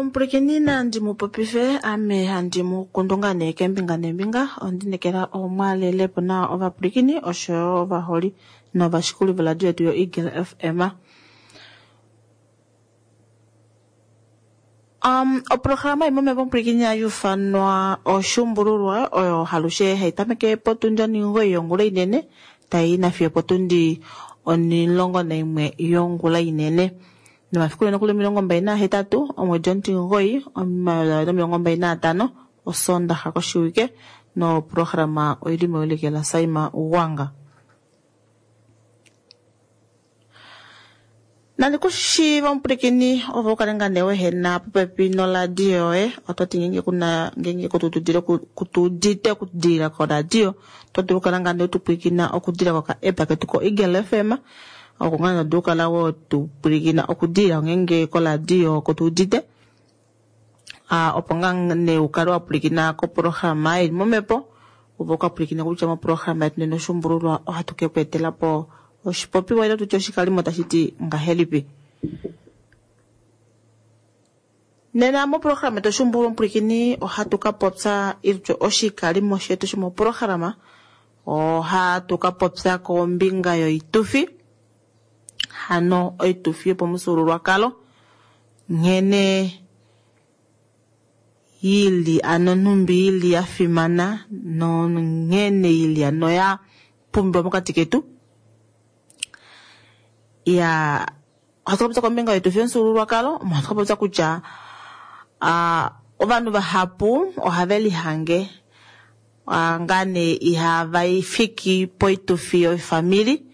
Omupwilikini nandi mu popife ame handi mu kundu ngaa nee keembinga neembinga. Ondinekela omwalelepo nawa ovapwilikini oshoyo ovaholi novashikuli voradio yetu yoEagle FM. Oprograma imwe omepopwilikini hayuufanwa oshuumbululwa oyo halushe hai tameke potundi 9 yongula inene tai nafiyo potundi 11 yongula inene. Nomafiku nokuli 28 omwedi omutimugoi 2025 Osoondaxa koshiwike noprograma oili mewiliko laSaima Ugwanga. Nandi ku shiiva omupwilikini ove u kale ngaa nee wehena popepi noradio yoye oto ti ngeenge kuna ngeenge kutudile kutuudite okudilila koradio oto dulu okukala ngaa nee wetupwilikina okudilila koka app ketu ko Eagle FM oko ngaa nee to dulu okukala wetupwilikina okudilila ngeenge koradio kutuudite opo ngaa nee ukale wa pwilikina koprograma ili momhepo ove uka pwilikine kutya moprograma yetu nena oshuumbululwa ohatu ke ku etela po oshipopiwa ile tutye oshikalimo tashi ti ngahelipi. Nena moprograma yetu oshuumbululwa omupwilikini ohatu ka popya ile tutye oshikalimo shetu shomoprograma ohatu ka popya kombinga yoitufi hano oitufi yopamufyuululwakalo nghene ili ano nhumbi ili ya fimana nonghene ili ano ya pumbiwa mokati ketu. Ya ohatu ka popya kombinga yoitufi yomufyuululwakalo omo hatu ka popya kutya ovanhu vahapu ohave lihange ngaa nee ihava fiki poitufi yofamili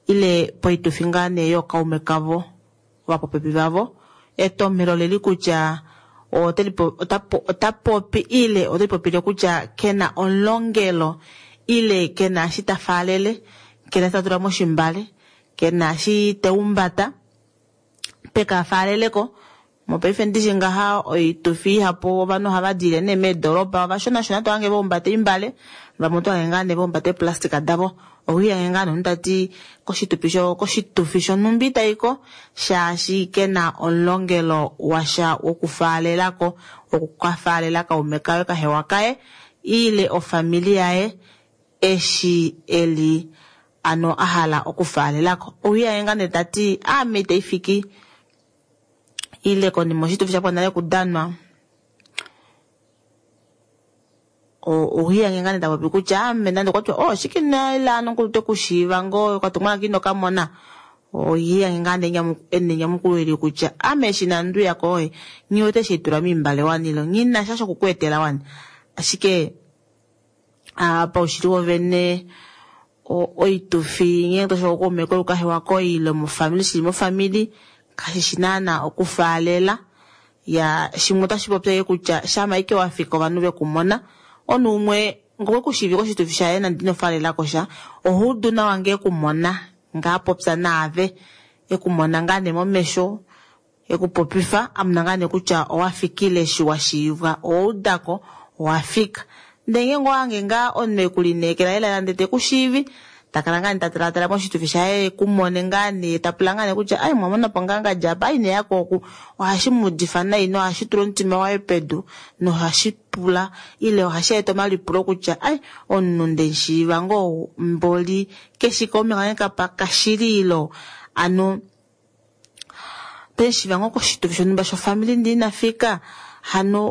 ile poitufi ngaa nee yookaume kavo ovapopepi vavo. Etomhelo leli kutya ota popi ile ote lipopile kutya kena omulongelo ile kena eshi ta faalele, kena eshi ta tula moshimbale, kena eshi teumbata peka faaleleko. Mopaife ndishi ngaha oitufi ihapu ovanhu ohava diile nee meedoropa ovashonashona tohange vaumbata oimbale vamwe otohange ngaa nee vaumbata eeplastika davo. Owiihange ngaa nomunhu tati koshitufi shonhumba itaiko shaashi kena omulongelo washa wokufaalelako wokukafaalela kaume kaye kahewa kaye ile ofamili yaye eshi eli ano ahala okufaalelako. Owiihange ngaa nee tati aame itaifiki ile konima oshitufi shapwa nale okudanwa owiihange ngaa nee tapopi kutya ame nande okwatiwa oh shike nailano nkulu tekushiiva ngoo okatumwalaka ino kamona oyiihange ngaa nee enyamukulo eli kutya ame eshi inanduya koye nghi wete eshi haitula moimbale wani ile nghinasha shokuku etela wani. Ashike paushili wovene oitufi ngeenge toshiva kukaume koye kukahewa koye ile mofamili shili mofamili kashishi naana okufaalela. Ya shimwe otashi popi ashike kutya shama ashike wafika ovanhu vekumona omunhu umwe ngee okwekushiivi koshitufi shaye nande ino faalelakosha ohaudu nawa ngee ekumona ngaa apopya naave ekumona ngaa nee momesho ekupopifa amona ngaa nee kutya owafikile eshi washiivwa owaudako owafika. Ndee ngeenge owahange ngaa omunhu ekulineekela lela ndee tekushiivi takala ngaa nee tatalaatala moshitufi shaye ekumone ngaa nee tapula ngaa nee kutya ai mwamonapo ngaa ngadi apa ai ineyako oku ohashi muudifa nai nohashi tula omutima waye pedu nohashi pula ile ohashi eta omalipulo kutya ai omunhu ndemushiiva ngoo mboli keshi kaume kange kapa kashili ilo ano temushiiva ngoo koshitufi shonhumba shofamili ndee inafika hano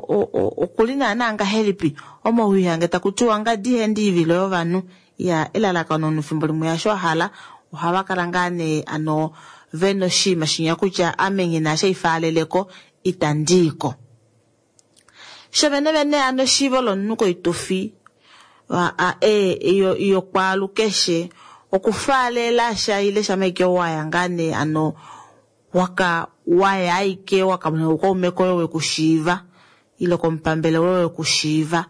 okuli naana ngahelipi omawiihange takutiwa ngadi ihaendi oivilo yovanhu. Ya elalakano omunhu efimbo limwe hasho ahala ohava kala ngaa nee ano vena oshinima shinya kutya ame nghina eshi haifaaleleko itandiiko. Shovene vene ano eshiivo lomunhu koitufi yokwaalukeshe okufaalela sha ile shama ashike waya ngaa nee ano waka waya ashike wakamona kukaume koye wekushiiva ile komupambele woye wekushiiva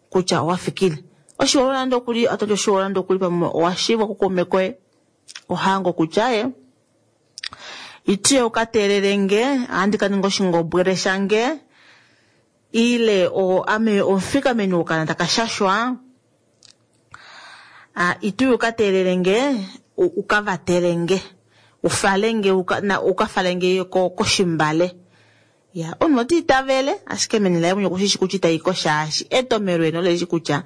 kutya owafikile. Oshiwa nande okuli ototi oshiwa nande okuli pamwe owashiivwa kukaume koye ohango kutya ye itiye ukateelele ohandi kaninga oshingobwele shange ile ame omufikameni wokana takashashwa ituye ukateelele ukavatelenge ufalenge ukafalenge koshimbale. Ya, omunhu ota itavele ashike meni laye mwene okushishi kutya itayi ko shaashi etomelo eno lelishi kutya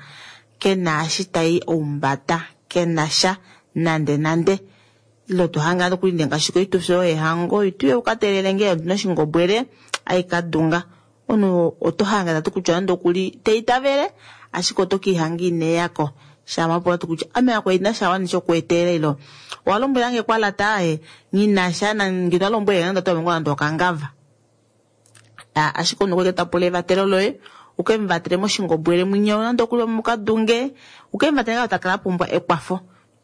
ke na eshi tai oumbata, ke na sha nande nande. Ile to hange nande okuli ngaashi koitufi oyo yehango, ituye uka teelele nge ondina oshingobwele aikadunga. Omunhu oto hange tati kutya nande okuli te itavele ashike oto kiihanga ineyako. Shama pula tu kutya ame ako ina sha wani shokuetelela ilo owa lombwelange kwa lata aye nghinasha ngino alombwele nande oto longo nande okangava. Ashike omunhu okwa ta pula evatelo loye uke mu vatele moshingobwele mwinyo nande okuli mukadunge uke mu vatele nga takala pumbwa ekwafo.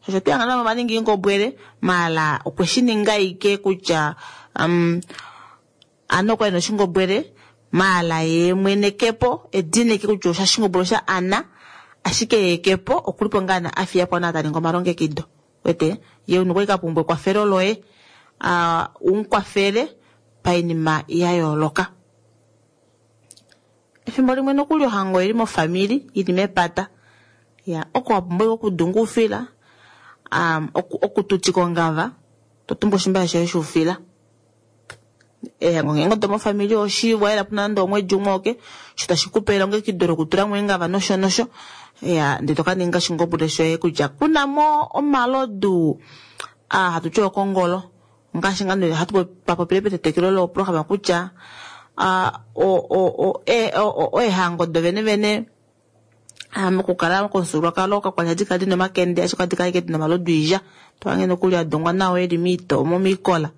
Osho twihanga navo vaningi ingobwele mala okwe shi ninga ike kutya ano okwa ina oshingobwele mala ye mwene kepo edina ike kutya osha shingobwele osha ana ashike ye kepo okulipo ngaa na afiya po na taninga omalongekido. Wete ye omunhu okwa ka pumbwa ekwafelo loye umukwafele painima ya yooloka. Efimbo limwe nokuli ohango ili mofamili ili mepata. Ya, oko wa pumbwa okudunga oufila, okututika ongava, to tumbu oshimbale shoye shoufila. Ehango ngeenge odo mofamili oshi waela puna nande omwedi umwe oke, sho tashi kupe elongekido lokutula mo eengava nosho nosho. Ya, ndele to ka ninga oshingobwele shoye kutya kuna mo omalodu hatu ti okongolo. Ngaashi ngaa nee hatu papopile petetekelo loprograma kutya eehango do vene vene mokukala komufyuululwakalo kakwali hadi kala dina omakende ashike ohadi kala ashike dina omalodu oilya. To hange nokuli a dungwa nawa eli miikola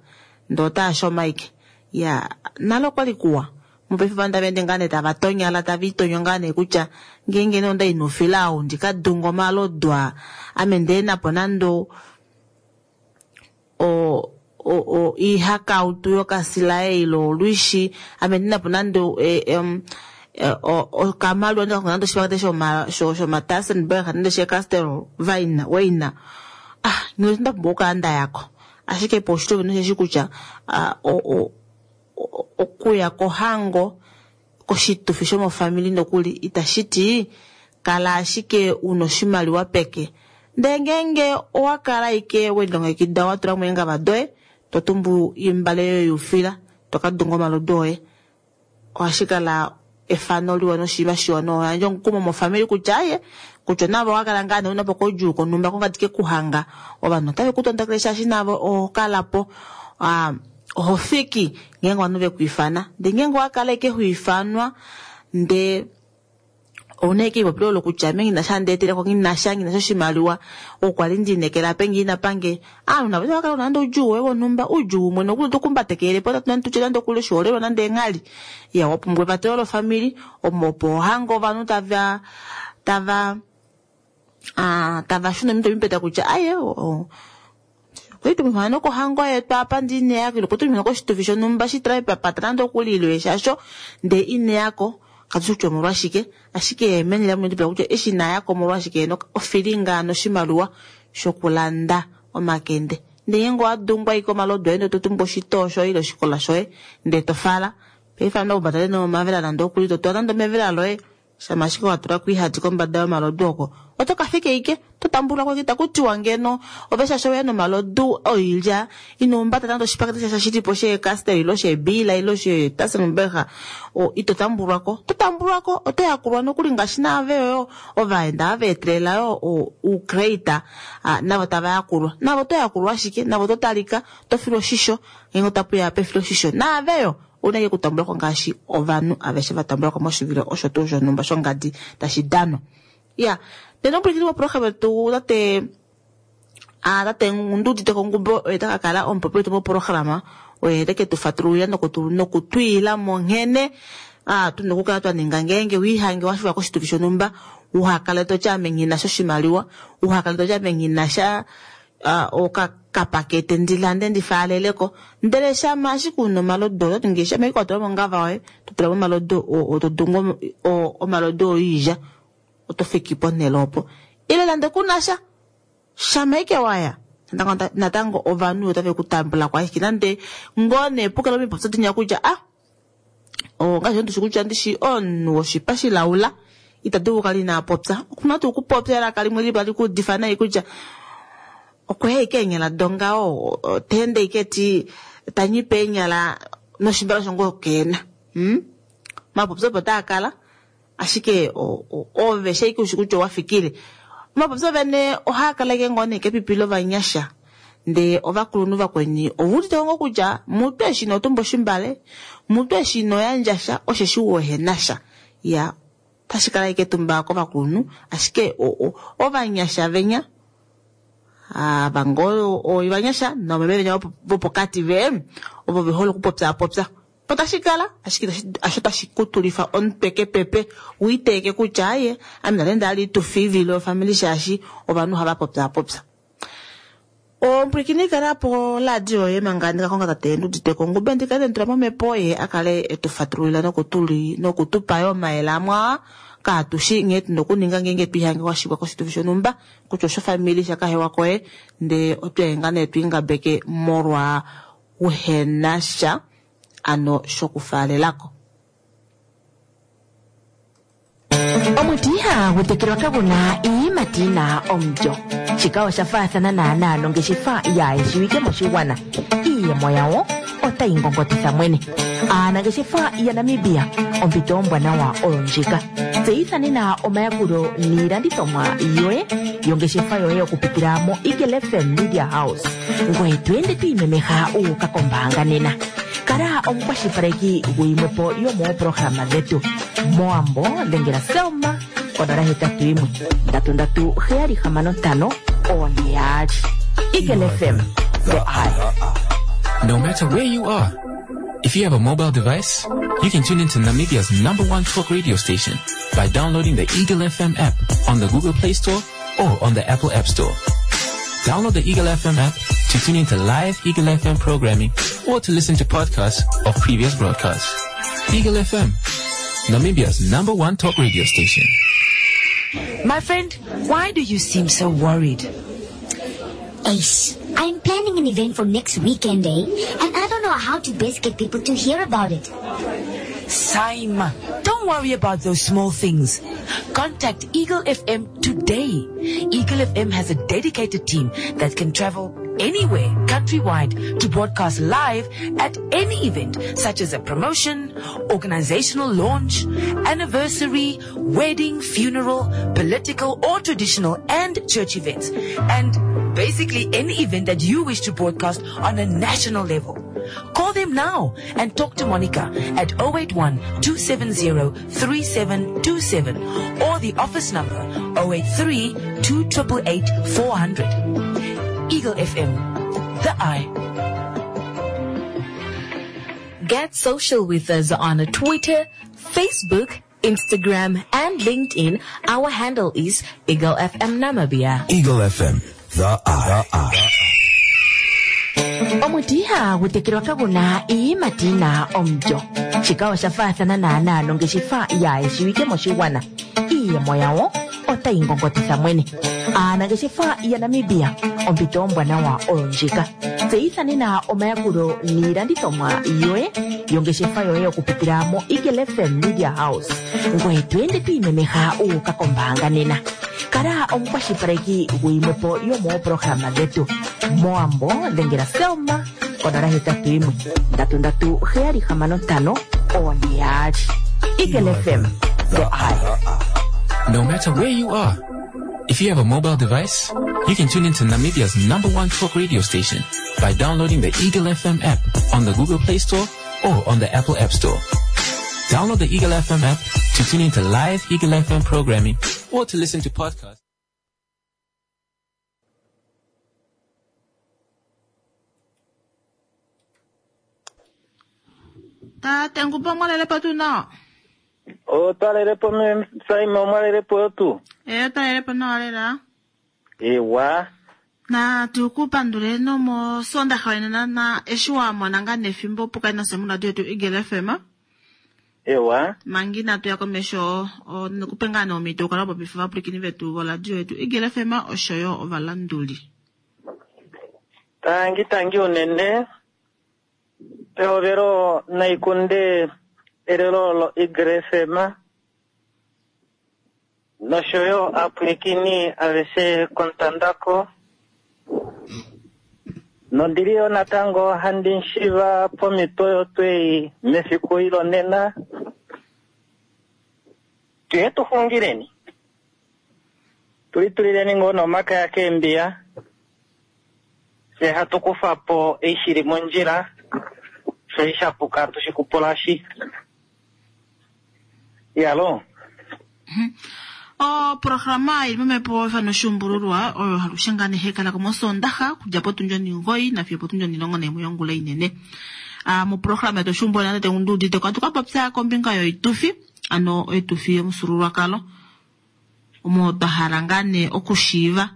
ndee otaa shoma ashike. Ya, nale okwali kuwa. Mopaife ovanhu tava ende ngaa nee tava tonyala tava itonyo ngaa nee kutya ngeenge nee onda i noufila ou ndi ka dunge omalodu aa ame ndee napo nande ihakautu yokasilaye ile olwishi ame ndinapo nande okamalwa nande oshipakete shoma Tassenberg nande she Castel waina nda pumbwa okukala nda yako. Ashike poushitwe wene osheshi kutya okuya kohango koshitufi shomofamili nokuli itashi ti kala ashike una oshimaliwa peke. Ndele ngeenge owa kala ike welilongekida wa tula mo eengava doye to tumbu imbale yoye youfila to ka dunga omalodu oye, ohashi kala efano liwa noshinima shiwa noyandja omukumo mofamili kutya aye kutya navo owa kala ngaa nee una po koudjuu konhumba kongadi kekuhanga ovanhu otave ku tondokele shaashi navo oho kala po oho fiki ngeenge ovanhu vekwiifana. Ndee ngeenge owa kala ike hwiifanwa ndee ouna ike ipopilo olo kutya ame nghinasha ndeeteleko nghinasha nghinasha oshimaliwa okwali ndiinekela ape ngiina pange aanhu navo otava kala una nande oudjuu woye wonhumba oudjuu umwe nokuli otokumbatekele po tutye nande okuli oshiholelwa nande eenghali. Ya, wapumbwa evatelo lofamili omo opo ohango ovanhu tava tava shuna omitwe mipeta kutya aye okwali tumufana nokohango yetu apa ndi ineyako ile okwali tumufana koshitufi shonhumba shitula epapata nande okuli ile shasho ndee ineyako katushi kutya omolwashike ashike meni lamwe ndipula kutya eshi inayako omolwashike ofilinga noshimaliwa shokulanda omakende. Ndee ngeenge owa dungwa ike omalodu oye ndee to tumbu oshitoo shoye ile oshikola shoye ndee to fala. Paife ovanhu okumbatale nomavela nande okuli to tula nande omevela loye shama ashike wa tula ko ihati kombada yomalodu oko oto ka fika ike to tambulwa ko itaku tiwa ngeno ove shaashi oweya nomalodu oilya ino humbata nande oshipakete shasha shilipo shee Castel ilo sheebila ilo sheTassenberg ito tambulwako. To tambulwako oto yakulwa nokuli ngaashi naave yo ovaenda ava etelela yo uucrate navo tava yakulwa. Navo oto yakulwa ashike navo oto talika to filwa oshisho ngeenge otapuya pefilo oshisho naave yo ouna ike okutambulwako ngaashi ovanhu aveshe va tambulwako moshivilo osho tuu shonhumba shongadi tashi danwa. Ya, ndele omupwilikini woprograma yetu tate tate Nduuditeko Ngumbo oye taka kala omupopi wetu moprograma oye teke tu fatululila nokutwiila mo nghene tuna okukala twa ninga ngeenge wiihange wa fiwa koshitufi shonhumba uhakale toti ame nghinasha oshimaliwa uhakale toti ame nghinasha okapakete ndilande ndifaaleleko ndele shama ashike una omalodu ototi nge shama ike watula mongava yoye to tula mo omalodu to dungu omalodu oilya oto fiki ponhele opo ile nande kunasha shama ike waya natango ovanhu otave ku tambula ko ashike nande ngoo nee pukala omipopyo dinya kutya ngaashi ndishi kutya ndishi omunhu woshipa shilaula ita dulu okukala ina popya okuna tuu okupopya elaka limwe lipo tali kuudifa nai kutya okweya ike eenyala dongaho teende ike ti tanyipe eenyala noshimbala shongo keena. Hmm? Omapopyo opo taa kala ashike ove sheike ushi kutya owa fikile. Omapopyo vene ohaa kala ashike ngoo nee kepipi lovanyasha ndee ovakulunhu vakweni ovuudite ngoo kutya mutu eshi ino tumba oshimbale, mutu eshi ino yandja sha osheshi uhe sha. Ya otashi kala ashike etumba kovakulunhu ashike ovanyasha venya ava ngoo ovanyasha nomeme venya vopokati ve ovo ve hole okupopyaapopya. Otashi kala ashike asho tashi kutulifa omutwe kepepe wiiteeke kutya aye ame nale ndali tufiivile ofamili shaashi ovanhu ohava popyaapopya. Omupwilikini kala po radio yoye manga ndika konga tate Nduditeko Ngube ndikale nditula momhepo ye a kale etu fatululila nokutupa yo omayele amwe aa kaatushi nghee tuna okuninga ngeenge twiihange washikwa koshitufi shonhumba kutya oshofamili shakahewa koye ndee otwehenga nee twiingabeke molwa uhenasha ano shokufaalelako. Omuti ihagu tekelwa kagu na iiyimati yi na omulyo. Shika osha faathana naanaa nongeshefa yaa shiwike moshigwana. Iiyemo yawo otayi ngongotitha mwene. Aanangeshefa yaNamibia, ompito ombwanawa oyo ndjika. Tseyitha nena omayakulo niilandithomwa yoye yongeshefa yoye okupitila moEagle FM Media House. Ngoye to ende to imemeha wu uka kombaanga nena. Kala omukwashilipaleki guyimwe po yomooprograma dhetu. Mowambo dhengela Selma konola hetatu yimwe ndatu ndatu heyali hamano ntano one yaali. Eagle FM, the eye. No matter where you are, if you have a mobile device, you can tune into Namibia's number one talk radio station by downloading the Eagle FM app on the Google Play Store or on the Apple App Store. Download the Eagle FM app to tune into live Eagle FM programming or to listen to podcasts of previous broadcasts. Eagle FM, Namibia's number one talk radio station. My friend, why do you seem so worried? Ace, I'm planning an event for next weekend, eh? And I don't know how to best get people to hear about it. Saima, don't worry about those small things. Contact Eagle FM today. Eagle FM has a dedicated team that can travel anywhere countrywide to broadcast live at any event such as a promotion, organizational launch, anniversary, wedding, funeral, political or traditional and church events, and basically any event that you wish to broadcast on a national level. Call them now and talk to Monica at 081 270 3727 or the office number 083 288 400. Eagle FM, the eye. Get social with us on Twitter, Facebook, Instagram, and LinkedIn. Our handle is Eagle FM Namibia. Eagle FM, the eye. Omuti ihagu tekelwa kagu na iiyimati yi na omulyo. Shika osha faathana naanaa nongeshefa yaa shiwike moshigwana. Iiyemo yawo otayi ngongotitha mwene. Aanangeshefa yaNamibia, ompito ombwanawa oyo ndjika. Tseyitha nena omayakulo niilandithomwa yoye yongeshefa yoye okupitila moEagle FM Media House. Ngoye to ende to imemeha wu uka kombaanga nena. Kala omukwashilipaleki guyimwe po yomooprograma dhetu. Mowambo dhengela Selma konola hetatu yimwe ndatu ndatu heyali hamano ntano one yaali. Eagle FM, the eye. No matter where you are, if you have a mobile device, you can tune into Namibia's number one talk radio station by downloading the Eagle FM app on the Google Play Store or on the Apple App Store. Download the Eagle FM app to tune into live Eagle FM programming or to listen to podcasts. Tate Ngube omwalelepo tuu nawa? Otwalelepo me Saima omwalelepo yo tuu? Ee, otwalelepo nawa lela. Ewa. Natu ku pandule nomosondaxa wenena na eshi wa mona ngaa nefimbo opo kali nase moradio yetu Eagle FM. Ewa. Manga inatu ya komesho nikupe ngaa nee omhito ukale wa popifa ovapwilikini vetu voradio yetu Eagle FM oshoyo ovalanduli. Tangi tangi unene. Pehovelo naikunde elelo loEagle FM noshoyo aapwilikini aveshe kontandako. Nondili yo natango handi mushiva pomhito oyo twei mefiku eli lonena. Tuye tu xungileni. Tu litulileni ngoo nomakaya keembiya. Fye hatu kufa po ei shili mondjila, fye eshi sha puka hatu shi kupulashi. Iyaloo. Oprograma ili momhepo efano oshuumbululwa oyo alushe ngaa nee hai kalako mosoondaxa okudja potundi onimugoyi nafiyo opotundi onilongo naimwe yongula inene. Ah, moprograma yetu oshuumbululwa tate Nduudite ohatu ka popya kombinga yoitufi, ano oitufi yomufyuululwakalo omo twa hala ngaa nee okushiiva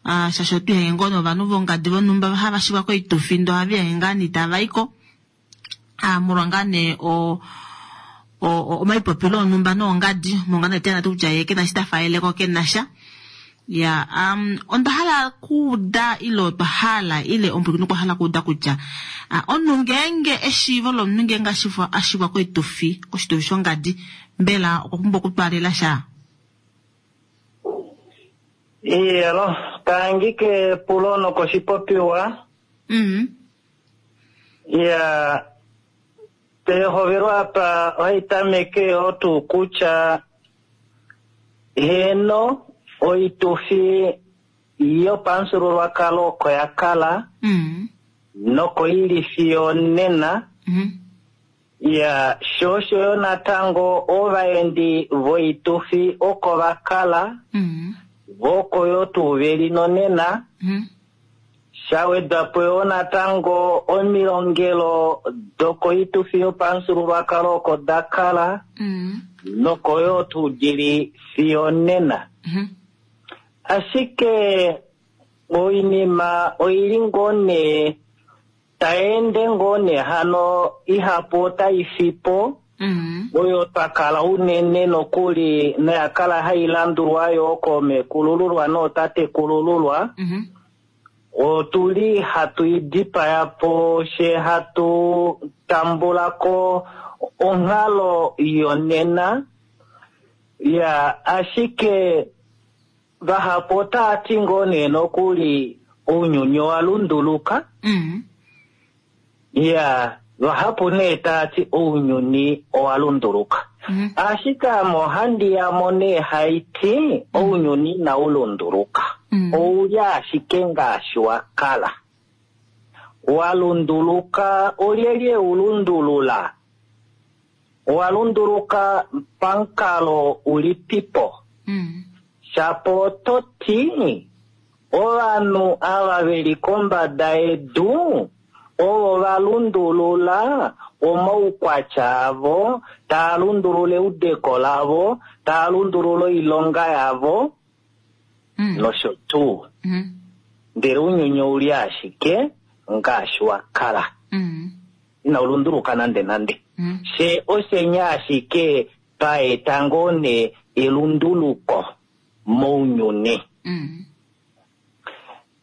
ah, shaashi otwi hange ngoo novanhu vongadi vonhumba hava shivwa koitufi ndoo ohava ihange ngaa nee itava iko ah, molwa ngaa nee o omaipopilo onhumba noongadi monga nee tena kutya ye kena shi ta faeleko kena sha ya um, onda hala kuuda ile otwa hala ile omupwilikini okwa hala kuuda kutya uh, omunhu ngeenge eshiivo lomunhu ngeenge a shivwa koitufi koshitufi shongadi mbela okwa pumbwa okutwaalela sha? Iyelo, tangi kepulo nokoshipopiwa. Mm. Ya, pehovelo apa ohai tameke yoo tuu kutya heeno oitufi yopamufyuululwakalo oko ya kala Mm. noko ili fiyo nena. Mm. Ya, sho osho yo natango ovaendi voitufi oko va kala Mm. vo oko yo tuu veli nonena. Mm. Sha wedwa po yo natango omilongelo dokoitufi yopamufyuululwakalo oko da kala Mm. noko yo tuu dili fiyo nena. Mm. Ashike oinima oili ngoo nee tai ende ngoo nee hano ihapu otai fi po Mm. oyo twa kala unene nokuli noya kala hai landulwa yo koomekulululwa nootatekulululwa. Mm. Otuli hatu i dipaya po she hatu tambula ko onghalo yonena. Ya, ashike vahapu otava ti ngoo nee nokuli ounyuni owa lunduluka. Mm. Ya, vahapu nee tava ti ounyuni owa lunduluka. Mm. Ashike ame ohandi yamo nee hai ti ounyuni inau lunduluka. Mm. Ouli ashike ngaashi wa kala. Wa lunduluka, olyelye u lundulula? Owa lunduluka pamukalo ulipipo? Mm. Shapo oto ti ovanhu ava veli kombada yedu ovo va lundulula omaukwatya avo, taa lundulula eudeko lavo, taa lundulula oilonga yavo Mm. nosho tuu. Mm. Ndele ounyuni ouli ashike ngaashi wa kala. Mm. Inau lunduluka nande nande. Mm. She oshenya ashike pa eta ngoo nee elunduluko mounyuni. Mm.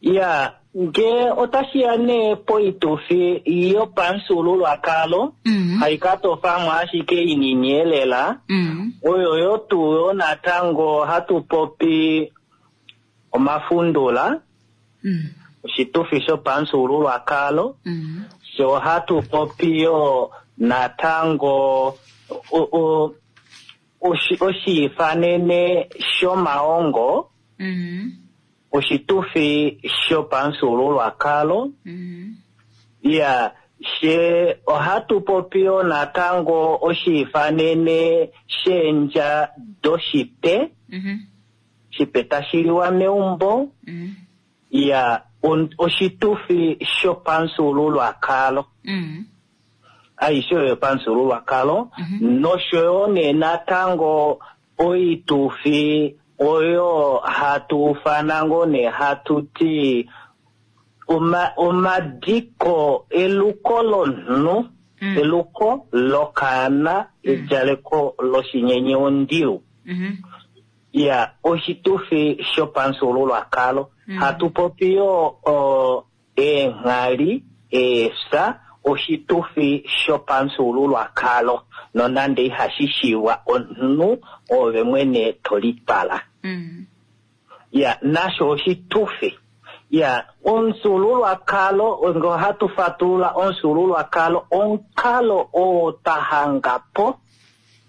Ya, nge otashi ya nee poitufi yopamufyuululwakalo, Mm. hai ka tofamwe ashike inini elela, Mm. oyo yo tuu yo natango hatu popi omafundula, Mm. oshitufi shopamufyuululwakalo, Mm. sho hatu popi yo natango oshiifanene shomaongo, Mm. oshitufi shopamufyuululwakalo. Mm. Ya, she ohatu popi yo natango oshiifanene sheendja doshipe, Mm. shipe tashi liwa meumbo. Mm. Ya, oshitufi shopamufyuululwakalo. Mm. Aishe oyo yopamufyuululwakalo. Mhm. Nosho yo nee natango oitufi oyo hatu ufana ngoo nee hatu ti omadiko eluko lomunhu, Mm. eluko lokaana, edjaleko loshinyenye ondilu. Mm. Ya, oshitufi shopamufyuululwakalo. Mm. Hatu popi yo eenghali, eefya, oshitufi shopamufyuululwakalo. Nonande ihashi shiiwa omunhu ove mwene to litwala. Mm. Ya, nasho oshitufi. Ya, omufyuululwakalo, nge ohatu fatulula omufyuululwakalo, omukalo oo twa hanga po,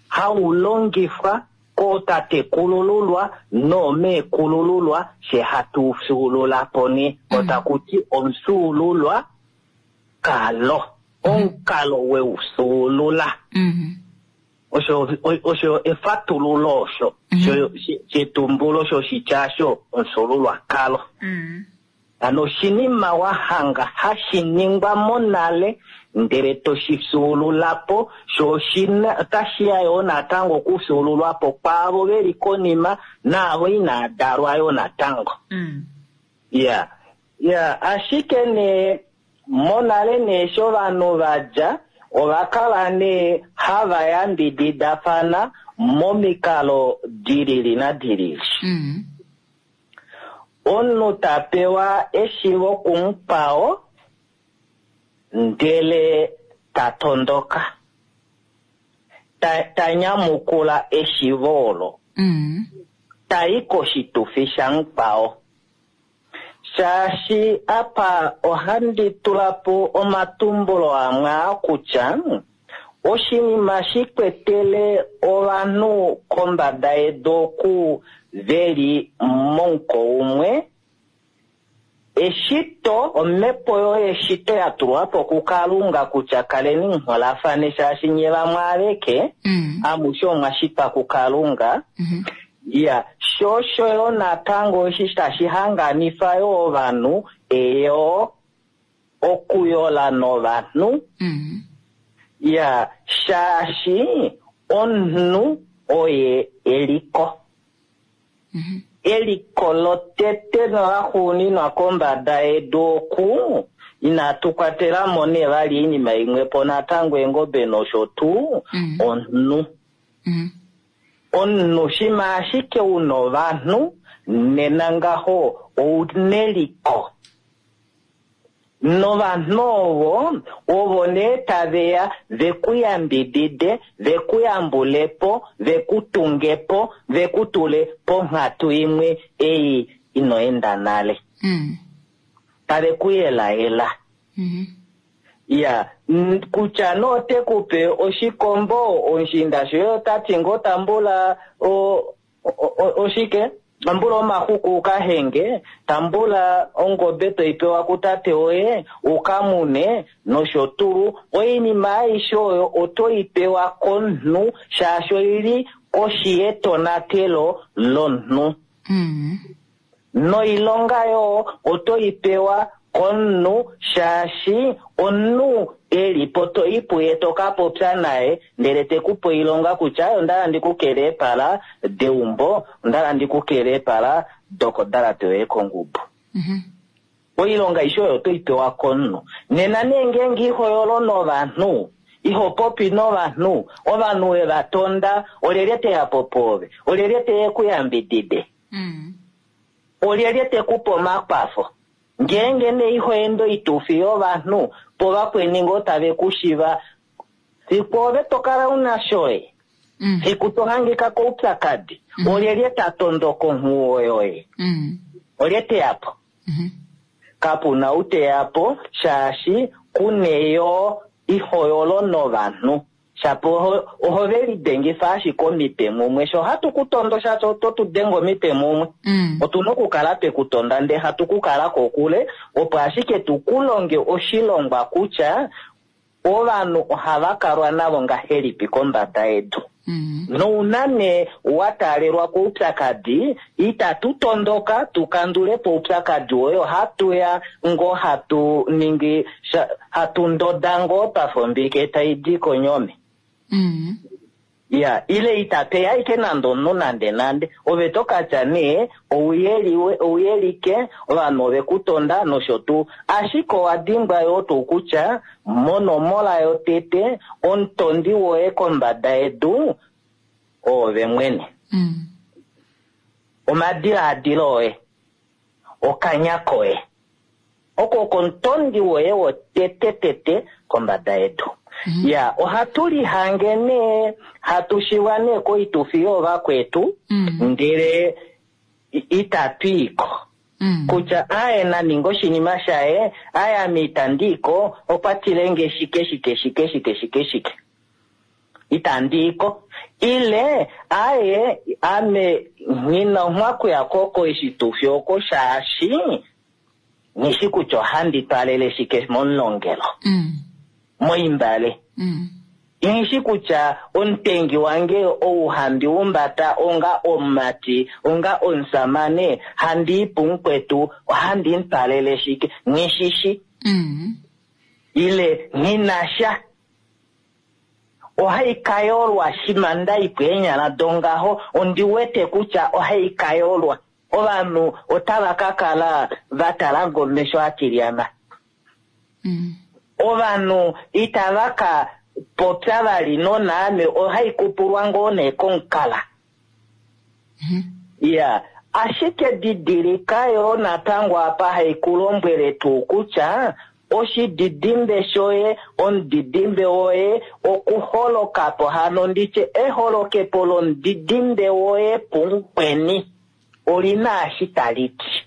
hau longifwa kootatekulululwa noomeekulululwa, fye hatu fyuulula po nee. Otaku ti omufyuululwakalo, omukalo we u fyuulula. Osho, osho efatululo osho, shetumbulo shoshitya osho omufyuululwakalo. Hano oshinima wa hanga hashi ningwa monale ndele to shi fyuulula po, sho oshina otashi ya yoo natango okufyuululwa po kwaavo ve li konima naavo inaa dalwa yoo natango. Ya, ya, ashike nee monale nee eshi ovanhu va dja ova kala nee hava yambididafana momikalo di lili nadi lili. Omunhu ta pewa eshivo kumukwao ndele ta tondoka, ta, ta nyamukula eshivo olo, ta i koshitufi shamukwao. Shaashi apa ohandi tula po omatumbulo amwe aa kutya oshinima shi kwetele ovanhu kombada yedu oku ve li momuko umwe, eshito, omhepo yoye eshito ya tulwa po kuKalunga kutya kaleni muholafane, shaashi nye vamwe aveke, amushe omwa shitwa kuKalunga. Ya, sho osho yo natango eshi tashi hanganifa yo ovanhu, eyo okuyola novanhu. Ya, shaashi omunhu oye eliko. Eliko lotete nolaxuuninwa kombada yedu oku, inatu kwatela mo nee vali oinima imwe po natango eengobe nosho tuu, omunhu. Omunhu shima ashike u na ovanhu, nena ngaho ou neliko. Novanhu ovo, ovo nee tave ya ve ku yambidide, ve ku yambule po, ve ku tunge po, ve ku tule ponghatu imwe ei ino enda nale. Tave ku yelayela. Ya, kutya nee ote ku pe oshikombo, omushiinda shoye ota ti ngoo tambula oshike? Tambula omaxuku u ka henge, tambula ongobe toi pewa kutate woye u ka mune nosho tuu. Oinima aishe oyo oto i pewa komunhu shaashi oi li koshi yetonatelo lomunhu. Noilonga yoo oto i pewa komunhu shaashi omunhu e li po to i puye to ka popya naye ndele te ku pe oilonga kutya onda hala ndi ku kele eepala deumbo, onda hala ndi ku kele eepala dokodalate yoye kongubu. Oilonga aishe oyo oto i pewa komunhu. Nena nee ngeenge iho yolo novanhu, iho popi novanhu, ovanhu we va tonda, olyelye te ya po pwoove? Olyelye te ya e ku yambidide? Olyelye te ku pe omakwafo? Ngeenge nee iho ende oitufi yovanhu, po vakweni ngoo tave ku shiva, fiku ove to kala u na shoye, fiku to hangika koupyakadi, olyelye ta tondoka onghuwo yoye? Olye te ya po? Kapu na ou te ya po, shaashi ku ne yoo iho yolo novanhu. Shapo oho ve lidengifa ashike omitwe mumwe. Sho hatu ku tondo shaashi oto tu denge omitwe mumwe. Otu na okukala twe ku tonda ndele hatu ku kala kokule, opo ashike tu ku longe oshilongwa kutya ovanhu ohava kalwa navo ngahelipi kombada yedu. Nouna nee wa taalelwa koupyakadi, itatu tondoka tu kandule po oupyakadi woye, ohatu ya ngoo hatu ningi sha, hatu ndoda ngoo twa fa ombike tai di konyome. Ya, ile itape ya ashike nande omunhu nande nande. Ove to ka tya nee, ouyeliwe, ouyelike, ovanhu ove ku tonda nosho tuu. Ashike owa dimbwa yoo tuu kutya monomola yotete, omutondi woye kombada yedu oove mwene. Omadilaadilo oye, okanya koye, oko oko omutondi woye wotetetete kombada yedu. Ya, ohatu lihange nee, hatu shiwa nee koitufi yoovakwetu, ndele itatu i ko. Kutya aye na ninga oshinima shaye, aye ame itandi i ko, okwa tile nge shike shike shike shike shike shike. Itandi i ko. Ile aye ame nghi na onghwaku ya ko koshitufi oko shaashi nghi shi kutya ohandi twalele shike momulongelo. Moimbale. Nghi shi kutya omutengi wange ou handi humbata onga omumati, onga omusamane, handi i pumukwetu, ohandi mu twalele shike, nghi shi shi. Ile nghi na sha. Ohai ka yolwa shima nda i pweenyala dongaho, ondi wete kutya ohai ka yolwa. Ovanhu otava ka kala va tala ngomesho a tilyana. Ovanhu itava ka popya vali nonaame, ohai kupulwa ngoo nee komukala. Ya, ashike didilika yo natango apa hai ku lombwele tuu kutya oshididimbe shoye, omudidimbe woye, okuholokapo hano nditye eholokepo lomudidimbe woye pumukweni oli na eshi tali ti.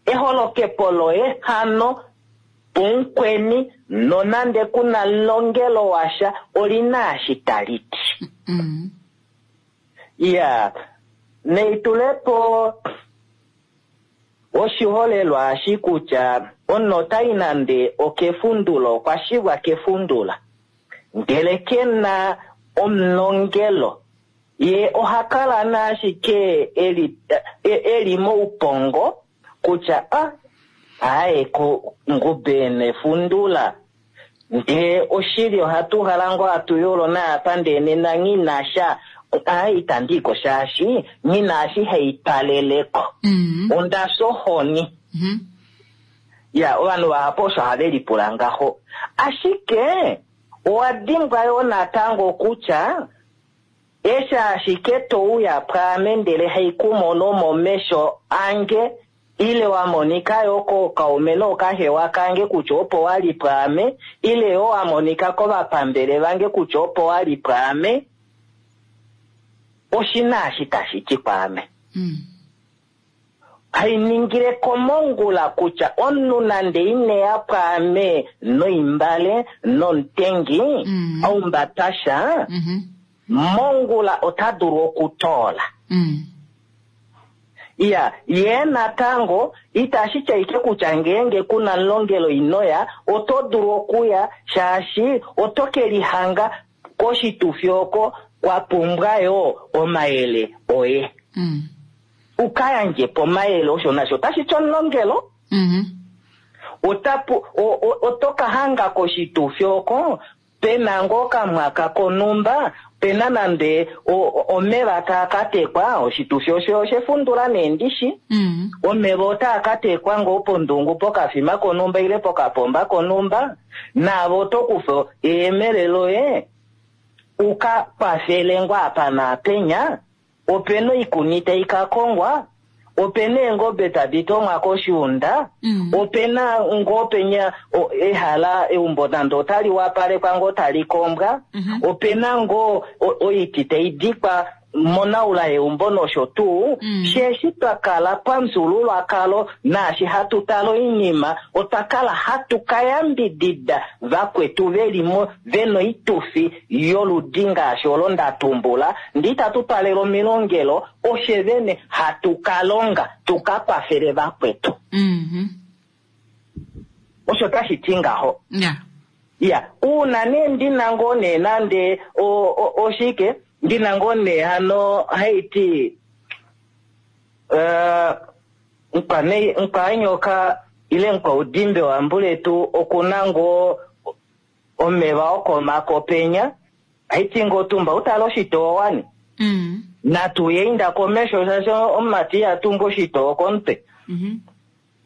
Eholokepo loye hano pumukweni nonande kuna longelo washa oli na eshi tali ti. Ya, neitulepo oshiholelwa ashi kutya omunhu otai nande okefundula, okwa shivwa kefundula, ndele ke na omulongelo, ye oha kala naashike eli moupongo kutya aye ko ngube nefundula, ndee oshili ohatu hala ngoo hatu yolo naapa ndee nena nghi na sha, aye itandi i ko shaashi nghi na eshi hai twaleleko. Onda fya ohoni. Ya, ovanhu vahapu osho have lipula ngaho. Ashike owa dimbwa yo natango kutya eshi ashike to uya pwaame ndele hai ku mono momesho ange, ile wa monika yo kookaume nookahewa kange kutya opo wa li pwaame, ile yo wa monika kovapambele vange kutya opo wa li pwaame, oshi na eshi tashi ti kwaame. Hai ningile komongula kutya omunhu nande ine ya pwaame noimbale nomutengi, aumbatasha, mongula ota dulu okutoola. Ya, ye natango itashi tya ike kutya ngeenge kuna mulongelo inoya, oto dulu okuya shaashi oto ke lihanga koshitufi oko kwa pumbwa yo omayele oye. Uka yandje po omayele osho nasho otashi ti omulongelo. Oto ka hanga koshitufi oko pena ngoo kamwaka konumba, pena nande omeva taa ka tekwa, oshitufi osho oshefundula neendishi. Omeva otaa ka tekwa ngoo pondungu pokafima konumba ile pokapomba konumba, naave oto kufa eyemele loye uka kwafele ngoo apa naapenya. Opena oikuni tai ka kongwa, opena eengobe tadi tomwa koshiunda, opena ngoo penya ehala eumbo nande otali wapalekwa ngoo tali kombwa, opena ngoo oiti tai dikwa monaula yeumbo nosho tuu. Sheshi twa kala pamufyuululwakalo naashi hatu tala oinima, otwa kala hatu ka yambidida vakwetu veli mo vena oitufi yoludi ngaashi olo nda tumbula, ndee itatu twalele omilongelo, oshe vene hatu ka longa tu ka kwafele vakwetu. Osho tashi ti ngaho. Ya, uuna nee ndina ngoo nee nande oshike, ndina ngoo nee hano haiti, nkwanyoka ile nkwaudimbe wambuletu okuna ngoo omeva okomako penya, haiti ngoo tumba utale oshitoo wani. Natu ye inda komesho shaashi omumati iha tumbu oshitoo komutwe.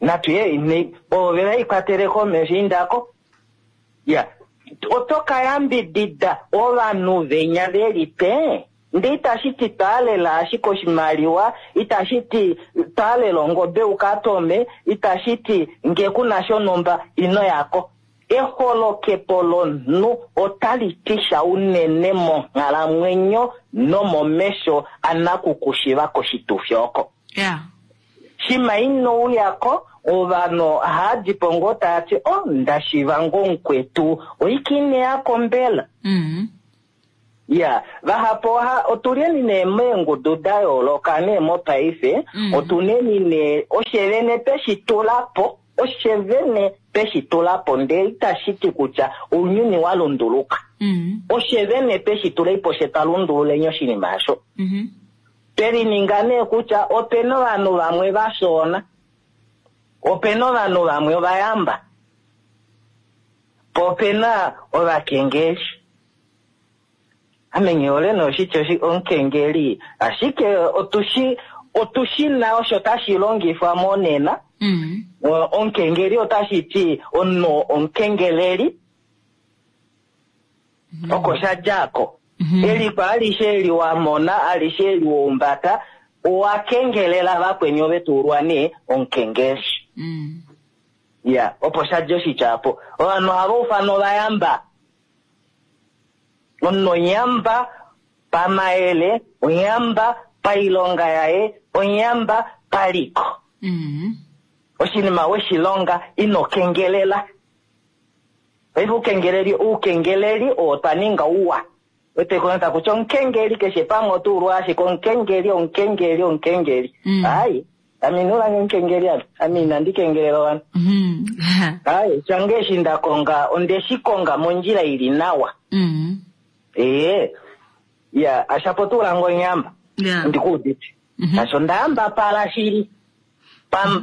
Natu ye ove vaikwatele komesho indako. Ya, oto ka yambidida ovanhu venya veli pe, ndee itashi ti twaalela ashike oshimaliwa, itashi ti twaalela ongobe uka tome, itashi ti nge kuna shonhumba ino yako. Eholokepo lomunhu otali ti sha unene monghalamwenyo nomomesho anakukushiva koshitufi oko. Ya. Shima ino uyako ovanhu ohaadi po ngoo taa ti o ndashiva ngoo mukwetu oike ine yako mbela. Ya, vahapu oha otuleni nee meengudu da yooloka nee mopaife, otuneni nee oshevene tweshi tula po, oshevene tweshi tula po ndele itashi ti kutya ounyuni wa lunduluka. Oshevene tweshi tula po she twa lundululeni oshinima osho. Twe lininga nee kutya opena ovanhu vamwe va fyoona, opena ovanhu vamwe ovayamba, po opena ovakengeli. Ame nghi hole nee oshitya omukengeli, ashike otushi na osho tashi longifwa monena. Omukengeli otashi ti omunhu omukengeleli, oko sha dja ko. Eliko alishe eli wa mona, alishe eli wa umbata, owa kengelela vakweni ove to ulwa nee omukengeli. Ya, opo sha dja oshitya opo. Ovanhu ohava ufana ovayamba. Omunhu onyamba pamayele, onyamba pailonga yaye, onyamba paliko. Oshinima we shi longa ino kengelela. Paife oukengeleli oo twa ninga uwa. Ote koneta kutya omukengeli keshe pamwe oto ulwa ashike omukengeli, omukengeli, omukengeli. Ai, ame ino ulange omukengeli ame. Ame inandi kengelela ovanhu. Ai, shange eshi nda konga, onde shi konga mondjila ili nawa. Ee, ya, ashapo tu ulange onyamba. Ndikuudite. Asho ndayamba pala shili.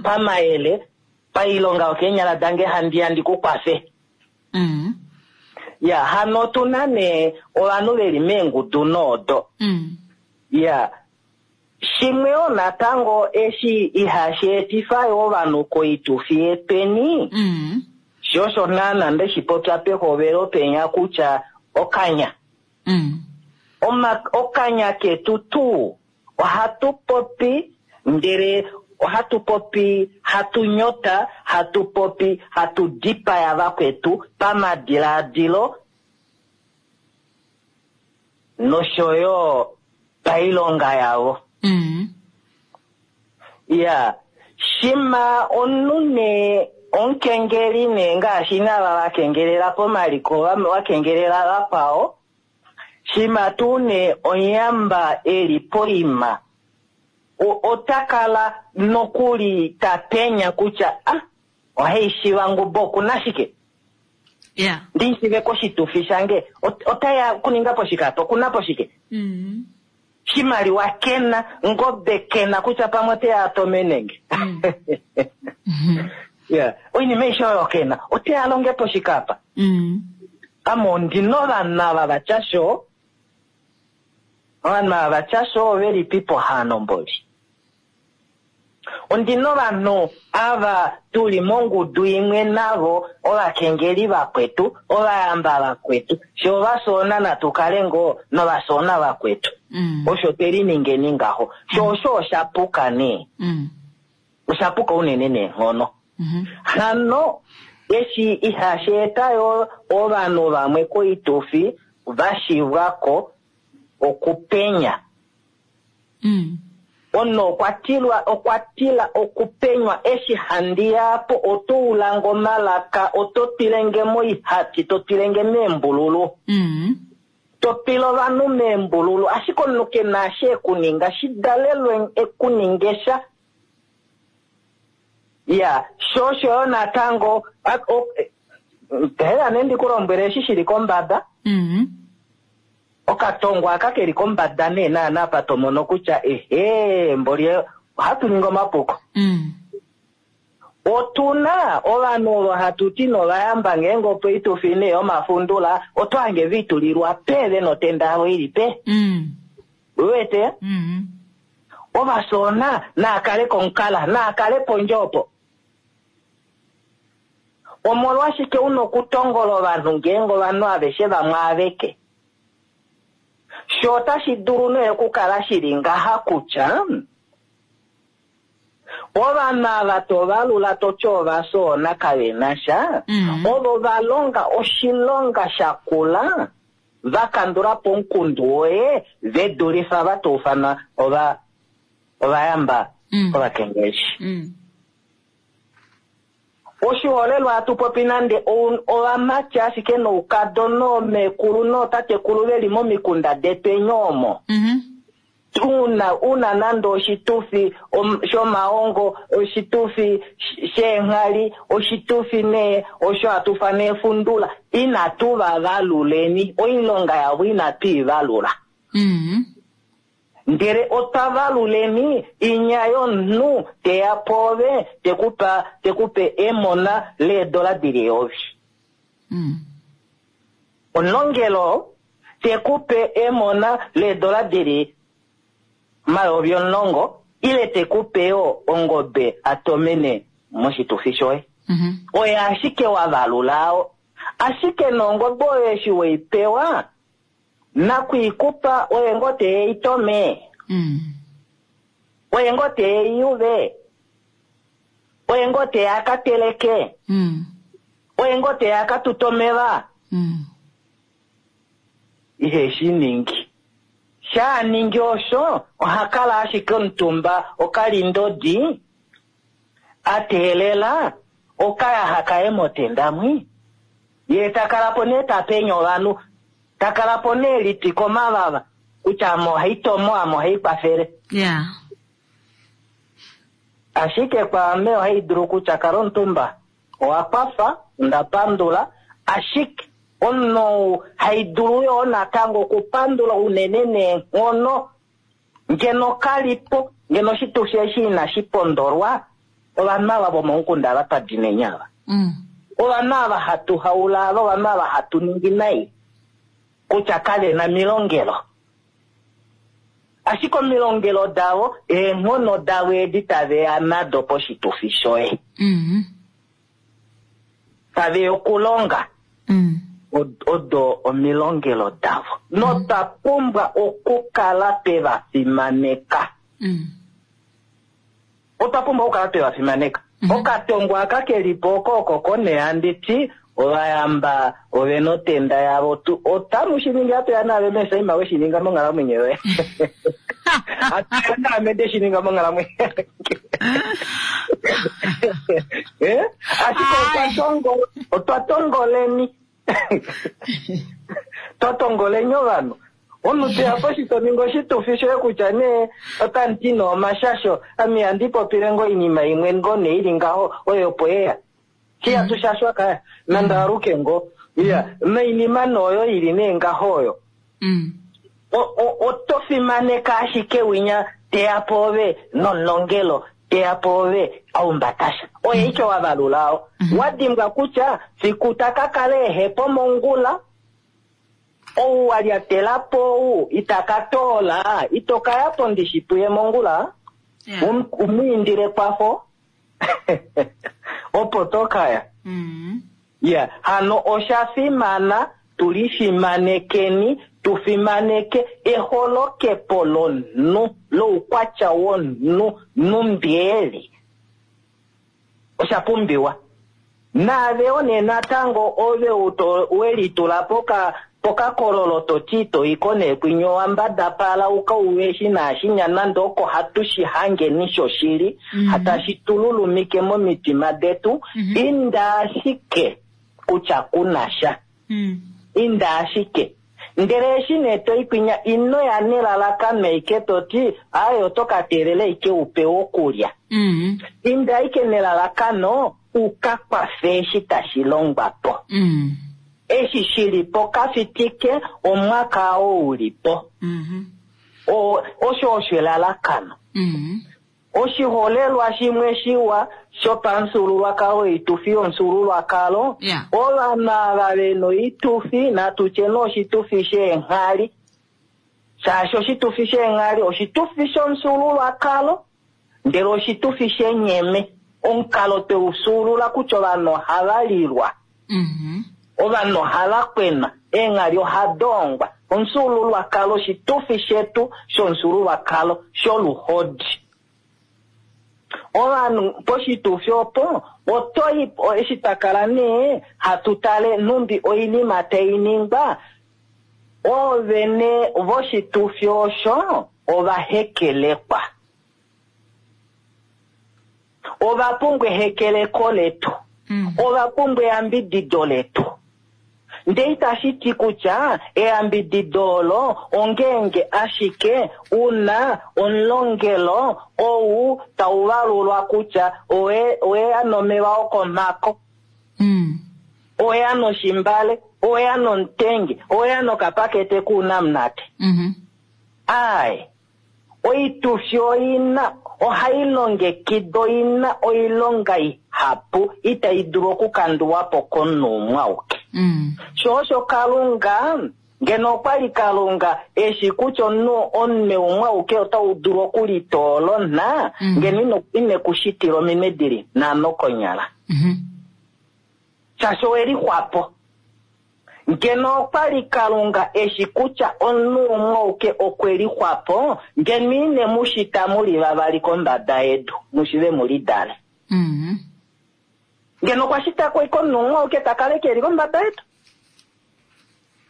Pamayele, pailonga yokeenyala dange handi ya ndikukwafe. Ya, hano otu na nee ovanhu veli meengudu noodo. Ya, shimwe yo natango eshi ihashi etifa yo ovanhu koitufi yetweni, sho osho naana nde shi popya pehovelo penya kutya okanya. Okanya ketu tuu ohatu popi ndele ohatu popi hatu nyota, hatu popi hatu dipaya vakwetu pamadiladilo nosho yo pailonga yavo. Ya, shima omunhu nee omukengeli nee ngaashi nava va kengelela pomaliko, va kengelela vakwao, shima tuu nee onyamba eli poima, ota kala nokuli ta penya kutya, ah, ohai shiva ngubo oku na shike? Ndi shive koshitufi shange, ota ya kuninga po shike apa? Oku na po shike? Shimaliwa kena, ngobe kena kutya pamwe ote ya atomenenge. Yeah. Oinima aishe oyo kena, ote ya longe po shike apa? Ame ondi novanhu ava va tya sho, ovanhu ava va tya sho ovelipi po hano mboli? Ondi novanhu ava tuli mongudu imwe navo, ovakengeli vakwetu, ovayamba vakwetu, sho ovasoona natu kale ngoo novasoona vakwetu. Osho twe liningeni ngaho. Sho osho osha puka nee. Osha puka unene neenghono. Hano eshi ihashi eta yo ovanhu vamwe koitufi va shivwa ko okupenya. Omunhu okwa tila okupenywa eshi handi ya po, oto ulange omalaka, oto twilenge moihati, to twilenge meembululu. To twile ovanhu meembululu, ashike omunhu ke na eshi ekuninga, shidalelwe ekuninge sha. Ya, sho osho yo natango, hela nee ndi ku lombwele eshi shili kombada. Okatongo aka keli kombada nee naana apa to mono kutya ehe, mboli ohatu ningi omapuko. Otu na ovanhu ovo hatu ti novayamba ngeenge opo itufi nee yomafundula, oto hange ve itulilwa pe ve notenda yavo ili pe. Uwete? Ovasoona naa kale komukala, naa kale pondje opo. Omolwashike u na okutongola ovanhu ngeenge ovanhu aveshe vamwe aveke? Sho otashi dulu nee okukala shi li ngaha kutya ovanhu ava to valula to ti ovasoona kave na sha, ovo va longa oshilonga sha kula va kandula po omukundu woye ve dulifa va to ufana ovayamba. Kovakengeli. Oshiholelwa hatu popi nande ovamati ashike noukadona oomekulu nootatekulu veli momikunda detweni omo. Una nande oshitufi shomahongo, oshitufi sheenghali, oshitufi nee osho hatu fana efundula, inatu va valuleni, oilonga yavo inatu i valula. Ndele otwa valuleni inya yomunhu teya pwoove tekupe emona leedola dili eyovi. Omulongelo tekupe emona leedola dili 10,000 ile tekupe yo ongobe atomene moshitufi shoye. Oye ashike wa valula ashike nongobe oyo eshi weipewa nakuikupa oye ngoo teitome. Oye ngoo teiyuve. Oye ngoo teyakateleke. Oye ngoo teyakatutomeva. Ihe shi ningi. Sha ningi osho oha kala ashike omutumba okalindodi ateelela okayaha kaye motenda mwi. Ye takala po nee tapenya ovanhu. Takala po nee litwi komavava kutya ame ohaitomo ame ohaikwafele. Ashike kwaame ohaidulu kutya kala omutumba owa kwafa onda pandula ashike omunhu haidulu yoo natango okupandula unene neenghono ngeno kalipo ngeno oshitufi eshi inashi pondolwa ovanhu ava vomomukunda ava twa dinenya ava. Ovanhu ava hatu haula ava ovanhu ava hatu ningi nai kutya kavena milongelo. Ashike omilongelo davo eenghono davo edi taveya nado poshitufi shoye. Taveya okulonga. Odo omilongelo davo. Notwa pumbwa okukala tweva fimaneka. Otwa pumbwa okukala tweva fimaneka. Okatongo aka kelipo oko oko koneanditi ovayamba ovena otenda yavo otamu shi ningi atuya naave mesaima we shi ninga monghalamwenyo yoye. Atuya naame nde shi ninga monghalamwenyo. Ashike otwa tongoleni. Twa tongoleni ovanhu. Omunhu teya poshito ninga oshitufi shoye kutya nee otanti noomashasho ame ihandi popile ngoo oinima imwe ngoo nee ili ngaho oyo opo yeya. Shiya tushashwa kaya nande aluke ngoo. Iya noinima nooyo ili nee ngaho oyo. Oto fimaneka ashike winya teya poove nomulongelo teya poove aumbatasha. Oye ike wa valulao. Wadimbwa kutya fiku takakala ehepo mongula ou walyatelapo ou itakatoola itokayapo ndishipuye mongula. Umwiindile kwafo opo tokaya. Ya hano osha fimana tulifimanekeni tufimaneke eholokepo lomunhu loukwatya womunhu numbieli osha pumbiwa. Naave one natango ove welitula pokakololo toti toiko nekwinyo wambadapala ukauwe naashinya nande oko hatu shi hangeni shoshili hatashi tululumike momitima detu. Inda ashike kutya kunasha. Inda ashike ndele eshi nee toikwinya ino ya nelalakano ike toti aye oto ka teelela ike upewe okulya. Inda ike nelalakano uka kwafe eshi tashi longwa po. Eshi shilipo kafitike omwaka oo ulipo. Osho osho elalakano. Oshiholelwa shimwe shiwa shopamufyuululwakalo oitufi yomufyuululwakalo. Ovanhu ava vena oitufi natutye nee oshitufi sheenghali. Shaashi oshitufi sheenghali oshitufi shomufyuululwakalo ndele oshitufi shenyeme. Omukalo tweufyuulula kutya ovanhu ohava lilwa. Ovanhu ohava kwenwa, eenghali ohadoongwa. Omufyuululwakalo oshitufi shetu shomufyuululwakalo sholuhodi. Ovanhu poshitufi opo otoi eshi twakala nee hatu tale numbi oinima tai ningwa oovene voshitufi osho ovahekelekwa. Ova pumbwa ehekeleko letu. Ova pumbwa eyambidido letu. Ndee itashi ti kutya eyambidido olo ongeenge ashike una omulongelo ou tau valulwa kutya oweya nomeva okomhako, oweya noshimbale, oweya nomutengi, oweya nokapakete kuunamunate. Aaye, oitufi oina ohai longekidwa oina oilonga ihapu itai dulu okukandulwa po komunhu umwe auke. Sho osho Kalunga, ngeno okwali Kalunga eshi kutya omunhu omunwe umwe auke otau dulu okulitoola onha, ngeno ine ku shitila ominwe dili nhano konyala. Shaashi owe lixwapo. Ngeno okwali Kalunga eshi kutya omunhu umwe auke okwe lixwapo, ngeno ine mu shita mu li vavali kombada yedu, mu shive mu lidale. Ngeno okwa shita ko omunhu umwe auke ta kala eke li kombada yedu.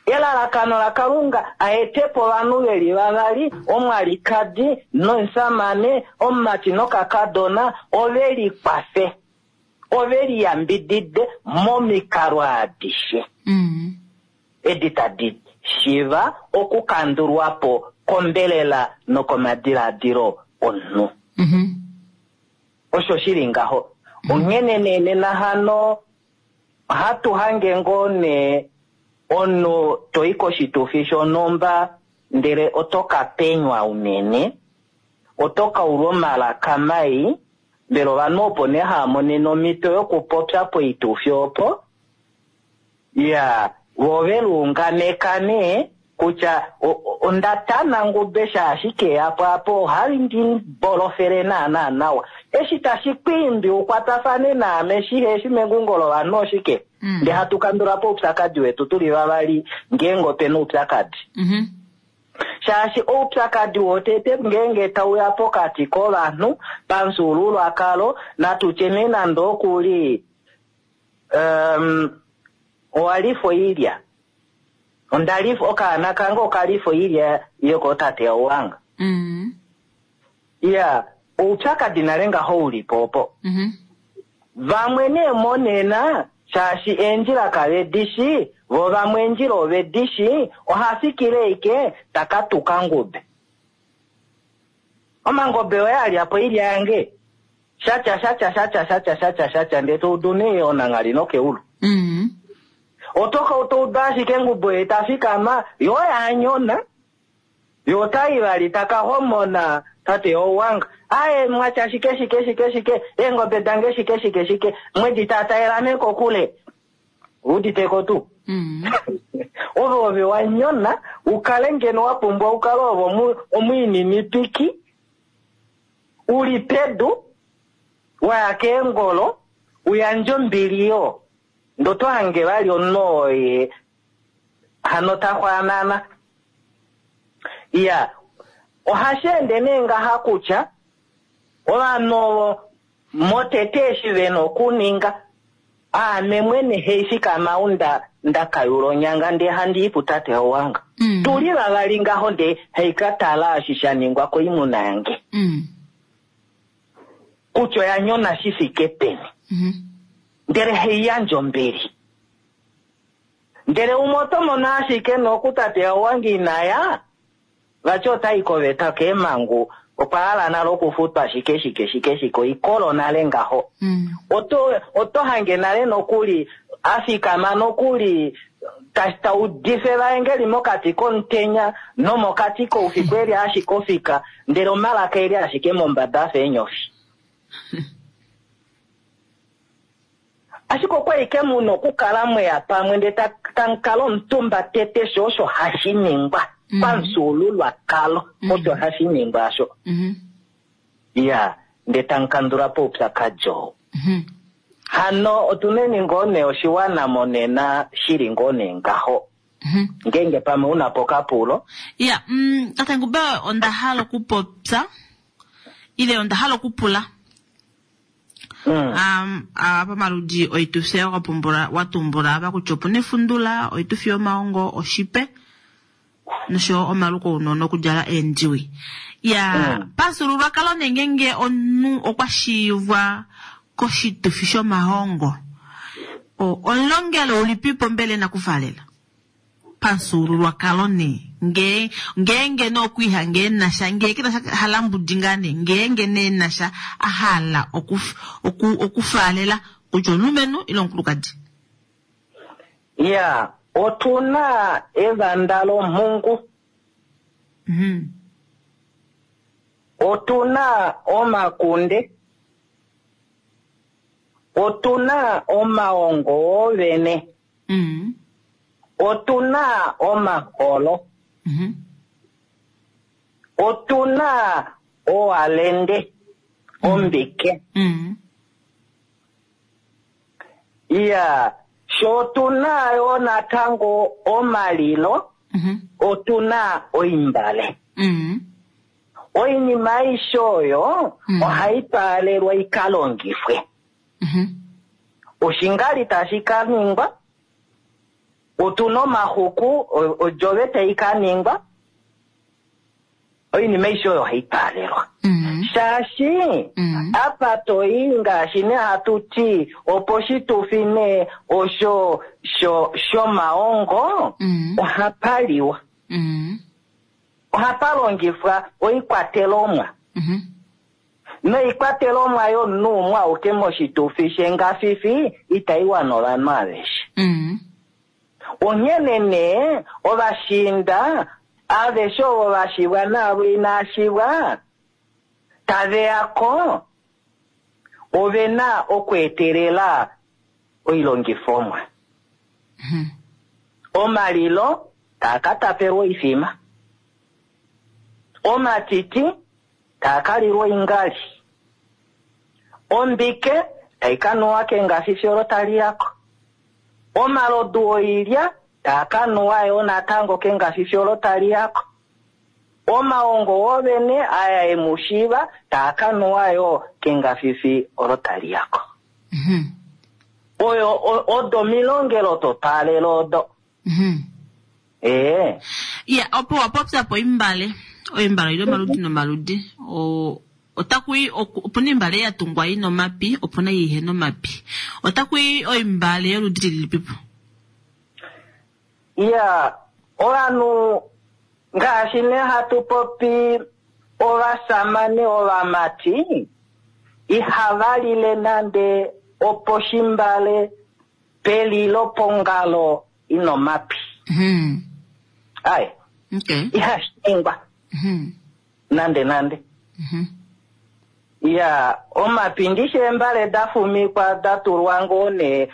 Elalakano laKalunga a ete po ovanhu ve li vavali, omwalikadi nomusamane, omumati nokakadona, ove likwafe, ove liyambidide momikalo adishe. Edi tadi shiva okukandulwa po kombelela nokomadiladilo omunhu. Osho shi li ngaho. Onghene nee nena hano ohatu hange ngoo nee omunhu to i koshitufi shonhumba ndele oto ka penywa unene, oto ka ulwa omalaka mai, mbela ovanhu opo nee hava monene omhito yokupopya poitufi opo, ya vo ove liunganeka nee kutya onda tana ngube shaashi keyapo apo ohali ndi bolofele naana nawa. Eshi tashi kwiimbi ukwatafane naame shihe shi mengungo lovanhu oshike? Ndee hatu kandula po oupyakadi wetu tuli vavali ngeenge opena oupyakadi. Shaashi oupyakadi wotete ngeenge tauya pokati kovanhu pamufyuululwakalo, natu tye nee nande okuli owalifa oilya. Ondalifa okaana kange okalifa oilya yokootate yauwanga. Ya, oupyakadi nale ngaho ulipo opo. Vamwe nee monena shaashi eendjila kave dishi, vo vamwe eendjila ove dishi, oha fikile ike taka tuka ngube. Omangobe oye a lya po oilya yange. Shatya, shatya, shatya, shatya, shatya, shatya, ndee to udu nee onanghali nokeulu. Oto ka to udu ashike ngubo ye ta fikama, yo oya nyona. Yo otai vali taka homona tate owanga. Aye mwatya shike, shike, shike, shike, eengobe dange shike, shike, shike, mwedi tataela nee kokule. Uditeko tuu? Ove ove wa nyona, ukale ngeno wa pumbwa ukale ove omwiininipiki, uli pedu, waya keengolo, uyandje ombili yo. Ndo to hange vali omunhu oye hano ta xwaanana. Ya, ohashi ende nee ngaha kutya ovanhu ovo motete eshi vena okuninga, aame mwene hei fikama ou nda kayula onyanga ndee handi i putate owanga. Tuli vavali ngaho ndee hei ka tala eshi sha ningwa koimuna yange. Kutya oya nyona shi fike peni. Ndele hei yandje ombili. Ndele umwe oto mono ashike nokutate owange inaya, vati otai koveta keemhangu, okwa hala nale okufutwa shike shike shike shike, oikolo nale ngaho. Oto hange nale nokuli, afikama nokuli, ta udife evaengeli mokati komutenya nomokati koufiku eli ashike ofika, ndele omalaka eli ashike mombada afa eenyofi. Ashike okwa ike muno okukala mweya pamwe ndele tamukala omutumba tete sho osho hashi ningwa. Pamufyuululwakalo, osho hashi ningwa asho. Ya, ndele tamukandula po oupyakadi oo. Hano otuneni ngoo nee oshiwana monena shili ngoo nee ngaho. Ngeenge pamwe una po okapulo. Ya, Tate Ngube onda hala okupopya ile onda hala okupula. Pamaludi oitufi wa tumbula apa kutya opuna efundula, oitufi yomaongo, oshipe nosho omaluko ounona okudjala eendiwi. Ya, pamufyuululwakalo nee ngeenge omunhu okwa shiivwa koshitufi shomahongo, omulongelo ulipipo mbela e na okufaalela? Pamufyuululwakalo nee, ngee, ngeenge nee okwiihange e na sha, ngee ke na sha halambudi ngaa nee, ngeenge nee e na sha a hala oku, oku, okufaalela kutya omulumenhu ile omukulukadi. Ya, otu na evanda lomhungu. Otu na omakunde. Otu na omaongo oovene. Otu na omaholo. Otu na owalende, ombike. Iya, sho otu na yo natango omalilo, otu na oimbale. Oinima aishe oyo ohai twaalelwa i ka longifwe. Oshingali tashi ka ningwa, otu na omaxuku, odjove tai ka ningwa, oinima aishe oyo ohai twaalelwa. Shaashi apa to i ngaashi nee hatu ti oposhitufi nee osho shomaongo, ohapa liwa. Ohapa longifwa oikwatelomwa. Noikwatelomwa yomunhu umwe auke moshitufi shengafifi itai wana ovanhu aveshe. Onghene nee ovashiinda aveshe ovo va shivwa naavo inaa shivwa tave ya ko ove na okweetelela oilongifomwa. Omalilo taa ka tapelwa oifima. Omatiti taa ka lilwa oingali. Ombike tai ka nuwa kengafifi olo tali ya ko. Omalodu oilya taa ka nuwa yo natango kengafifi olo tali ya ko. Omaongo oovene aya e mu shiiva taa ka nuwa yo kengafifi olo tali ya ko. Oyo odo omilongelo totwaalelo odo. Ee. Ya, opo wa popya po oimbale. Oimbale oili omaludi nomaludi. Otaku i, opu na oimbale ya tungwa i na omapi, opu na ei ihe na omapi. Otaku i oimbale yoludi lilipipo? Ya, ovanhu ngaashi nee hatu popi ovasamane ovamati ihava lile nande oposhimbale pelilo pongalo ina omapi. Ai. Ihashi ningwa. Nande nande. Ya, omapi ndishi eembale da fumikwa da tulwa ngoo nee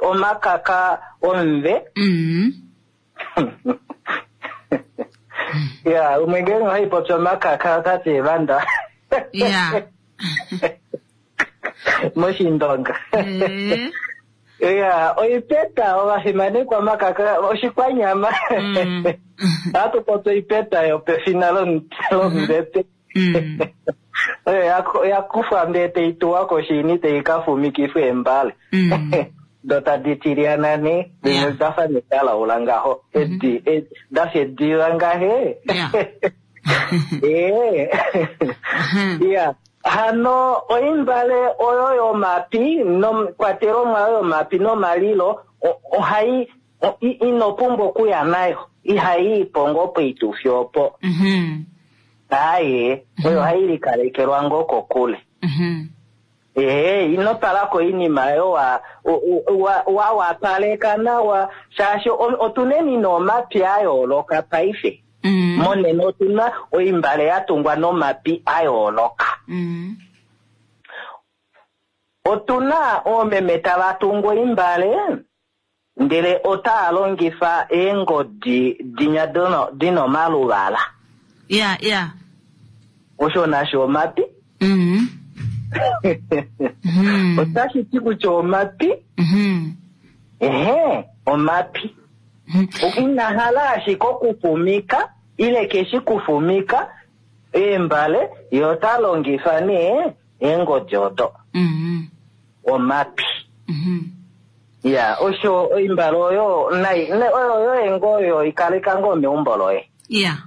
omakaka omumve. Ya, umwe ngeenge ohai popi omakaka ota ti evanda. Moshindonga. Ya, oipeta ovafimanekwa omakaka oshikwanyama. Ohatu popi oipeta yopefina lombete. Oyo ya kufwa ndee tai tuwa koshini tai ka fumikifwa eembale. Do tadi tilyana nee, dimwe da fa nekalaula ngaho, edi, da fa ediva ngahe. Ee. Ya. Hano oimbale oyo yomapi nokwatelomwa oyo yomapi nomalilo ohai ino pumbwa okuya nayo, ihai i po ngoo poitufi opo. Aaye, oyo ohai likalekelwa ngoo kokule. Ee, ino tala ko oinima oyo wa wapaleka nawa, shaashi otu neni nomapi a yooloka paife. Monena otu na oimbale ya tungwa nomapi a yooloka. Otu na oomeme tava tungu oimbale, ndele otava longifa eengodi dinya dina omaluvala. Ya, ya. Osho nasho omapi. Otashi ti kutya omapi. Ehe, omapi. Ina hala ashike okufumika, ile keshi kufumika eembale, ye ota longifa nee eengodi odo. Omapi. Ya, osho oimbale oyo nai, ne, oyo yoye ngoo oyo ikaleka ngoo meumbo loye. Ya.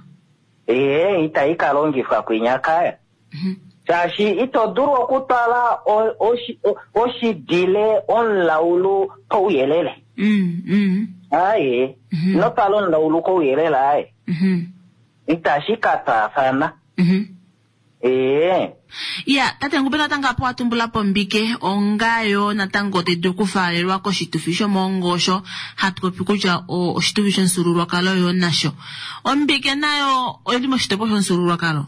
Ee, itai ka longifwa kwinya kaya. Shaashi ito dulu okutwala oshidile omulaulu kouyelele. Aye, ino twala omulaulu kouyelele aye. Itashi ka twaafana. Ee. Ya, tate Ngube natango apa wa tumbula po Mbike onga yo natango tayi dulu okufaalelwa koshitufi shomoongo osho hatu popi kutya oshitufi shomufyuululwakalo yo nasho. Ombike nayo oyi li moshitopolwa shomufyuululwakalo?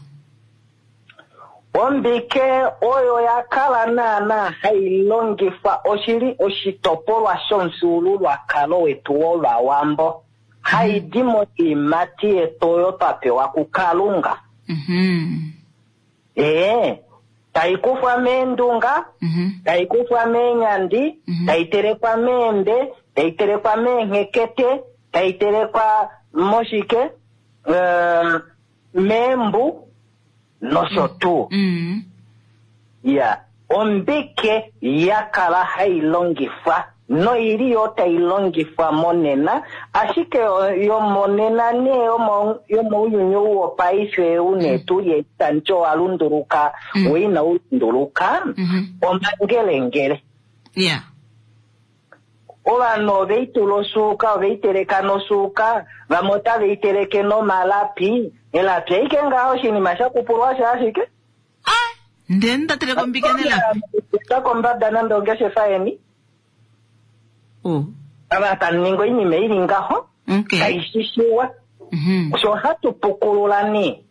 Ombike oyo ya kala naanaa hai longifwa oshi li oshitopolwa shomufyuululwakalo wetu wOvawambo, hai di moiimati yetu oyo twa pewa kuKalunga. Ee, tai kufwa meendunga, tai kufwa meenyandi, tai telekwa meembe, tai telekwa meenhekete, tai telekwa moshike, meembu nosho tuu. Ya, ombike ya kala hai longifwa noili yo tai longifwa monena, ashike yomonena nee yomounyuni ou wopaife ou nee tu li etamuti owa lunduluka, wo inau lunduluka, omangelengele. Ovanhu ove i tula osuuka, ove i teleka nosuuka, vamwe otave i teleke nomalapi. Elapi ashike ngaho oshinima sha kupulwa sha ashike. Ndele nda teleka ombike nelapi. Ta kombada nande ongeshefa yeni. Ava tamu ningi oinima ili ngaho. Tai shishiwa. Osho ohatu pukulula nee.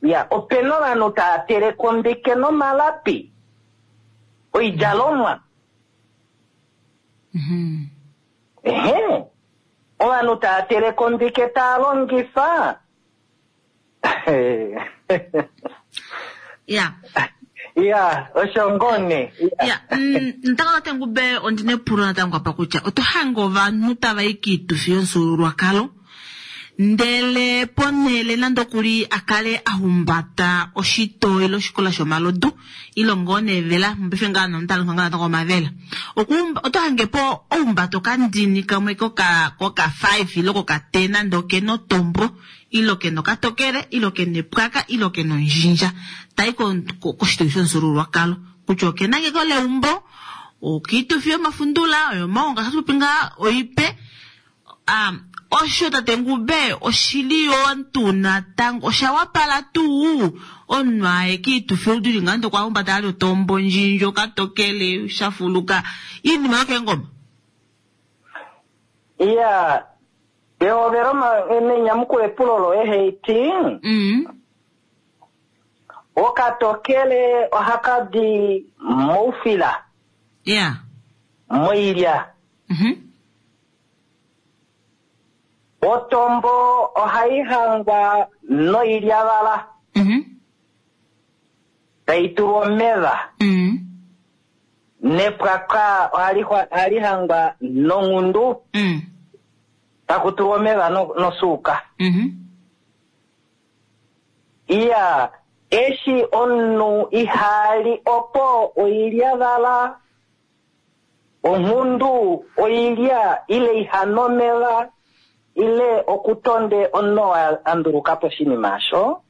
Ya, opena ovanhu tava teleke ombike nomalapi. Oidjalomwa. Ehe. Ovanhu tava teleke ombike tava longifa. Ya. Ya, osho ngoo nee. Ya, natango tate Ngube ondi na epulo natango apa kutya oto hange ovanhu tava i kiitufi yomufyuululwakalo ndele ponhele nande okuli a kale a humbata oshitoo ile oshikola shomalodu ile ngoo nevela mopaife ngaa nomutalonga ngaa natango omavela oto hange po ohumbata okandini kamwe koka koka 5 ile koka 10 nande okena otombo ile okena okatokele ile okena epwaka ile okena ondjindja tai koshitufi shomufyuululwakalo kutya okena ngeko leumbo okiitufi yomafundula oyomaonga hatu popi ngaa oipe. Osho tate Ngube oshili yoo tuu natango osha wapala tuu omunhu aye kiitufi oludi li nande okwa humbata ali otombo ndjindji okatokele shafuluka iinima yokeengoma. Iya, pehovelo nenyamukulo epulo loye Heiti. Okatokele ohaka di moufila. Moilya. Otombo ohai hangwa noilyavala. Tai tulwa omeva. Nepwaka ohali hangwa nonghundu. Taku tulwa omeva nosuuka. Iya, eshi omunhu ihali opo oilyavala, onghundu oilya ile ihana omeva ile okutonde omunhu a nduluka po oshinima osho.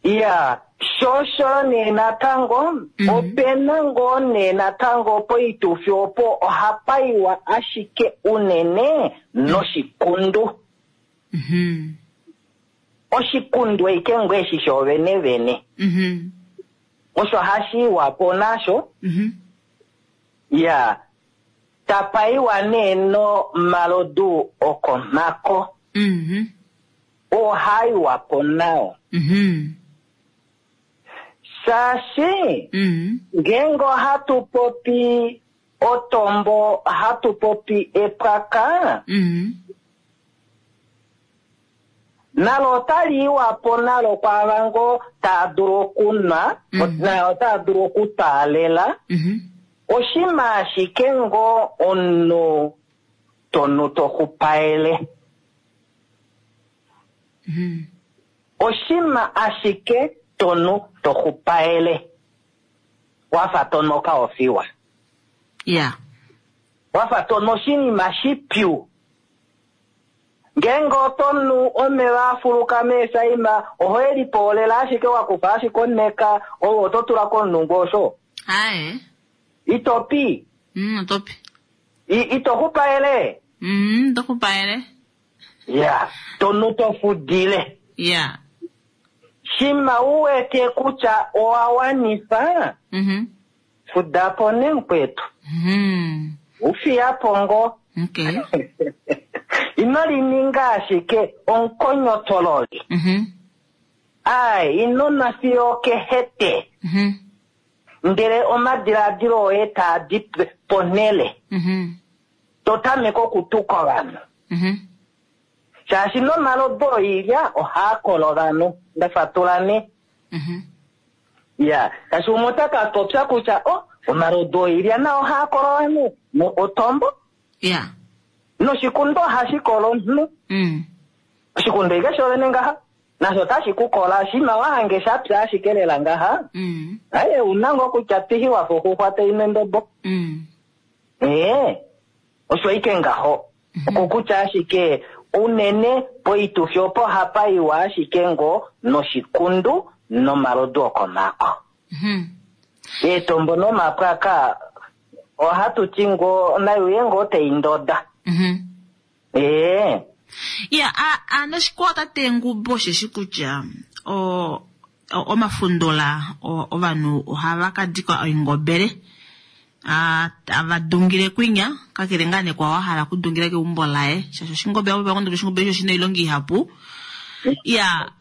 Iya, shosho nee natango, opena ngoo nee natango poitufi opo ohapa iwa ashike unene noshikundu. Oshikundu eike ngoo eshi shoovene vene. Osho hashi iwa po nasho. Ya, tapa iwa nee nomalodu okomhako. Oo iwa po nao. Shaashi, ngeenge ohatu popi otombo, ohatu popi epwaka, nalo otali iwa po nalo kwaava ngoo taa dulu okunwa, nayo otaa dulu okutaalela. Oshima ashike ngoo omunhu tonu toxupaele. Oshima ashike tonu toxupaele. Wafa tonu okaofiwa. Wafa tonu oshinima shipyu. Ngeenge oto nu omeva a fuluka meesaima, oho e lipoolela ashike wa kufa ashike oneka oyo oto tula komulungu osho. Aye. Ito pi. Oto pi. Ito xupaele. Ito xupaele. Ya, to nu to fudile. Ya. Shima u wete kutya owa wanifa, fuda po nee mukwetu. U fiya po ngoo. Okay. Ino lininga ashike omukonyotololi. Ai, ino nwa fiyo okehete. Ndele omadiladilo oye taa di ponhele. To tameke okutuka ovanhu. Shaashi nomalodu oilya ohaa kolo ovanhu. Nda fatula nee. Ya, shaashi umwe ota ka popya kutya, oh, omalodu oilya nao ohaa kolo ovanhu. Otombo. Ya. Noshikundo ohashi kolo omunhu. Oshikundo ike shovene ngaha. Nasho otashi ku kola, shima wa hange sha pya ashike lela ngaha. Aye, una ngoo kutya pihi wa fa oxuxwa tai nu endobo. Ee, osho ike ngaho. Okokutya ashike unene poitufi opo hapa iwa ashike ngoo noshikundu nomalodu okomako. Eetombo nomapwaka ohatu ti ngoo nai uye ngoo tai ndoda. Ee. Ya, a, noshikwawo tate Ngumbo osheshi kutya o, omafundola ovanhu ohava ka dika oingobele a, tava dungile kwinya, kakele ngaa nee kwaao a hala okudungila keumbo laye, shaashi oshingobele, oshingobele osho oshina oilonga ihapu. Ya,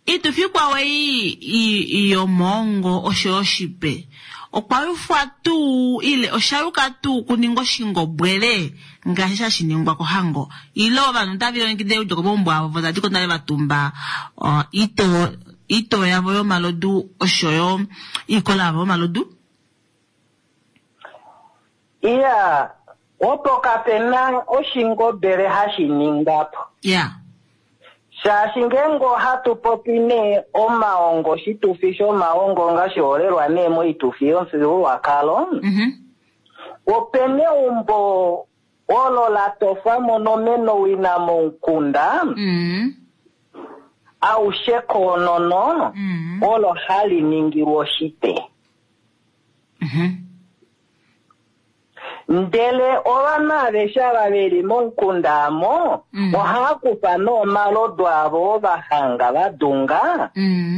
Iitufi ikwao ei yomoongo osho yo oshipe, okwa yufwa tuu ile osha yuka tuu okuninga oshingobwele ngaashi hashi ningwa kohango? Ile ovanhu otave lilongekida okudja komaumbo avo vo tava di ko nale va tumba oitoo yavo yomalodu osho yo oikola yavo yomalodu? Iya, opo kape na oshingobele hashi ningwa po. Ya. Shaashi ngeenge ohatu popi nee omaongo, oshitufi shomaongo ngashiholelwa nee moitufi yomufyuululwakalo, ope na eumbo olo la tofwa mo nomenowina momukunda aushe koonono, olo hali ningilwa oshipe. Ndele ovanhu aveshe ava ve li momukunda amo ohava kufa nee omalodu avo oo va hanga va dunga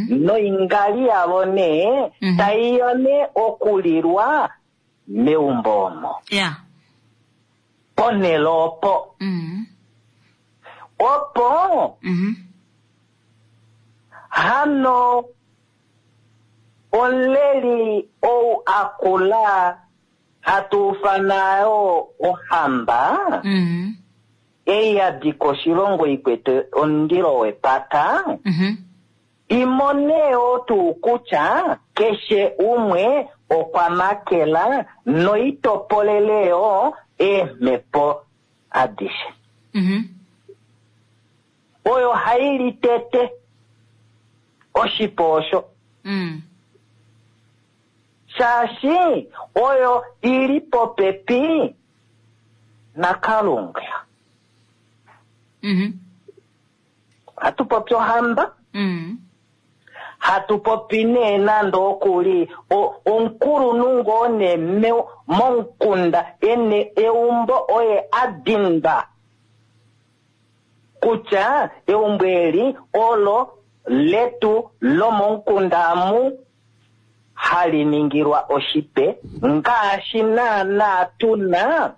noingali yavo nee tai ya nee okulilwa meumbo omo. Ponhele opo. Opo hano Omuleli ou a kula hatu ufana yo ohamba, ei ya dika oshilongo i kwete omundilo wepata, i mone yoo tuu kutya keshe umwe okwa makela noi topolele yoo eemhepo adishe. Oyo hai li tete oshipo osho. Shaashi oyo i li popepi naKalunga. Ohatu popi ohamba. Hatu popi nee nande oku li omukulunhu ngoo nee momukunda e na eumbo oye a dindwa. Kutya eumbo eli olo letu lomomukunda amu hali ningilwa oshipe, ngaashi naanaa tu na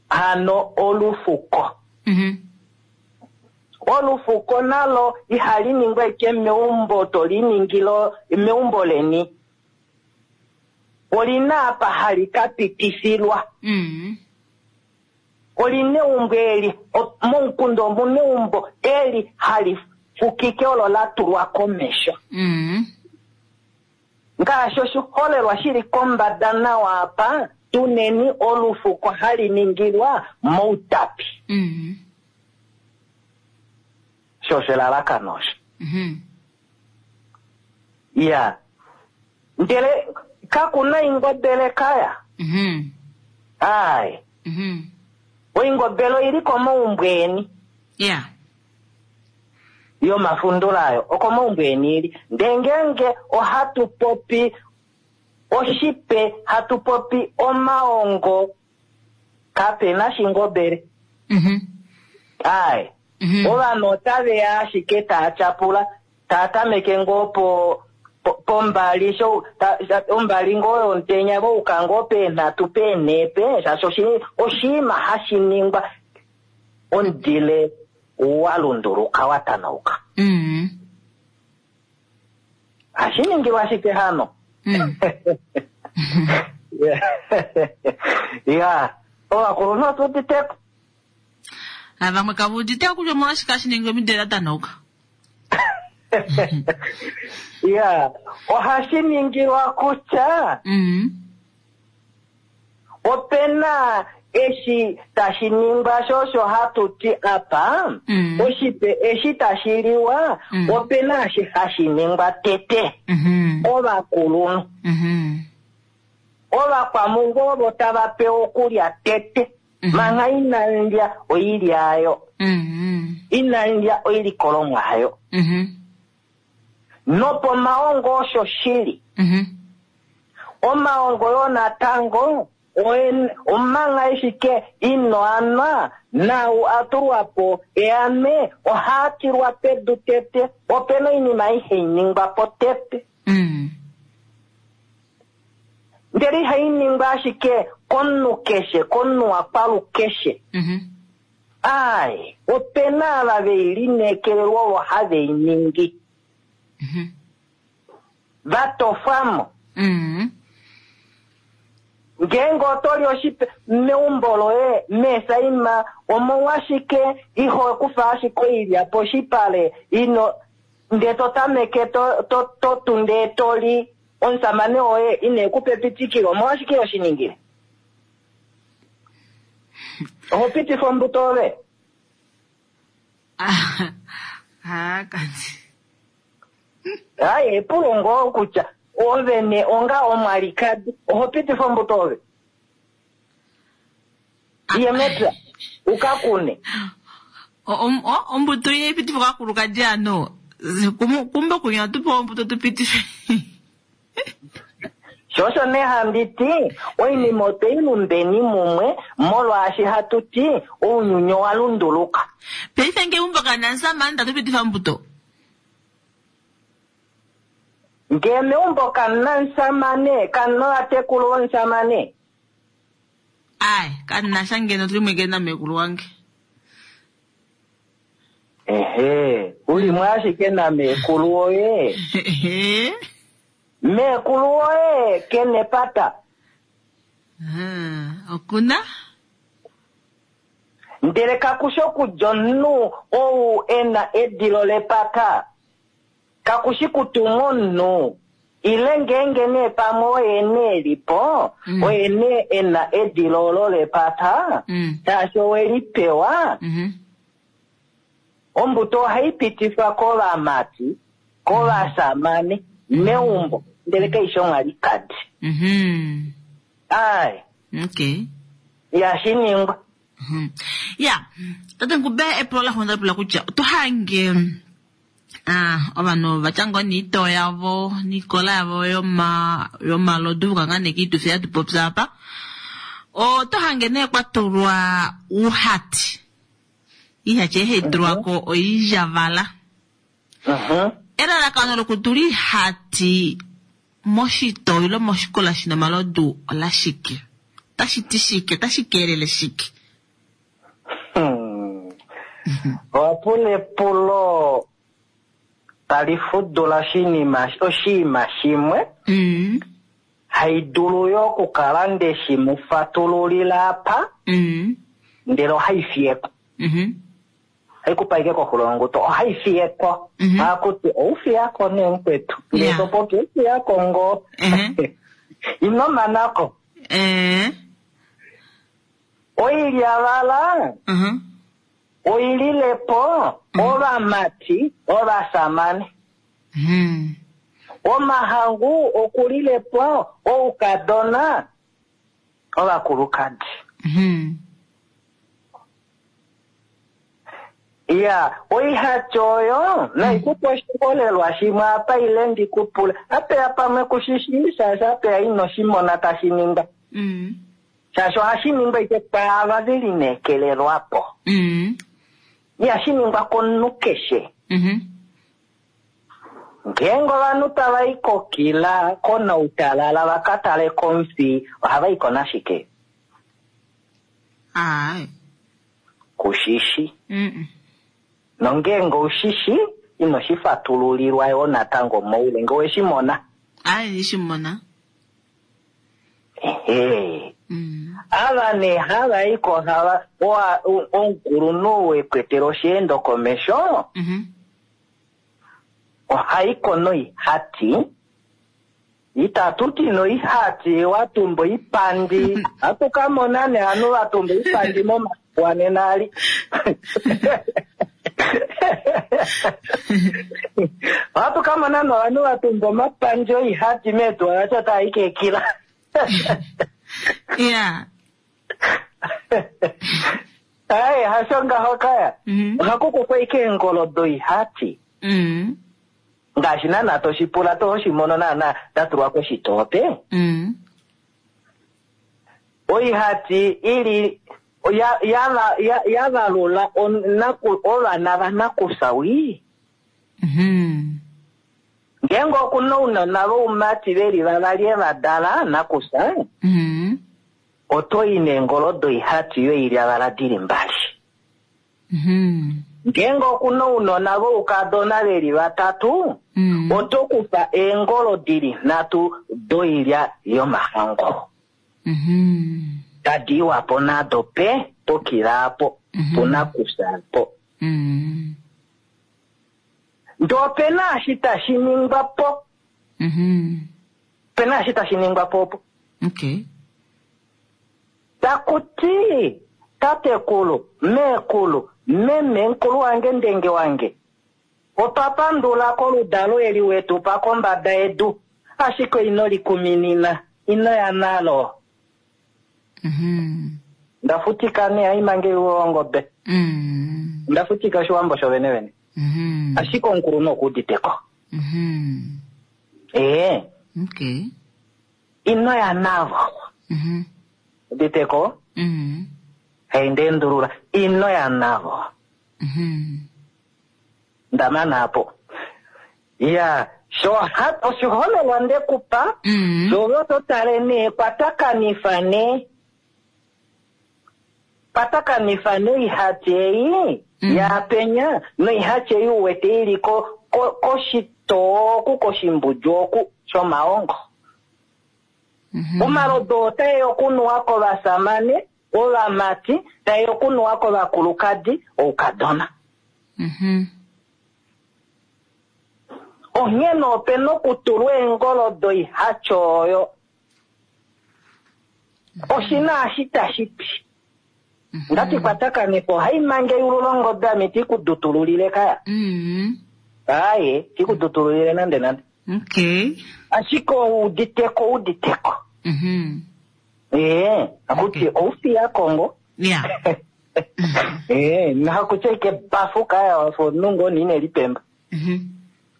hano olufuko. Olufuko nalo ihali ningwa ashike meumbo to li ningile meumbo leni. Oli na apa hali ka pitifilwa. Oli na eumbo eli, momukunda omu na eumbo eli hali fukike olo la tulwa komesho. Ngaashi oshiholelwa shi li kombada nawa apa, tu neni olufuko hali ningilwa mOutapi. Osho osho elalakano osho. Ya. Ndele kaku na ingobele kaya. Ai. Oingobele oili komaumbo eni. Ya. Yomafundula ayo okomaumbo eni ili. Ndee ngeenge ohatu popi oshipe, hatu popi omaongo, kape na shingobele. Aye. Ovanhu otave ya ashike taa tyapula, taa tameke ngoo po pombali sho ombali ngoo yomutenya vouka ngoo peenhatu peenhepe, shaashi oshinima hashi ningwa omudile wa lunduluka wa tanauka. Hashi ningilwa ashike hano. Ya, ovakulunhu otu uditeko. Vamwe kava uditeko kutya omolwashike hashi ningilwa omidile da tanauka. Ya, ohashi ningilwa kutya opena eshi tashi ningwa sho osho hatu ti apa, oshipe eshi tashi liwa, opena eshi hashi ningwa tete ovakulunhu. Ovakwamungu ovo tava pewa okulya tete, manga inalya oilya ayo, inalya oilikolomwa ayo. Nopomaongo osho shili. Omaongo yo natango omanga ashike ino anwa nau a tulwa po eame ohaa tilwa pedu tete. Opena oinima ihai ningwa po tete. Ndele ihai ningwa ashike komunhu keshe, komunhu wakwalu keshe. Ai, opena ava vei lineekelelwa ovo have i ningi. Va tofwamo. Ngeenge oto li oshipe meumbo loye meesaima, omolwashike iho kufa ashike oilya poshipale ino ndee to tameke to tu ndee to li omusamane woye ine ku pa epitikilo, omolwashike iho shi ningile? Oho pitifa ombuto ove? Kanti. Ai, epulo ngoo kutya ove ne onga omwalikadi oho pitifa ombuto ove? Iye mepya uka kune. Ombuto iye ipitifa kakulukadi ano. Kumbe kunya tupe ombuto tupitife. Shosho ne handi ti oinima otwe i lumbeni mumwe molwaashi hatu ti ounyuni owa lunduluka. Paife nge umbo kana nsamani tatupitifa ombuto. Nge meumbo kamuna nsamane, kamuna ovatekulu vonsamane. Ai, kanina sha ngeno tuli mweke na mekulu wange. Ehe, uli mwe ashike na mekulu woye. Mekulu woye kene pata. Okuna? Ndele kakushi okudja omunhu ou ena edilo lepata. Kakushi kutumwa omunhu. Ile ngeenge nee pamwe oye nee lipo, oye nee ena edilo olo lepata, shaashi owe li pewa. Ombuto ohai pitifwa kovamati, kovasamane, meumbo, ndele kaishi omwalikadi. Ai. Okay. Ihashi ningwa. Ya, tate Ncube epulo la xunda pula kutya oto hange ovanhu vatya ngoo niitoo yavo niikola yavo yomalodu vukanga nekiitufi yatu popya apa. Oto hange nee kwa tulwa uuhati. Iihati ei tulwa ko oijavala. Elalakano lokutula iihati moshitoo ile moshikola shina omalodu ola shike? Otashi ti shike? Otashi keelele shike? Owa pula epulo tali fudula oshinima shimwe. Hai dulu yo okukala nde shi mu fatululila apa, ndele ohai fiyeko. Hai kupa ike koxulo yonguto, ohai fiyeko. Ohaku ti, ou fiyako nee mukwetu. Ndele to popi, ou fiyako ngoo. Ino manako. Oilyavala, oililepo, ovamati, ovasamane. Omahangu okulilepo, oukadona, ovakulukadi. Ya, oihati oyo naikupa oshiholelwa shimwe apa ile ndikupule apeya pamwe kushishii shaashi apeya ino shimona tashi ningwa shaashi ohashi ningwa ike kwaava ve lineekelelwapo ihashi ningwa komunhu keshe ngeenge ovanhu tava i kokila konautalala va ka tale komufi ohava i ko nashike Ai. Kushishi. Nongeenge oushishi, ino shi fatululilwa yoo natango moule, nge owe shi mona. Ai, ndishi mona. Ehe. Ava nee hava i ko hava, owa, omukulunhu wekwetela osheendo komesho, oha i ko noihati, Itatu ti noihati wa tumba oipandi. Ohatu ka mona nee ovanhu va tumba oipandi momafiku anena ali. Ohatu ka mona nee ovanhu va tumba omapandi oihati meetuwa vati otava i keekila. Ya. Aye, hasho ngaho kaya. Ohaku kufwa ashike eengolo doihati. Ngaashi naana to shi pula to shi mono naana da tulwa koshitoope. Oihati i li ya, ya, ya, ya valula onaku, ovana vanakufya wii. Ngeenge oku na ounona voumati ve li vavali e va dala, nakufya, oto i neengolo doihati yoilyavala di li mbali. Ngeenge oku na ounona voukadona ve li vatatu, oto kufa eengolo di li nhatu doilya yomahango. Tadi iwa po nado pe pokila apo, punakufya apo. Ndee ope na eshi tashi ningwa po. Ope na eshi tashi ningwa po opo. Okay. Taku ti, Tatekulu, meekulu, meme, mukulu wange, ndenge wange, otwa pandula koludalo eli we tu pa kombada yedu, ashike ino li kuminina, ino ya nalo. Nda futika nee, haima ngeiwe ongobe. Onda futika Oshiwambo shovenevene. Ashike omukulunhu oku udite ko. Ee. Okay. Ino ya navo. Udite ko? Hei, nda endulula. Ino ya navo. Nda mana apo. Ya, sho ha, oshiholelwa nde ku pa, sho ove oto tale nee, kwatakanifa nee. Kwatakanifa noihati ei yaapenya noihati ei u wete i li ko, ko, koshitoo oku, koshimbudju oku, shomaongo. Omalodu otae okunuwa kovasamane, ovamati, tae okunuwa kovakulukadi, oukadona. Onghee nee ope na okutulwa eengolo doihatyo oyo. Oshi na eshi tashi ti. Ndati kwatakanifo, ohai mange eyulu longobe ame iti ku dutululile kaya. Aaye, iti ku dutululile nande nande. Okay. Ashike ou uditeko, ou uditeko. Ee, akuti oufiya kongo. Yeah. Ee, nahakutya ike bafu kaya wafa omunhu ngoo nee ine lipemba.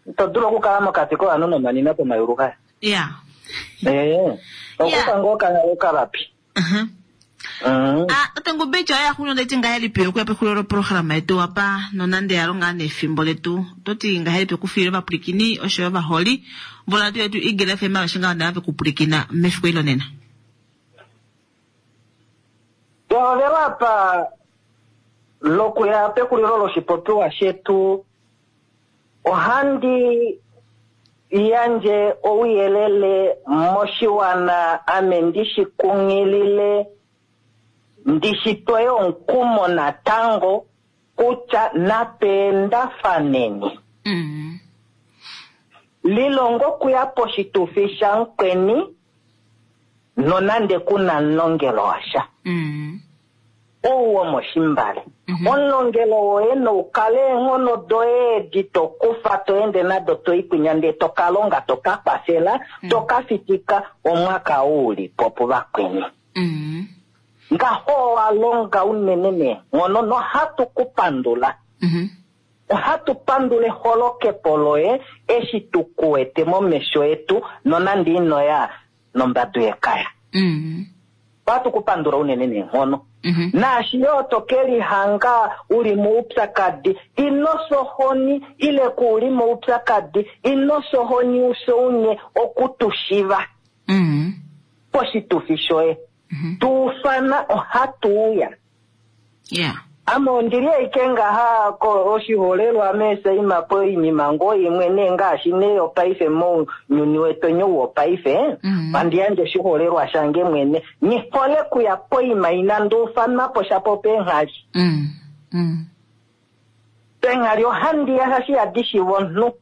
Ito dulu okukala mokati kovanhu nomanina pomayulu kaya. Yeah. Ee, okufa ngoo okalapi. Ah, tate Ngubicha oya xulu ndeti ngahelipi okuya pexulilo loprograma yetu apa nonande ya longa nefimbo letu oto ti ngahelipi okufiila ovapwilikini osho yo ovaholi voradio yetu Eagle FM aveshe ngaho nava vekupwilikina mefiku eli lonena. Pehovelo apa lokuya pexulilo loshipopiwa shetu ohandi yandje ouyelele moshiwana ame ndi shi kunghilile ndi shi twe omukumo natango kutya napeendafaneni. Lilonga okuya poshitufi shamukweni nonande ku na omulongelo washa. Ou womoshimbale. Omulongelo woye nou kale eenghono doye edi to kufa to ende nado to i kwinya ndee to ka longa to ka kwafela to ka fitika omwaka ou u li po puvakweni. Ngaho owa longa unene neenghono nohatu ku pandula. Ohatu pandula eholokepo loye eshi tu kuwete momesho etu nonande inoya nombadu yekaya. Ohatu ku pandula unene neenghono. Naashi yo to ke lihanga u li moupyakadi, ino fya ohoni ile ku li moupyakadi, ino fya ohoni u fye unye oku tu shiva poshitufi shoye. Tu ufana ohatu uya. Ame ondi li ashike ngaha oshiholelwa meesaima poinima ngoo imwe nee ngaashi nee yopaife mounyuni wetu ou wopaife, ohandi yandje oshiholelwa shange mwene. Nghi hole kuya poima inandi ufanwa po shapo peenghali. Peenghali ohandi ya shaashi ihadi shiva omunhu.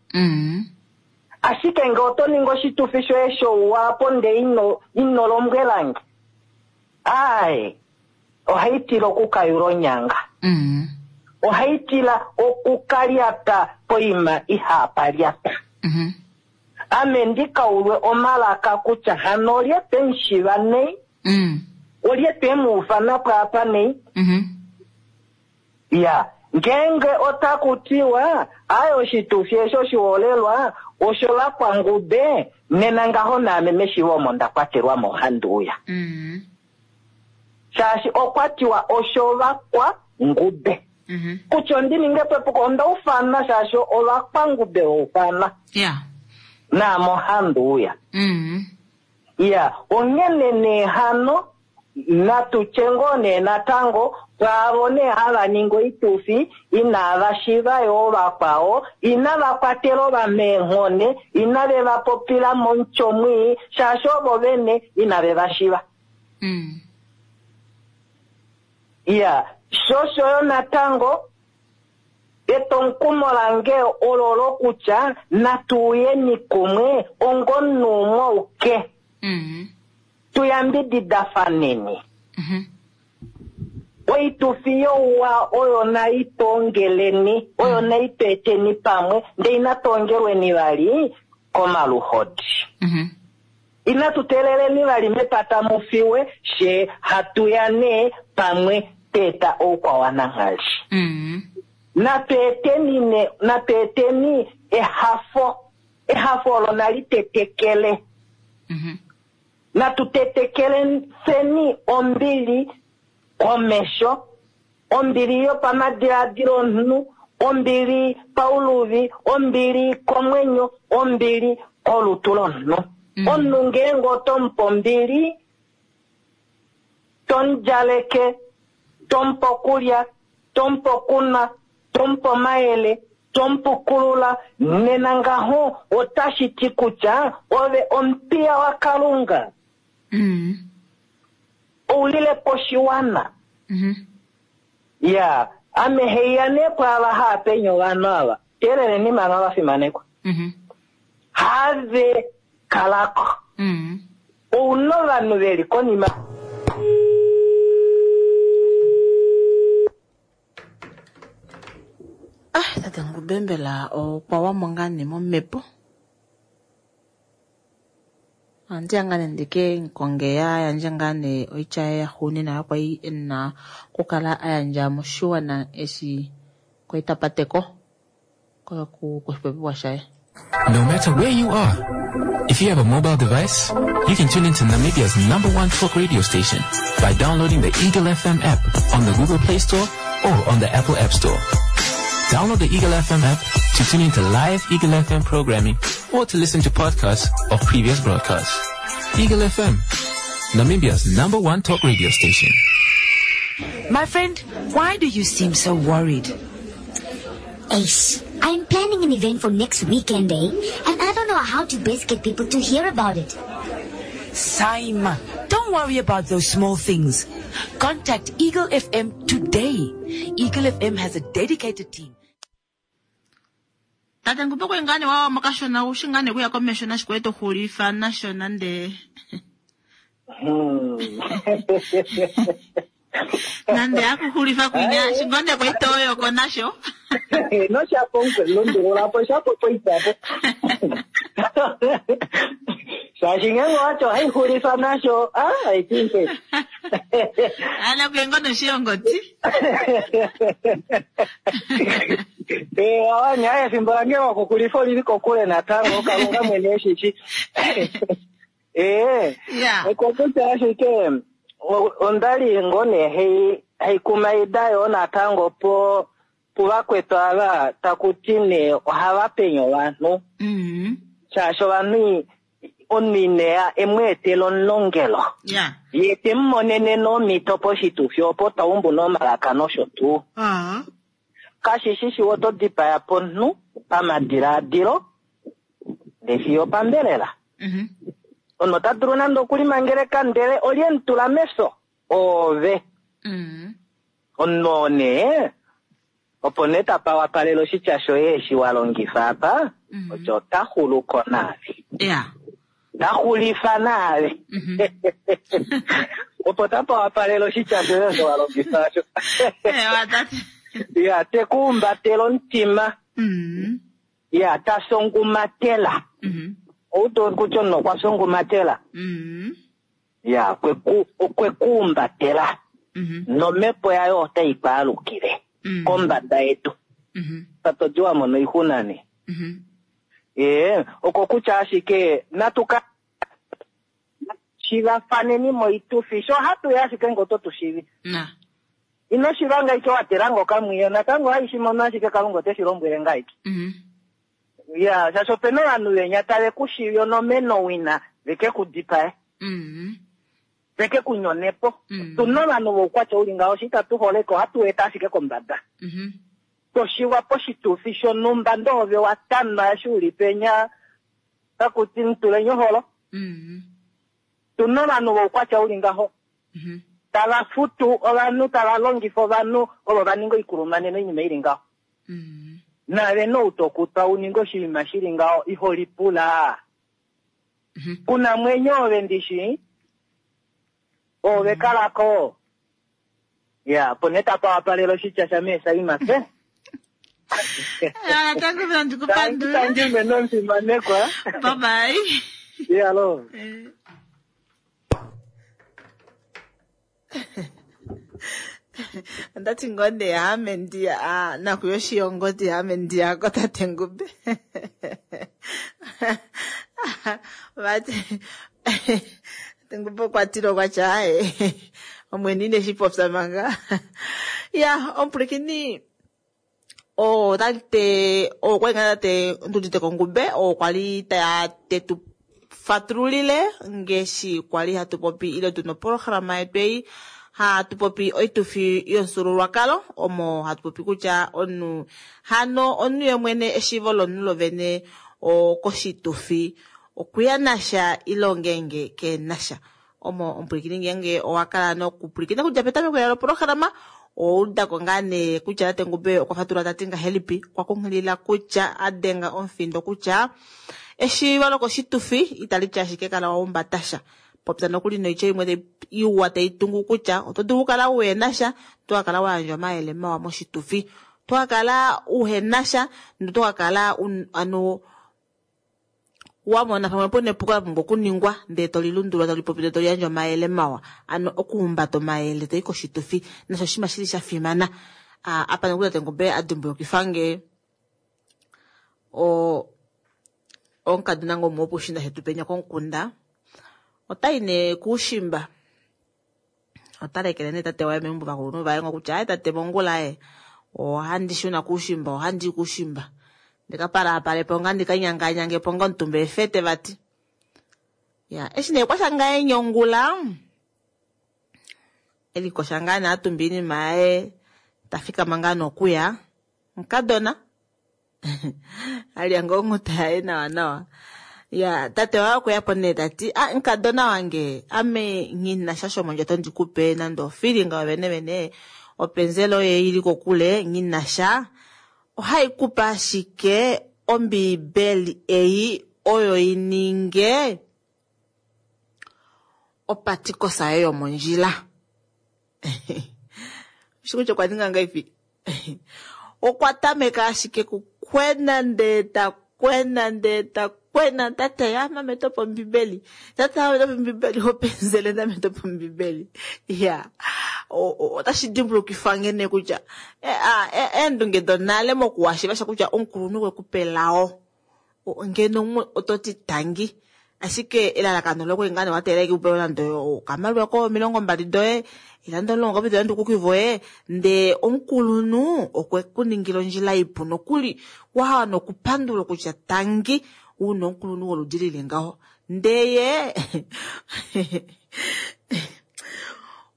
Ashike ngee oto ningi oshitufi shoye shouwa apo ndee ino lombwelange, aaye, ohai tila okukayula onyanga. Ohai tila okukalyata poima ihaapa lyata. Ame ndi kaulwe omalaka kutya hano olye twe mu shiva nei? Olye twe mu ufana pwaapa nei? Ya, ngeenge otaku tiwa, Aye oshitufi eshi oshiholelwa osho vakwangube, nena ngaho naame meshivo omo nda kwatelwa mo ohandi uya. Shaashi okwa tiwa osho vakwangube. Kutya ondi ninge po epuko, onda ufanwa shaashi ovakwangube va ufanwa. Naame ohandi uya. Ya, onghene nee hano Natu tye ngoo nee natango, pwaavo nee hava ningi oitufi inava shiva yoo vakwao, inava kwatela ovameenghone, inave va popila momutyo mwii, shaashi ovo vene inave va shiva. Iya, sho osho yo natango, etwomukumo lange ololo kutya natu uyeni kumwe ongomunhu umwe auke. Tu yambididafaneni. Oitufi youwa oyo nai tu ongeleni, oyo nai tu eteni pamwe, ndee inatu ongelweni vali komaluhodi. Inatu teeleleni vali mepata mu fiwe, fye hatu ya nee pamwe twa eta oukwawananghali. Natu eteni ne, natu eteni ehafo, ehafo olo nali tetekele. Natu tetekeleni ombili komesho, ombili yopamadiladilo omunhu, ombili pauluvi, ombili komwenyo, ombili kolutu lomunhu. Omunhu ngeenge oto mu pe ombili, to mu djaleke, to mu pe okulya, to mu pe okunwa, to mu pe omayele, to mu pukulula, nena ngaho otashi ti kutya ove omupiya waKalunga. Ou lile po oshiwana. Ya, ame haiya nee pwaava haapenya ovanhu ava. Teeleleni manga vafimanekwa. Have kalako. Ou na ovanhu ve li konima. Ah, tate Ngube mbela okwa wamo ngaa nee momhepo? Ohandi ya ngaa nee ndike mukonge a yandje ngaa nee oitya yaye yaxuuninwa oyo kwali e na okukala a yandja moshiwana eshi kwali ta pateko koshipopiwa shaye. No matter where you are, if you have a mobile device, you can tune into Namibia's number one talk radio station by downloading the Eagle FM app on the Google Play Store or on the Apple App Store. Download the Eagle FM app to tune into live Eagle FM programming or to listen to podcasts of previous broadcasts. Eagle FM, Namibia's number one talk radio station. My friend, why do you seem so worried? Ace, I'm planning an event for next weekend, eh? And I don't know how to best get people to hear about it. Saima, don't worry about those small things. Contact Eagle FM today. Eagle FM has a dedicated team. Tate Ngube kwe ngaa nee wawa mokashona ushi ngaa nee kuya komesho nashikwaye to xulifa nasho nande nande akuxulifa kwinya shingonde kwaitoyoko nasho noshapo lundululapo shapo poitapo. Shaashi ngeenge owati ohai xulifa nasho, ah, I think it. Ana kuyengo noshiyongoti. Eh, wawanya efimbo lange lokuxulifa olili kokule natango, Kalunga mwene eshishi. Eh, Ya. okokutya ashike onda li ngoo nee haikumaida yoo natango po puvakwetu ava taku ti nee ohava penye ovanhu. Shaashi ovanhu omunhu ineya emweetela omulongelo. Ya. Ye te mu monene nomhito poshitufi opo taumbu nomalaka nosho tuu. Kashi shi oto dipaya pomunhu pamadilaadilo ndele fiyo opambelela. Omunhu ota dulu nande okulimangeleka ndele olye mu tula mefyo oove. Omunhu oo nee opo nee tapa wapalela oshitya shoye eshi wa longifa apa, osho ota xuluko naave. Ya. Ta xulifa naave. Opo tapa wapalela oshitya shoye osho wa longifa osho. Ya, te ku umbatela omutima. Ya, ta songumatela. Ou to kutya omunhu okwa songumatela. Ya, okwe ku umbatela. Nomhepo yayo otai kwaalukile kombada yedu. Tatodi wa mona oixuna nee. Ee, oko kutya ashike natu ka shivafaneni moitufi sho hatu ya ashike ngo oto tu shivi. Ino shivanga ike wa tela ngo kamwiyo natango hai shi mono ashike Kalunga ote shi lombwele ngaiki. Ya, shaashi opena ovanhu venya tave ku shivi onomeno wina veke ku dipae. Veke ku nyonepo. Tuna ovanhu voukwatya uli ngaho shi itatu holeke ohatu eta ashike kombada. Toshiwa poshitufi shonhumba ndoo ove wa tanwa eshi uli penya taku ti mutuleni oholo. Tuna ovanhu voukwatya uli ngaho. Tava futu ovanhu, tava longifa ovanhu ovo va ninga oikulumane noinima ili ngaho. Nave noutokutwa u ninge oshinima shili ngaho iho lipula. Kuna mwenyo ove ndishi ove kalako. Ya, po nee tapa wapalela oshitya sha mee Saima se. Natango vela ndikupandula. Tangi mene omufimanekwa. Bye bye. Ya lo. Ondati ngoo nee ame ndiya naku yoshiyongoti ame ndiyako tate Ngube. Vati tate Ngube okwa tile okwa tya aye omwene ine shi popya manga. Ya omupwilikini otate okwali ngaa tate Nduditeko Ngube oo kwali tetu fatululile ngeshi kwali hatu popi ile tuna oprograma yetu ei hatu popi oitufi yomufyuululwakalo omo hatu popi kutya omunhu hano omunhu yemwene eshiivo lomunhu lovene koshitufi okuya nasha ile ongeenge kenasha. Omo omupwilikini ngeenge owa kala nokupwilikina kudja petameko loprograma oudako ngaa nee kutya tate Ngube okwa fatulula tati ngahelipi, okwa kunghilila kutya a denga omufindo kutya eshiivo lokoshitufi itali ti ashike kala wa umbatasha. Popya nokuli noitya imwe iwa tai tungu kutya oto dulu okukala uhenasha, oto ka kala wa yandja omayele mawa moshitufi. Oto ka kala uhenasha noto ka kala ano wa mona pamwe puna epuko la pumbwa okuningwa ndele to lilundulula to lipopi ndele to liyandja omayele mawa. Ano okuhumbata omayele to i koshitufi nasho oshinima shili sha fimana. Apa nokuli tate Ngube a dimbulukifa nge omukadona ngo umwe wopushinda shetu penya komukunda otai nee kuushimba. Ota lekele nee tate waye meumbo vakulunhu vaye ngo kutya aye tate mongula ye ohandi shuna kuushimba, ohandi i kuushimba. Ndika palapalepo nga ndika nyanganyangepo nga omutumba efete vati. Ya, eshi nee kwasha ngaye nyongula elikosha ngaa nee atumba iinima yaye tafikama ngaa nokuya mukadona alya ngoo onghuta yaye nawa nawa. Ya, tate waye okuya po nee tati ah mukadona wange ame nghina sha shomondjato ndikupe nande ofilinga yovene vene openzela oye ili kokule nghina sha ohai kupe ashike Ombiibeli ei oyo i ninge opatikosa yoye yomondjila. Ushi kutya okwa ninga ngaipi? Okwa tameka ashike kukwena ndee ta kwena ndee ta Kwena tate ame topa ombibeli, tate ame topa ombibeli, openzele ame topa ombibeli. Ya, otashi dimbulukifa nge nee kutya eendunge donale mokuwashiva sha kutya omukulunhu okwe ku pa elao, ngeno umwe oto ti tangi, ashike elalakano loye okwali ngaa nee wa teelela ashike upewe nande okamaliwa ko 20 doye, ile nande 10 koye nande ukuki voye, ndee omukulunhu okwe ku ningila ondjila ipu nokuli wahala nokupandula kutya tangi una omukulunhu woludi lili ngaho. Ndee ye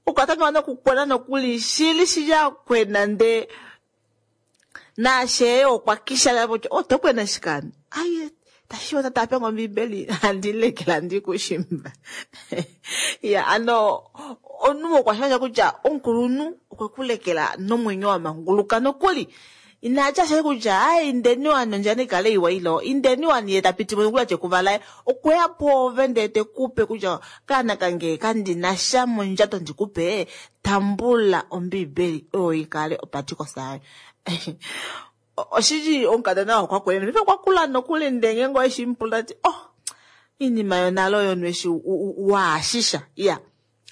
okwa tameka nokukwena nokuli shili shili akwena ndee naashe okwa kisha kutya oto kwena shikani aye tashi ota tape ngombiibeli handi lekela ndi kushimba. Ya ano omunhu okwa shasha kutya omukulunhu okwe ku lekela nomwenyo wa manguluka nokuli inatya ashike kutya ai indeni wani ondjila naikale iwa ilo indeni wani ye tapiti mo nokuli atye kuvalaye okweya pwoove ndee tekupe kutya kaana kange kandina sha mondjato ndikupe, tambula ombiibeli oyo ikale opatikosa yayo. Oshili omukadona okwa kwena paife okwa kula nokuli ndee ngeenge oweshi mupula tati oh iinima yonale oyo nweshi waashisha. Ya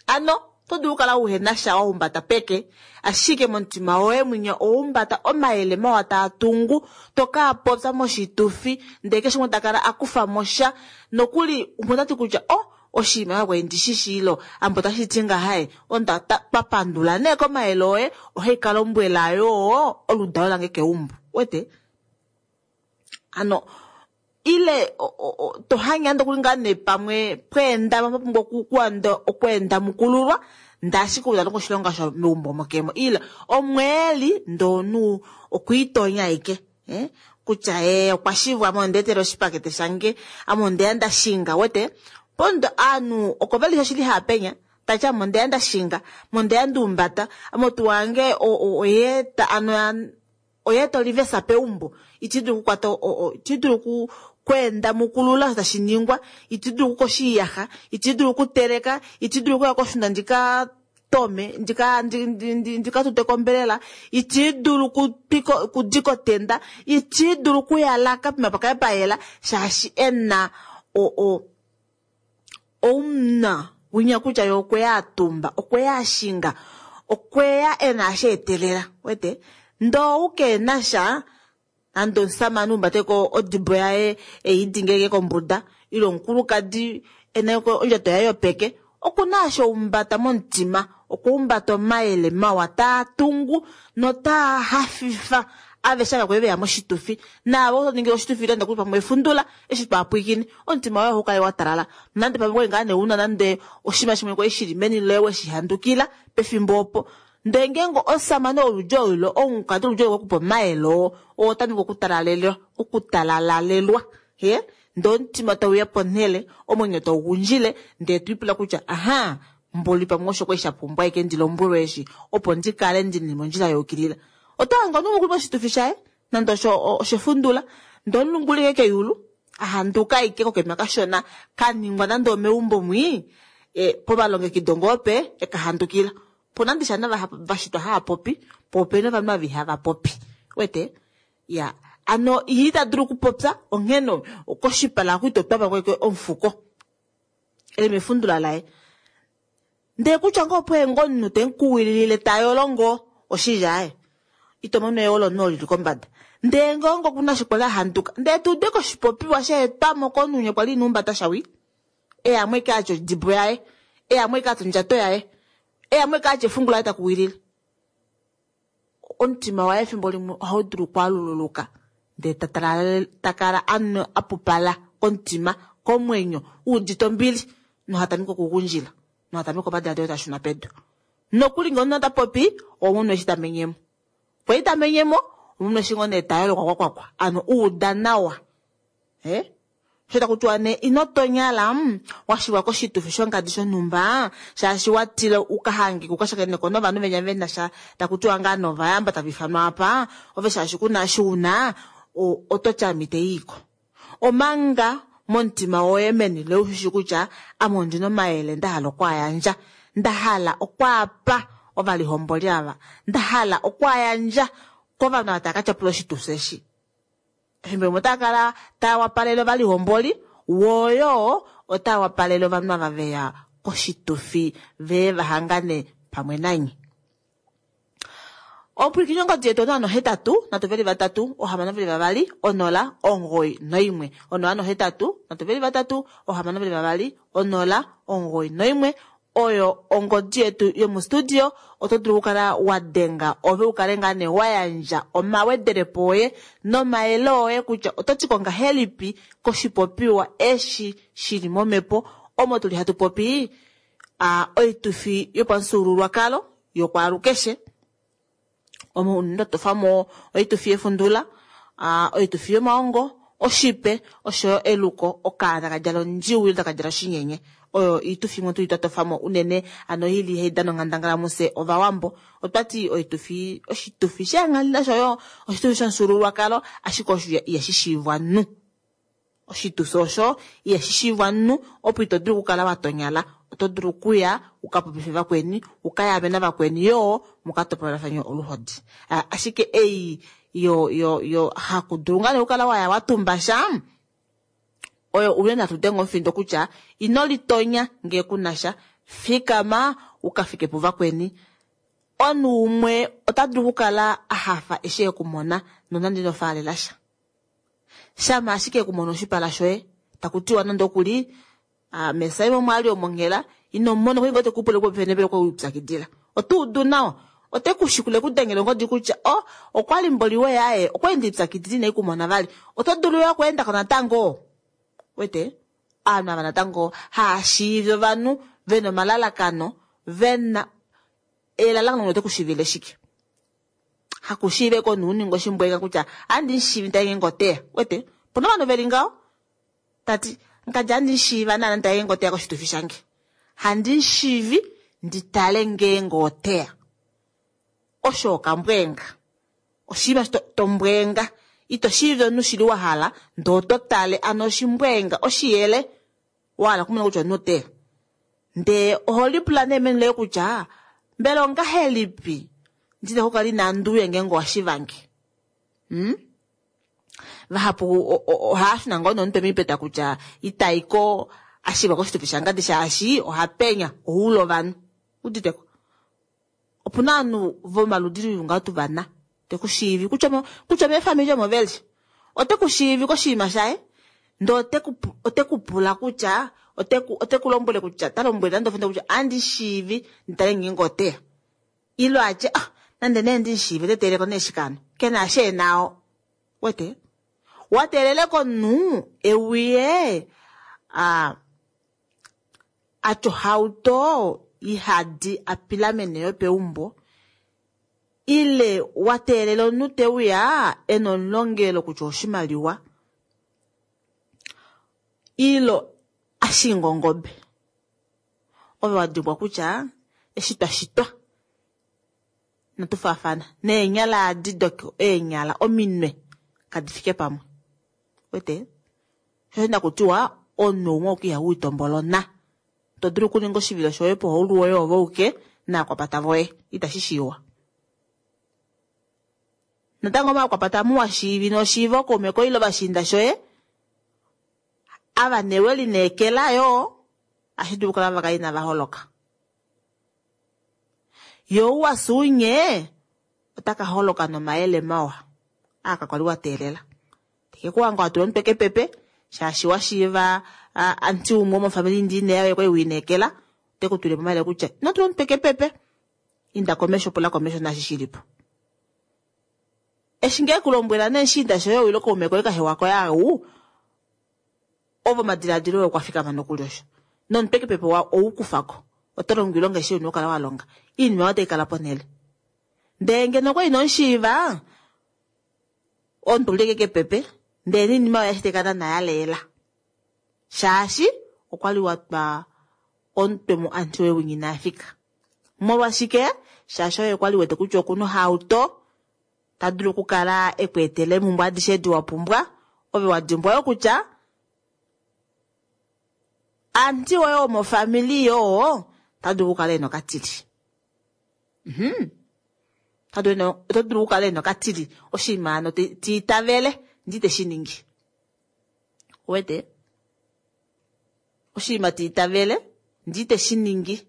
ano oto dulu okukala uhena sha wa humbata peke, ashike momutima woye mwinya owa humbata omayele mawa taa tungu, to ka popya moshitufi ndee keshe umwe takala akufa mo sha nokuli umwe otati kutya oh oshinima kwali ndishi ilo ambo otashi ti ngahaye onda twa pandula nee komayele oye, ohai ka lombwela yoo oludalo lange keumbo. Wete ano ile to hange nande okuli ngaa nee pamwe pweenda pa pumbwa okweenda mukululwa ndee ashike ou talongo oshilonga sho meumbo mokemo ile omweeli ndee omunhu okwiitonya ashike kutya ee okwa shivwa ame ondeetele oshipakete shange ame ondeya ndashinga wete pondo aanhu oko veli oshili haapenya tati ame ondeya ndashinga ame ondeya nduumbata ame otu wange oyeeta ano oyeeta olivesa peumbo iti dulu okukwata iti dulu okweenda mukulula osho tashi ningwa, iti dulu okukosha oiyaxa, iti dulu okuteleka, iti dulu okuya koshunda ndika tome ndika tute kombelela, iti dulu okudika otenda, iti dulu okuyalaka pema pakale payela shaashi ena oumuna winya kutya ye okweya atumba, okweya ashinga, okweya ena asha etelela. Wete ndee ou keenasha nande omusamane umbateko odibo yaye eidingeke kombuda ile omukulukadi ena ondjato yaye yopeke, okuna asha umbata momutima, okwa humbata omayele mawa taa tungu notaa hafifa aveshe ava kwali veya moshitufi naavo oto ningi oshitufi ile nokuli pamwe efundula eshi twaapwikine omutima woye ohau kala wa talala nande pamwe kwali ngaa nee una nande oshinima shimwe kwali shili meni loye weshihandukila pefimbo opo ndee ngeenge omusamane woludi olo omukadi woludi olo wekupa omayele oo oo otameke okutalalalelwa ndee omutima tauya ponhele omwenyo taugundjile ndee twiipula kutya aha mboli pamwe osho kwali shapumbwa ashike ndi lombwelwe eshi opo ndikale ndili mondjila yayukilila. Oto hange omunhu okuli moshitufi shaye nande oshefundula ndee omulungu uli ashike keyulu ahanduka ashike kokema kashona kaningwa nande omeumbo mwii pomalongekido ngoo pe ekahandukila. Opuna ndishi ovanhu vashitwa hava popi po opena ovanhu ava ihava popi. Wete ya ano ye ita dulu okupopya onghene koshipala oku ito twapa ko omufuko eli mefundula laye. Ndee kutya ngoo opo ngoo omunhu temukuwilile tayolo ngoo oshili aaye ito mono eyolo omunhu olili kombada. Ndee ngeenge okuna eshi kwali ahanduka ndee tuude koshipopiwa sheetwamo komunhu kwali ina humbata shawi eyamwe eke atya odibo yaye, eyamwe eke atya ondjato yaye, eyamwe eke atya efungu laye takuwilile. Omutima waye efimbo limwe ohau dulu okwaalululuka ndee takala apupala komutima komwenyo uudite ombili nohatameke okugundjila nohatameke omadiladilo tashuna pedu. Nokuli ngee omunhu ota popi omunhu eshi tamenyemo kwali tamenyemo omunhu eshi ngoo nee tayolo kwakwakwakwa ano uuda nawa. Osho taku tiwa nee ino tonyala washivwa koshitufi shongadi shonhumba shaashi watila ukahangike ukashakeneko novanhu venya vena sha taku tiwa ngaa novayamba tava ifanwa apa ove shaashi kuna eshi una ototi ame iteiiko. Omanga momutima woye meni loye ushishi kutya ame ondina omayele ndahala okwaayandja, ndahala okwaapa ovalihomboli ava, ndahala okwaayandja kovanhu ava tava ka tyapula oshitufi eshi. Efimbo limwe otaa kala taa wapalele ovalihomboli, wooyo otaa wapalele ovanhu ava veya koshitufi vee va hangane pamwe nanye. Opwilikini ongodi yetu 083 323 622 0 91 083 323 622 0 91 oyo ongodi yetu yomustudio. Oto dulu okukala wa denga ove u kale ngaa nee wa yandja omawedelepo oye nomayele oye kutya oto ti ko ngahelipi koshipopiwa eshi shili momhepo omo tuli hatu popi oitufi yopamufyuululwakalo yokwaalukeshe omo unene twa tofamo oitufi yefundula, oitufi yomaongo, oshipe oshoyo eluko, okaana ka djala ondjiwi ile taka djala oshinyenye. Oyo oitufi imwe tuli twa tofamo unene ano ili hai dana onghandangala mufye Ovawambo. Otwa ti oitufi oshitufi sheenghali noshoyo oshitufi shomufyuululwakalo ashike osho ihashi shiivwa nu. Oshitufi osho ihashi shiivwa nu opo ito dulu okukala wa tonyala. Oto dulu okuya uka popife vakweni, uka yaame navakweni yoo muka topolelafane oluhodi. Ashike ei yo yo yo hakudulu ngaa nee okukala waya wa tumba sha oyo unene hatu denge omufindo kutya ino litonya ngee kuna sha, fikama uka fike puvakweni. Omunhu umwe ota dulu okukala a hafa eshi e ku mona nonande ino faalela sha. Shama ashike e ku mona oshipala shoye, taku tiwa nande okuli mesaimo omwali omonghela ino mona okuli ngoo teku pula popepi nepele okwe lipyakidila. Oto udu nawa. Ote ku shikula eku dengele ongodi kutya o okwali mboli we yaye okwa enda ipyakidila inai ku mona vali. Oto dulu yo okweendako natango. Wete? Ovanhu ava natango haashiivi ovanhu vena omalalakano, vena elalakano ote ku shiivile shike. Hakushiive ko nuuninga oshimbwega kutya andi mushiivi ntaye ngeenge oteya. Wete? Opuna ovanhu veli ngaho. Tati nkadja andi mushiiva naana ntaye ngeenge oteya koshitufi shange. Handi mushiivi ndi tale ngeenge oteya. Osho okambwenga. Oshinima tombwenga. Ito shiivi omunhu shili wa hala ndee oto tale ano oshimbwenga oshiyele wa hala okumona kutya omunhu oteya. Ndee oho lipula nee meni loye kutya mbela ongahelipi ndina okukala inandi uya ngeenge owa shivange. Vahapu ohava shuna ngoo nomutwe moipeta kutya itaiko a shivwa koshitufi shangadi shaashi oha penya ohuula ovanhu. Uditeko? Opuna ovanhu vomaludi luli ngaho tu vana te ku shiivi kutya kutya meefamili omo veli. Ote ku shiivi koshinima shaye ndee ote ku pula kutya ote ku lombwele kutya ta lombwele nande ofenda kutya andi shiivi nditale ngeenge oteya. Ilo atye ah nande nee ndi shiive ote teeleko nee shikano. Kena eshi enao. Wete? Wa teelele komunhu euye atya ohauto ihadi a pilamene yo peumbo ile wa teelela omunhu te uya ena omulongelo kutya oshimaliwa ilo ashinga ongobe. Ove wa dimbwa kutya eshi twa shitwa inatu faafana neenyala adi doko eenyala ominwe kadi fike pamwe. Wete? Sho nakutiwa omunhu umwe oku iha uitombolona. To dulu okuninga oshivilo shoye pohaulu woye ove uke naakwapata voye. Itashi shiiwa. Natango omakwapata muwa shiivi noshiiva okaume koye ile ovashiinda shoye ava newe lineekela yoo ashi dulu okukala vaka inava holoka. Yo uwa suunye otaka holoka nomayele mawa aa kakwali wa teelela. Teke kuwanga wa tula omutwe kepepe shaashi wa shiiva anti umwe womofamili ndi ine yaye kwali wiineekela ote ku tulile po omayele kutya ino tula omutwe kepepe inda komesho pula komesho naashi shilipo. Eshi ngee kulombwela nee shinda shoye owilo kaume koye kahewa koye au ovo omadiladilo oye okwa fikama nokuli osho. Nomutwe kepepe wa oukufako. Oto longo oilonga eshi una okukala wa longa. Iinima oyo otai kala ponhele. Ndee ngeno okwa ino mushiiva omuntu uleke kepepe ndee niinima oyo ashike kala naye aleela. Shaashi okwali wa twa omutwe mu anti woye winya ina fika. Molwashike? Shaashi oye kwali wete kutya okuna ohauto ta dulu okukala e ku etela eemhumbwe adishe edi wa pumbwa. Ove wa dimbwa yo kutya anti woye womofamili yoo ta dulu okukala ena okatili. Oto dulu okukala ena okatili oshinima ano ti itavele. Ndee ite shi ningi. Ouwete? Oshinima ta itavele, ndee ite shi ningi.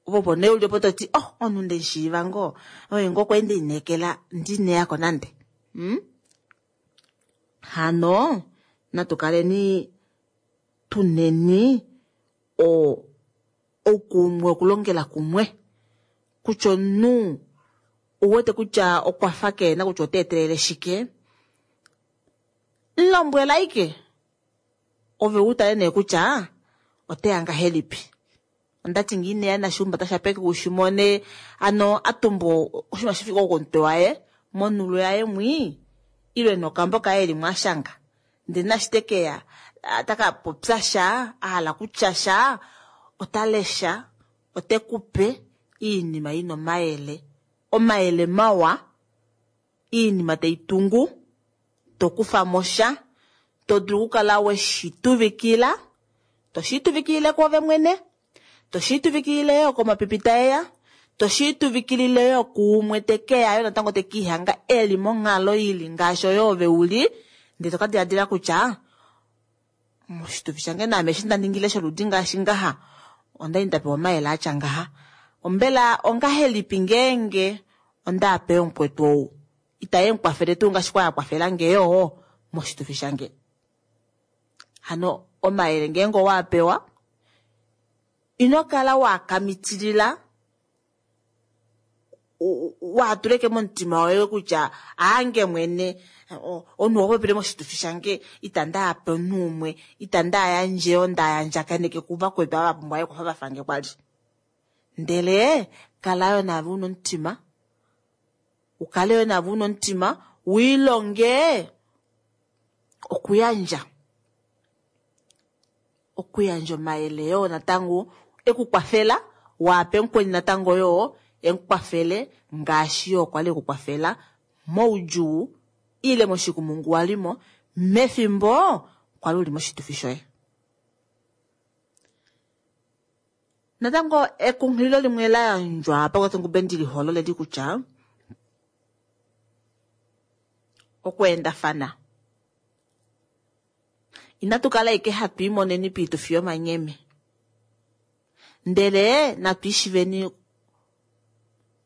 Opo nee uli opo toti, oh, omunhu nde mushiiva ngoo, oye ngoo kwali nde lineekela ndee ineyako nande. Hmm? Hano, natu kaleni tuneni o, oukumwe okulongela kumwe. Kutya omunhu ouwete kutya okwa fa keena kutya ota etelele shike, lombwela ashike ove u tale nee kutya oteya ngahelipi. Ondati ngee ineya nashiumbata shapeke ushimone ano a tumba oshinima shi fike komutwe waye monulo yaye mwii ile nokambo kaye eli mwashanga ndele nashi tekeya taka popya sha a hala kutya sha ota lesha ote kupe iinima ina omayele omayele mawa iinima taitungu tokufamo sha to dulu okukala weshituvikila toshituvikilile kwoove mwene toshituvikilile yo komapipi taeya toshituvikilile yo kuumwe tekeya yo natango tekiihanga eli monghalo ili ngaashi oyo ove uli ndee toka diladila kutya moshitufi shange naame eshi nda ningile sholudi ngaashi ngaha ondali nda pewa omayele atya ngaha ombela ongahelipi ngeenge onda ape omukwetu ou itaye mukwafele tuu ngaashi kwa yakwafela nge yoo moshitufi shange. Hano omayele ngeenge owa pewa ino kala wakamitilila waatuleke momutima woye kutya aange mwene omunhu okwa popile moshitufi shange itandi ape omunhu umwe itandi ayandje onda yandjakaneke kuvakwetu ava vapumbwa ekwafo vafange kwali. Ndele kala yo naave una omutima ukale yo naave una omutima wiilonge okuyandja okuyandja omayele yoo natango ekukwafela waape mukweni natango yoo emukwafele ngaashi yoo kwali ekukwafela moudjuu ile moshikumungu walimo mefimbo kwali uli moshitufi shoye. Natango ekunghililo limwe la yandjwa pakwathengube ndiliholo leli kutya okweendafana inatu kala ashike hatu imoneni piitufi yomanyeme ndele natu ishiveni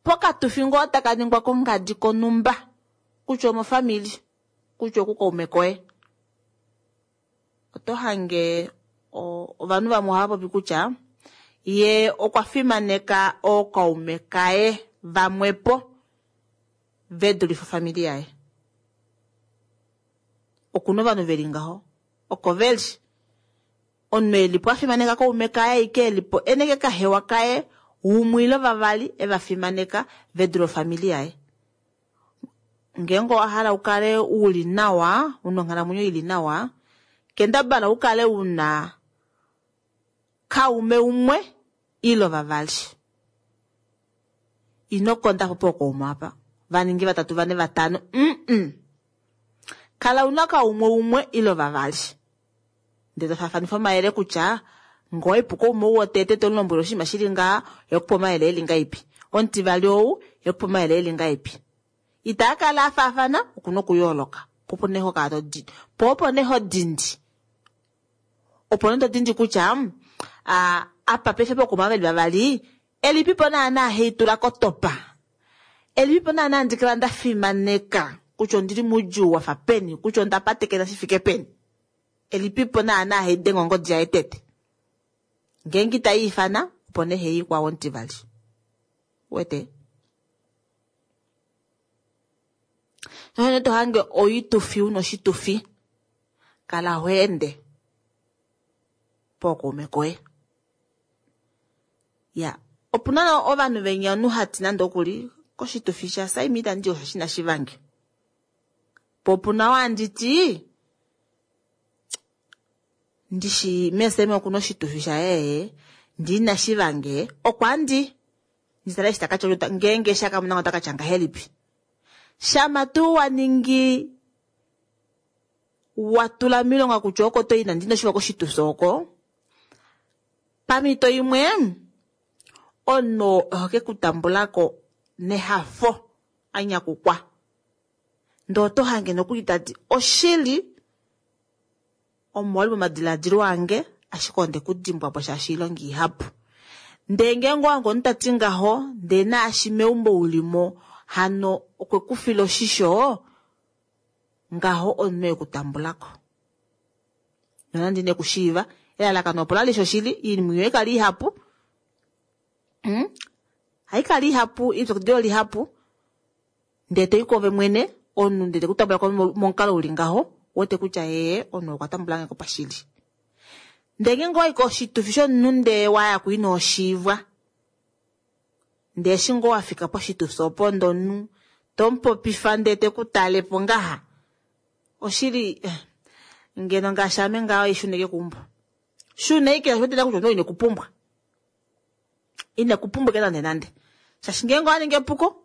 pokatufi ngoo taka ningwa kongadi konumba kutya omofamili kutya okukaume koye. Oto hange ovanhu vamwe ohava popi kutya ye okwa fimaneka ookaume kaye vamwepo ve dulife ofamili yaye. Okuna ovanhu veli ngaho oko veli omunhu elipo afimaneka kaume kaye aike elipo eneke kahewa kaye umwe ile vavali eva fimaneka ve dule ofamili yaye. Ngeenge owa hala ukale uli nawa una onghalamwenyo ili nawa kendabala ukale una kaume umwe ile vavali. Ino kondapo pookaume apa vaningi vatatu vane vatano kala una kaumwe umwe ile vavali ndee tofaafanifa omayele kutya ngoo ipu kaume ou wotete tomulombwele oshinima shili ngaha ekupa omayele eli ngaipi omutivali ou ekupa omayele eli ngaipi. Itaa kala afaafana okuna okuyooloka po opo nee hokala todi po opo nee hodindi opo nee todindi kutya apa paife pokuma veli vavali elipipo naana haitula kotopa elipipo naana handi kala nda fimaneka kutya ondili moudjuu wafa peni kutya onda patekena shifike peni elipipo naana haidenge ongodi yaye tete ngeenge itaiifana opo nee hei kwao omutivali. Wete nohene tohange oitufi una oshitufi kala hoende pookaume koye. Ya opuna ovanhu venya omunhu hati nande okuli koshitufi sha Saimi itandi osho shina shivange po opuna wanditi ndishi meeseme okuna oshitufi shaye ndee ina shivange okwandi nditale eshi takatya ngeenge shakamuna otakatya ngahelipi. Shama tuu waningi watula milonga kutya oko toyi nande inoshiva koshitufi oko pamhito imwe omunhu ohe kutambulako nehafo anyakukwa. Ndee oto hange nokuli tati oshili omo wali momadilaadilo ange ashike onde ku dimbwa po shaashi oilonga ihapu. Ndee ngeenge owange omunhu tati ngaho ndee naashi meumbo ulimo hano okwe ku fila oshisho ngaho omunhu ekutambulako. Nonande ine kushiiva elalakano opo lali shoshili oinima oyo haikala ihapu Haikala ihapu ipyakidilo lihapu ndee toi kwoove mwene omunhu ndee teku tambula ko momukalo uli ngaho ouwete kutya ee omunhu okwa tambula nge ko pashili. Ndee ngeenge owayi koshitufi shomunhu ndee waya ko ino shiivwa ndee eshi ngoo wafika poshitufi opo ndee omunhu tomupopifa ndee teku tale po ngaha oshili ngeno ngaashi ame ngaho ishuna ashike keumbo. Shuna ashike shaashi owete kutya omunhu oo inekupumbwa. Inekupumbwa ashike nande nande. Shaashi ngeenge owa ningi epuko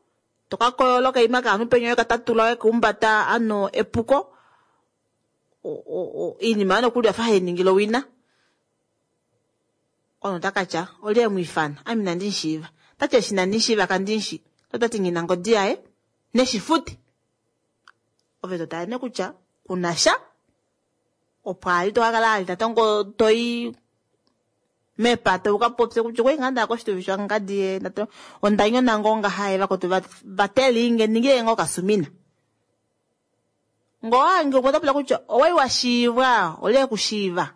toka koyola okaima kaanhu penya weka tatula weka umbata ano epuko oinima oyo nokuli oyafa hainingile owina. Omunhu ota katya olye emwiifana ame inandi mushiiva. Otati eshi inandi mushiiva kandi mushi. Otati nghina ngodi yaye neshifute. Ove totale nee kutya kunasha opo ali tokakala ali natango toi mepata ukapopye kutya okwali ngaa ndaya koshitufi shangadi ye onda nyona ngoo ngaha ye vakwetu vatelinge ningile ngoo okasumina. Ngoo owange umwe otapula kutya owali washiivwa olye ekushiiva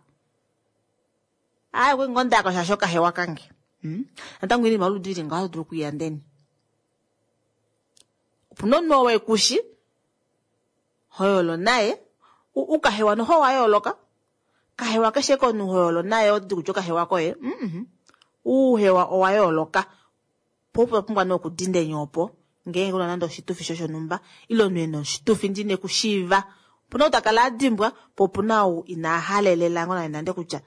aaye okwali ngoo ndayako shaashi okahewa kange. Natango oinima yoludi ili ngaho oto dulu okwiiyandeni. Opuna omunhu oo ekushi hoyolo naye ukahewa noho owa yooloka kahewa keshe komunhu hoyolo naye ototi kutya okahewa koye uuhewa owa yooloka po opo pumbwa nee okudindenya opo ngeenge una nande oshitufi shoshonhumba ile omunhu ena oshitufi ndee inekushiiva opuna ou takala adimbwa po opuna ou ina halelela ngoo nande nande kutya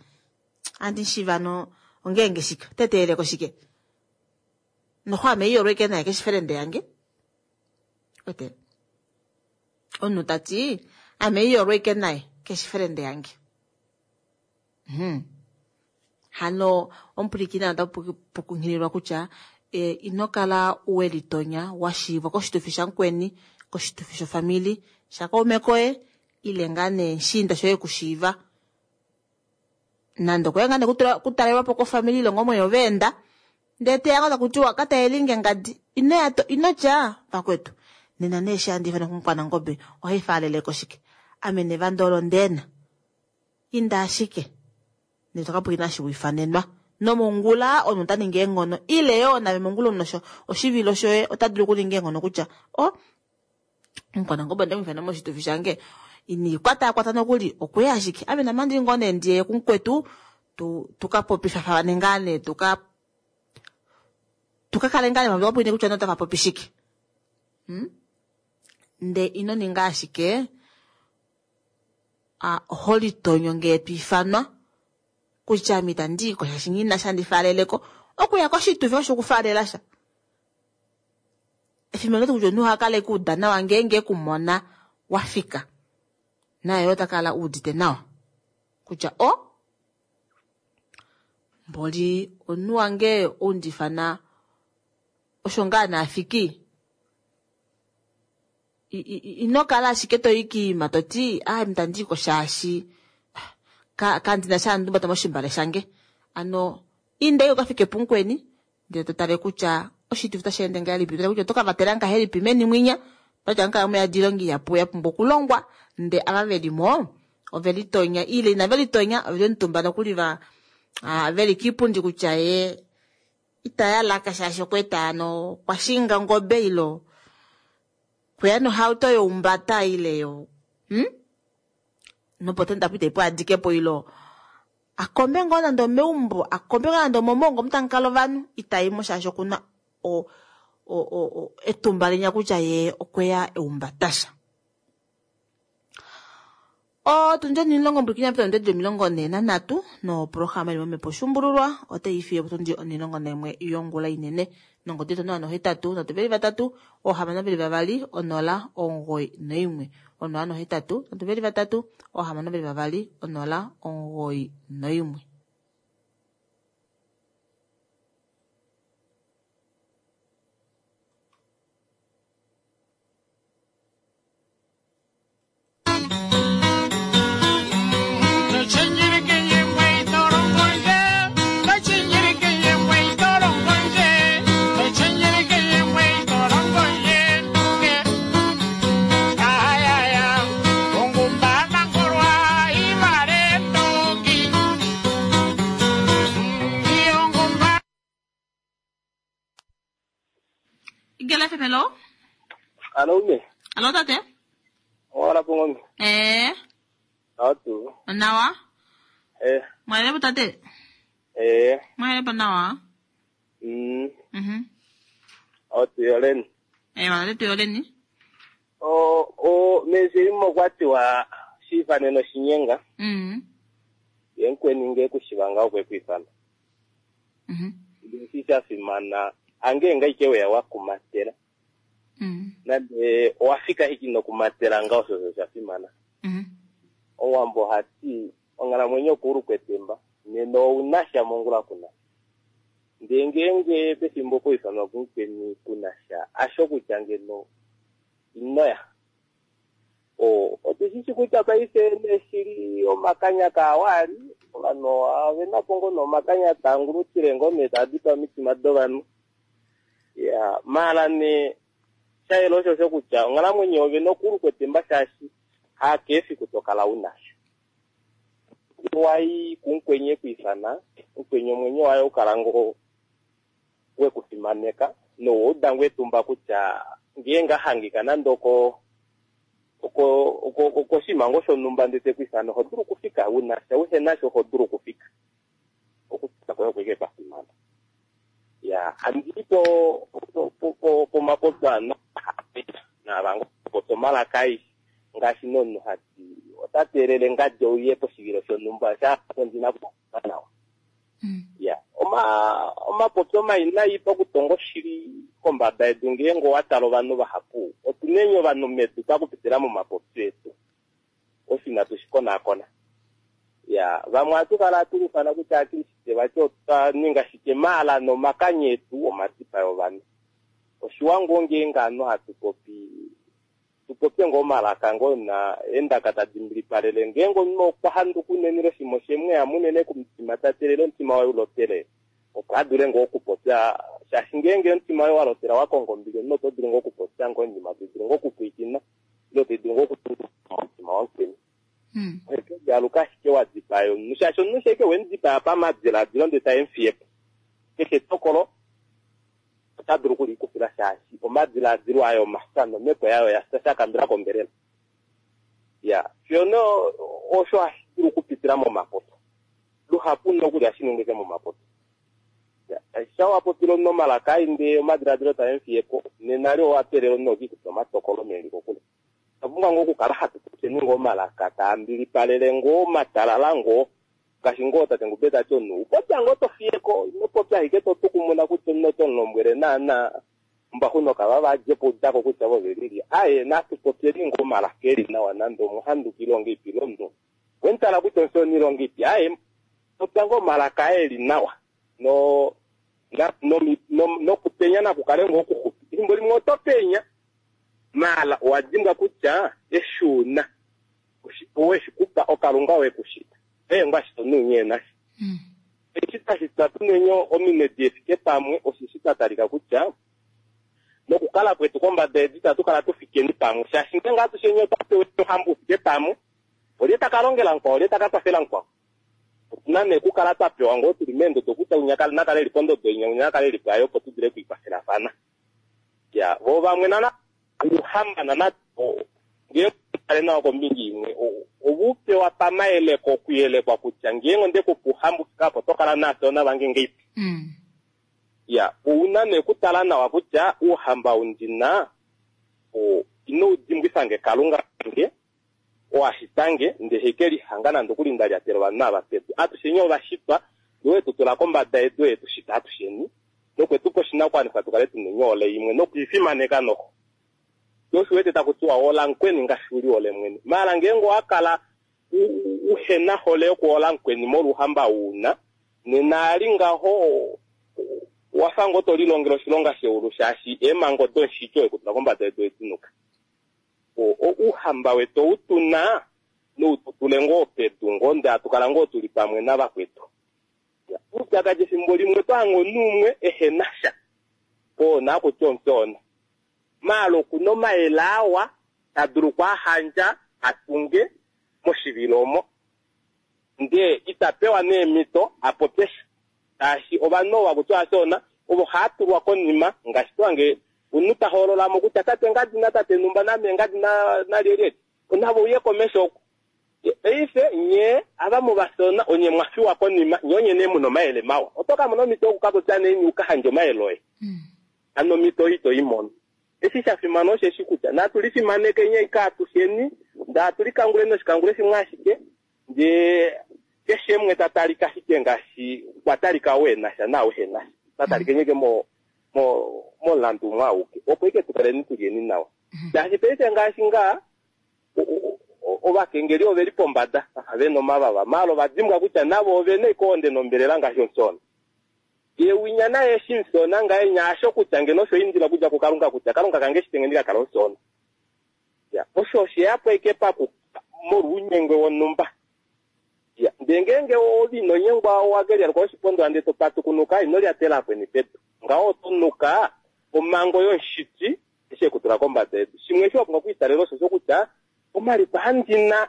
ohandi mushiiva hano ongeenge shike ota teeleleko shike noxo ame haiyolwa ashike naye keshi felende yange wete omunhu tati ame haiyolwa ashike naye keshi felende yange hano omupwilikini ota pukunghililwa kutya ino kala welitonya washiivwa koshitufi shamukweni koshitufi shofamili shakaume koye ile ngaa nee mushiinda shoye ekushiiva nande okweya ngaa nee okutalelwapo kofamili ile ngoo oveenda ndee teya ngoo takutiwa kataelinge ngadi inoya inotya vakwetu nena nee eshi handi ifanwa kumukwanangobe ohaifaaleleko shike ame nevanda olo ndeena inda ashike ndee tokapwilikina eshi wiifanenwa nomongula omunhu ota ningi eenghono ile yoo nave mongula omunhu oshivilo shoye ota dulu okuninga eenghono kutya o omukwanangobe onde muifana moshitufi shange iniikwataakwata nokuli okweya ashike ame namandili ngoo nee ndiye kumukwetu tukapopifafane ngaa nee tuka tukakale ngaa nee pwiine kutya notava popi shike ndee ino ninga ashike holitonyo ngee twiifanwa kutya ame itandi iko shaashi nghina sha ndifaaleleko okuya koshitufi osho okufaalela sha. Efimbo olo kutya omunhu ohakala ekuuda nawa ngeenge ekumona wafika naye ota kala uudite nawa kutya o mboli omunhu wange oundifana osho ngaa naafiki ino kala ashike toyi kiima toti ame itandi iko shaashi kandina sha ndumbata moshimbale shange ano inda ukafike pumukweni ndee totale kutya oshitufi otashi ende ngahelipi totale kutya otokavatela ngahelipi meni mwinya patya kala muyadi oilonga ihapu yapumbwa okulongwa ndee ava velimo ovelitonya ile inave litonya oveli omutumba nokuli va veli kiipundi kutya ye itaya laka shaashi okweeta hano okwashinga ongobe ile okweya nohauto youmbata ile yo nopotenda apo itaipu adikepo ile akombe ngoo nande omeumbo akombe ngoo nande omomongo omu tamukala ovanhu itaimo shaashi okuna etumba linya kutya ye okweya eumbatasha. Otundi 10 mbwikinya pita otundi 43 noprograma ili momhepo shumbululwa otai fiyo potundi 11 yongula inene nongodi yetu 083 323 622 0 91 083 323 622 0 91. hello. Alo ume. Alo tate. Owala pongombe. Eh, Atu. nawa. Eh, Mwahelepo tate. eh. Mwahelepo nawa. Atu yoleni. Eh, wale tuyoleni. O o mezilimo kwatiwa shifaneno shinyenga. Yenkweni nge kushivanga okwe kwifana. Ndisi shafimana ange ngaike weya wakumatela. Nande owafika hiki nokumatela nga osho osho shafimana. Owambo hati onghalamwenyo okuulu kwetemba nena ounasha mongula kuna. Ndee ngeenge pefimbo kwiifanwa kumukweni kunasha asho kutya ngeno inoya. Otushishi kutya paife neshili omakanya kaawali ovanhu ovena po ngoo nomakanya taangulutile ngoo nee taadipa omitima dovanhu. Ya maala nee shayela osho osho kutya onghalamwenyo ovena okuulu kwetemba shaashi hakeefiku tokala unasha. Wayi kumukweni ekwiifana, mukweni omwenyo waye ukala ngoo wekufimaneka nowauda ngoo etumba kutya ngeenge ahangika nande oko okoshinima ngoo shonhumba ndele tekwiifana oho dulu okufika unasha uhenasha oho dulu okufika. Okufika kwoye okwike kwafimana. Ya handii po pomapopyo ano navango popya omalaka aishe ngaashi nomunhu hati ota teelele ngadi ouye poshivilo shonhumba shapo ndina kufa nawa. Ya omapopyo mai pakutonga oshili kombada yedu ngeenge owatala ovanhu vahapu otuneni ovanhu medu pakupitila momapopyo etu osho inatu shikonaakona. Ya vamwe ohatu kala hatulufana kutya akriste vati otwa ninga shike maala nomakanya etu omadipayo ovanhu. Oshiwa ngoo ngeenge ovanhu hatu popi tupopye ngoo omalaka ngoo na eendaka tadi mbilipalele ngeenge omunhu okwa handuka unene oshima oshemweya munene komutima tatelele omutima waye ulotele opo adule ngoo okupopya shaashi ngeenge omutima waye walotela wakonga ombili omunhu oto dulu ngoo okupopya ngoo oinima tai dulu ngoo okupwiikina ile tai dulu ngoo okutunga omutima wamukweni. Aluka ashike wadipaya omunhu shaashi omunhu sheke wemudipaya pamadiladilo ndele taemufiyepo keshe etokolo ota dulu okulikufila shaashi omadiladilo ayo omafya nomhepo yayo oya shakambila kombelela. Ya fiyo osho hashi dulu okupitila momapopyo. Luhapu nokuli hashi ningike momapopyo. Sha wapopile omunhu omalaka ai ndee omadiladilo taemufiyepo nena li owateelela omunhu okikufa omatokolo meli kokule. Otwa pumbwa ngoo okukala hatu popyeni ngoo omalaka taambilipalele ngoo matalala ngoo ngaashi ngoo tate Ngube tati omunhu upopya ngoo tofiyeko inopopya ashike totukumuna kutya omunhu oto mulombwele naana ombaxu nokavava adjepo udako kutya vo velili aye natupopyeni ngoo omalaka eli nawa nande omuhanduki ilonga ipi ile omunhu wemutala kutya omufyoona ilonga ipi aye popya ngoo omalaka eli nawa no nokupenya nakukale ngoo okuxupi efimbo limwe oto penya maala owadimbwa kutya eshuuna oweshikupa okalunga wekushita eengwa shito nuunye nasho. Eshi tashitwa tunenyo ominwe diefike pamwe oshishi twatalika kutya nokukala kwetu kombada yedu itatu kala tufikeni pamwe shaashi ngeenge atushenye otwapewa ohamba ufike pamwe olye takalongela mukwao olye takakwafela mukwao. Otuna nee okukala twapewa ngoo tuli meendodo kutya unya nakale eli pondodo inya unya nakale eli pwayo opo tudule okwiikwafelafana. Ya vo vamwe nana uuhamba nana ngeenge tale nawa kombinga imwe ovupewa pamayeleko okuyelekwa kutya ngeenge ondekupa uuhamba ufike apo oto kala naafyoona vange ngeipi. Ya ouna nee okutala nawa kutya uuhamba undina ino udimbwifange kalunga kange owashitange ndee haikelihanga nande okuli ndalyatela ovanhu ava pedu. Atusheni ovashitwa ndee wetutula kombada yedu etushita atusheni nokwetupa oshinakuwanifwa tukale tuna onyoole imwe nokwiifimaneka noho. Osho wete takutiwa hola mukweni ngaashi uli hole mwene. Maala ngeenge owakala uhena hole yokuhola mukweni molwouhamba uuna nena ali ngaho wafa ngoo tolilongele oshilonga sheulu shaashi eemhango domushiti wekutula kombada yedu edinuka. Ouhamba wetu outuna noututule ngoo pedu ngoo ndee hatukala ngoo tuli pamwe navakwetu. Oupyakadi efimbo limwe otwahange omunhu umwe ehena sha oona akutya omufyoona. Maala okuna omayele awa tadulu okwahandja atunge moshivilo omo ndee itapewa neemhito apopye sha shaashi ovanhu ovo hakutiwa afyoona ovo haatulwa konima ngaashi twange Omunhu ta hoolola mo kutya tate ngadi natate numba name ngadi nalyelye. Nave uye komesho oku. Paife nye ava muvasona onye mwa fiwa konima, nye onye nee mu na omayele mawa. Oto ka mona omhito yoku ka popya neni u ka handje omayele oye. Hano omhito oyo ito i mono. Eshi sha fimana osheshi kutya natu lifimanekeni ashike atusheni, ndee hatu likanguleni oshikangule shimwe ashike, ndee keshe umwe ta talika ashike ngaashi kwa talika ou e na sha naau ehe na sha. Na talikeni ashike mo, mo, momulandu umwe auke, opo ashike tu kaleni tu lyeni nawa. Shaashi paife ngaashi ngaa, ovakengeli ove li pombada, vafa ve na omavava, maala ova dimbwa kutya navo ove na ashike ohonde nombelela ngaashi omusoona. Ye winya naye eshi musoona ngahenya asho kutya ngeno osho indila okudja kuKalunga kutya Kalunga kange eshi tenge ndi ka kala omusoona. Ya, osho oshe ya po ashike paku molwounyengwe wonhumba. Ya, ndee ngeenge ove ino nyengwa owa ke lyaluka oshipondola ndee to patukunuka, ino lyatela akweni pedu. Ngaho oto nuka omhango yomushiti eshi e ku tula kombada yedu. Shimwe eshi wa pumbwa okwiitalela oshosho kutya omaliko andi na,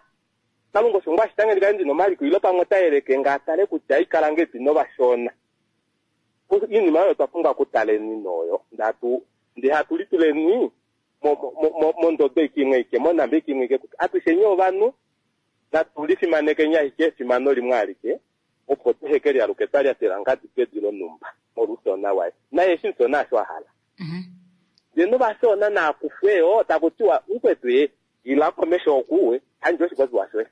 Kalunga osho ngoo a shita nge ndi kale ndi na omaliko ile pamwe ota yeleke nge a tale kutya ikala ngahelipi novashona. Oinima oyo otwa pumbwa okutaleni noyo ndee hatu lituleni mondodo ike imwe ike, monhamba ike imwe ike kutya atusheni ovanhu natu lifimanekeni ashike efimano limwe alike opo tuhe ke lialuke twa lyatela ngadi pedu lonhumba molwoufyoona waye. Naye eshi mufyoona osho a hala. Ndee novafyoona naakufwe yo taku tiwa mukwetu ye ila komesho oku we handje oshipopiwa shoye.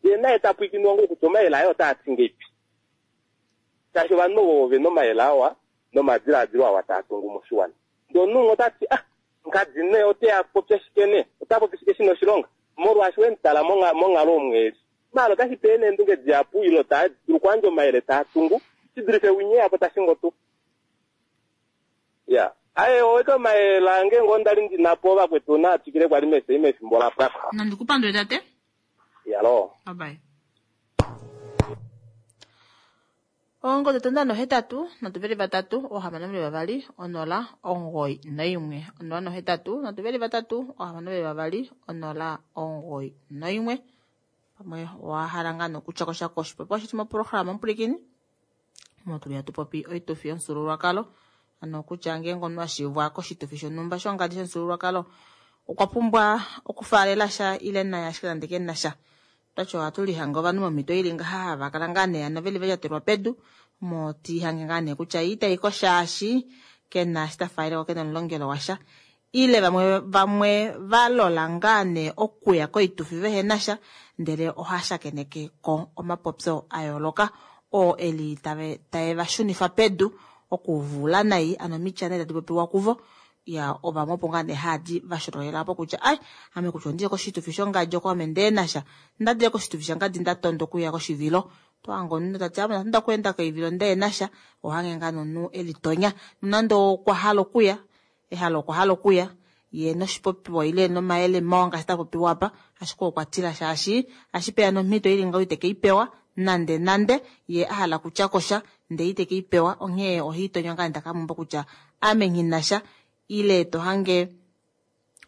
Ndee naye ta pwikinwa ngoo kutya omayele aye otaa ti ngeipi. Shaashi ovanhu ovo ove na omayele awa nomadilaadilo awa taa tungu moshiwana. Ndee omunhu umwe ota ti ah ngadi nee ote ya popya shike nee? Ota popi shike shi na oshilonga? Molwaashi we mu tala monghalo omu e li. Maala otashi pe neendunge dihapu ile ota dulu okuyandja omayele taa tungu shi dulife winya eya po ta shingo tuu. Ya. Aye, oweke omayele ange ngoo ndali ndi na po vakwetu naa twikile kwali mesei mefimbo la pwa ko. Nandi ku pandule tate. Yaloo. Bye bye. Oongodhi oto 8 3 6 2 0 91 0 8 3 6 2 0 91 pamwe owa hala ngaa nokutya ko sha koshipopiwa shetu moprograma omupwilikini omo tuli hatu popi oitufi yomufyuululwakalo ano kutya ngeenge omunhu a shivwa koshitufi shonhumba shongadi shomufyuululwakalo okwa pumbwa okufaalela sha ile naye ashike nande ke na sha Otwati ohatu lihange ovanhu momhito ili ngaha hava kala ngaa nee ano veli valyatelwa pedu mo tiihange ngaa nee kutya ye itayi ko shaashi kena eshi ta faaleleko kena omulongelo washa ile vamwe vamwe va lola ngaa nee okuya koitufi vehena sha ndele oha shakeneke ko omapopyo a yooloka oo eli tave tae va shunifa pedu okuvuula nai ano omitya nee tadi popiwa kuvo Ya, ovamwe opo ngaa nee haadi va shololela opo kutya ai, ame kutya ondiye koshitufi shongadi oko ame ndee nasha. Nda dile koshitufi shangadi nda tonda okuya koshivilo. Oto hange omunhu ta ti ame onda tonda okuenda koivilo ndee nasha. Oho hange ngaa nee omunhu e litonya. Nonande okwa hala okuya, ehalo okwa hala okuya, ye noshipopiwa ile nomayele mawa ngaashi ta popiwa apa, ashike okwa tila shaashi ohashi peya nomhito ili ngaho ite ke i pewa nande nande, ye a hala okutya ko sha ndee ite ke i pewa, onghee oha itonywa ngaa nee ta kamumba kutya ame nghi na sha ile to hange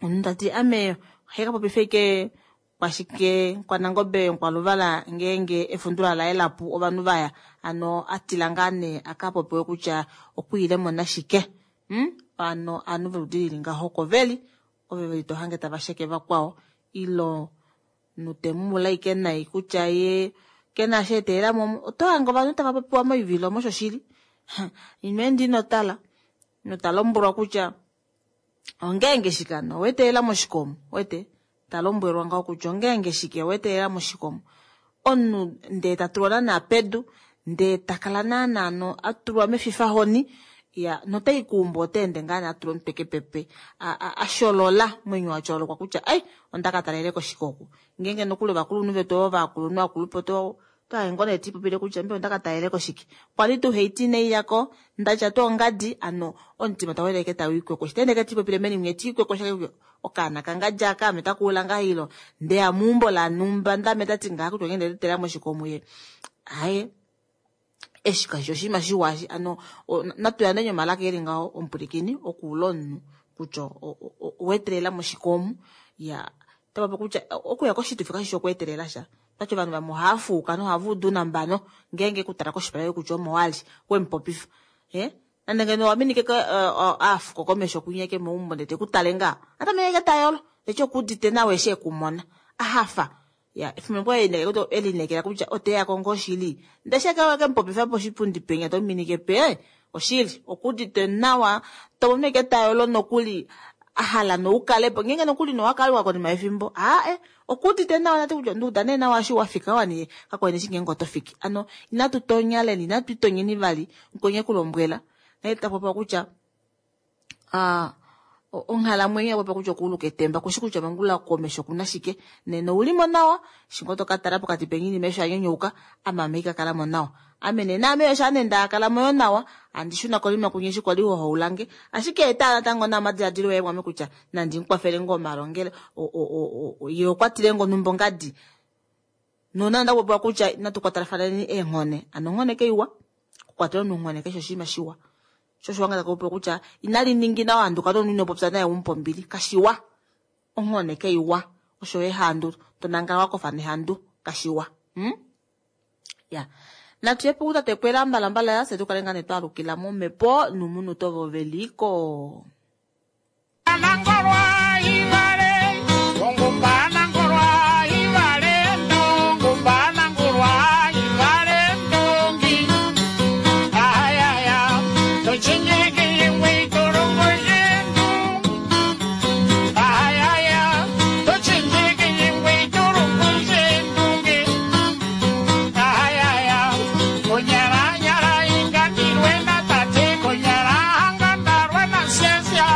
omunhu ta ti ame ohe ka popifa ike kwashike kwanangobe nkwaluvala ngeenge efundula laye lapu ovanhu vaya ano a tila ngaa nee a ka popiwe kutya okwiile mo nashike hmm? ano ovanhu voludi lili ngaho oko veli ove veli to hange tava sheke vakwao ilo notemumula ike nai kutya ye ke na eshi etelela mo. Oto hange ovanhu tava popiwa moivilo omo shoshili. Ino enda ino tala. Nota lombwelwa kutya ongeenge shike ano owe etelela moshikomo. Wete? Ta lombwelwa ngaho kutya ongeenge shike owe etelela moshikomo. Omunhu ndee ta tulwa naanaa pedu, ndee ta kala naanaa no a tulwa mefifahoni, ya notai kuumbo ota ende ngaa nee a tula omutwe kepepe a, a, a sholola mwenyo wa tyololokwa kutya ai onda ka talele koshike oku ngeenge nokuli ovakulunhu vetu ovo vakulunhu akulupe oto oto hange ngoo nee tiipopile kutya mbela onda ka talele koshike kwali tuu haiti inai yako ndatya tuu ongadi ano omutima tau ende tau ikwekwesha ta ende tiipopile meni mwiya tiikwekwesha okaana kangadi aka ame taka ula ngaa ilo ndeya meumbo lanumba ndame tati ngaa kutya onghee ndetela moshikomu ye aye eshi kashi oshinima shiwa eshi ano natu yandeni omalaka eli ngaho omupwilikini okuula omunhu kutya oweetelela moshikomu ya tava kutya okuya koshitufi kashi shi okweetelela sha tati ovanhu vamwe ohava fuuka nohava udu nambano ngeenge kutala koshipala kutya omo wali we mu popifa. Nande ngeno wa minike aafuko komesho kunyeke meumbo ndele te ku tale ngaa. Ata meke tayolo, ndele okuudite nawa eshi ekumona. Ahafa. Ya, efimbo elinekela kutya oteya ko ngoo shili. Ndele she ke mupopifa poshipundi penya to minike pe, oshili, okuudite nawa, to mono eke tayolo nokuli ahala noukalepo. Ngeenge nokuli nowakaluka konima yefimbo, aae, okuudite nawa nati kutya nduuda nee nawa eshi wa fika wani, kakwene eshi ngeenge oto fiki. Ano, inatu tonyaleni, inatu itonyeni vali, nkonye kulombwela. Naye ta popiwa kutya, onghalamwenyo ya popiwa kutya okuuluka etemba, kushi kutya mangula komesho kuna shike. Nena oulimo nawa, shingo to ka tala pokati penyini mesho anyonyouka, amame ika kala mo nawa. Ame nena ame osha nenda kala moyo nawa, andi shuna kolima kunye shi kwali hohoulange. Ashike eta natango na omadiladilo oye mwame kutya nandi mukwafele ngoo omalongele, ye okwa tile ngoo numbo ngadi. Nona nda popiwa kutya inatu kwatelafaneni eenghone. Ano onghone keiwa, okukwatela omunhu onghone keshe oshinima shiwa. Sho wanga takupopiwa kutya inali ningi nawa handuka nomunhu ino popya naye umupombili, kashiwa. Onghone keiwa, osho ehandu, tonangala wakofa nehandu, kashiwa. Ya. Natu yepo kutate kwela mbalambala ya se tukale ngane twalukila momhepo numunhu tovoveliko. Nangolwa ivale, ongumba nangolwa ivale, ndongumba nangolwa ivale ndongi. Ayaya, tochinjeke yengwe torongo yendu. Ayaya, tochinjeke yengwe torongo yendu. Ayaya, konyara nyara ingandirwe na tate, konyara hangandarwe na sensya.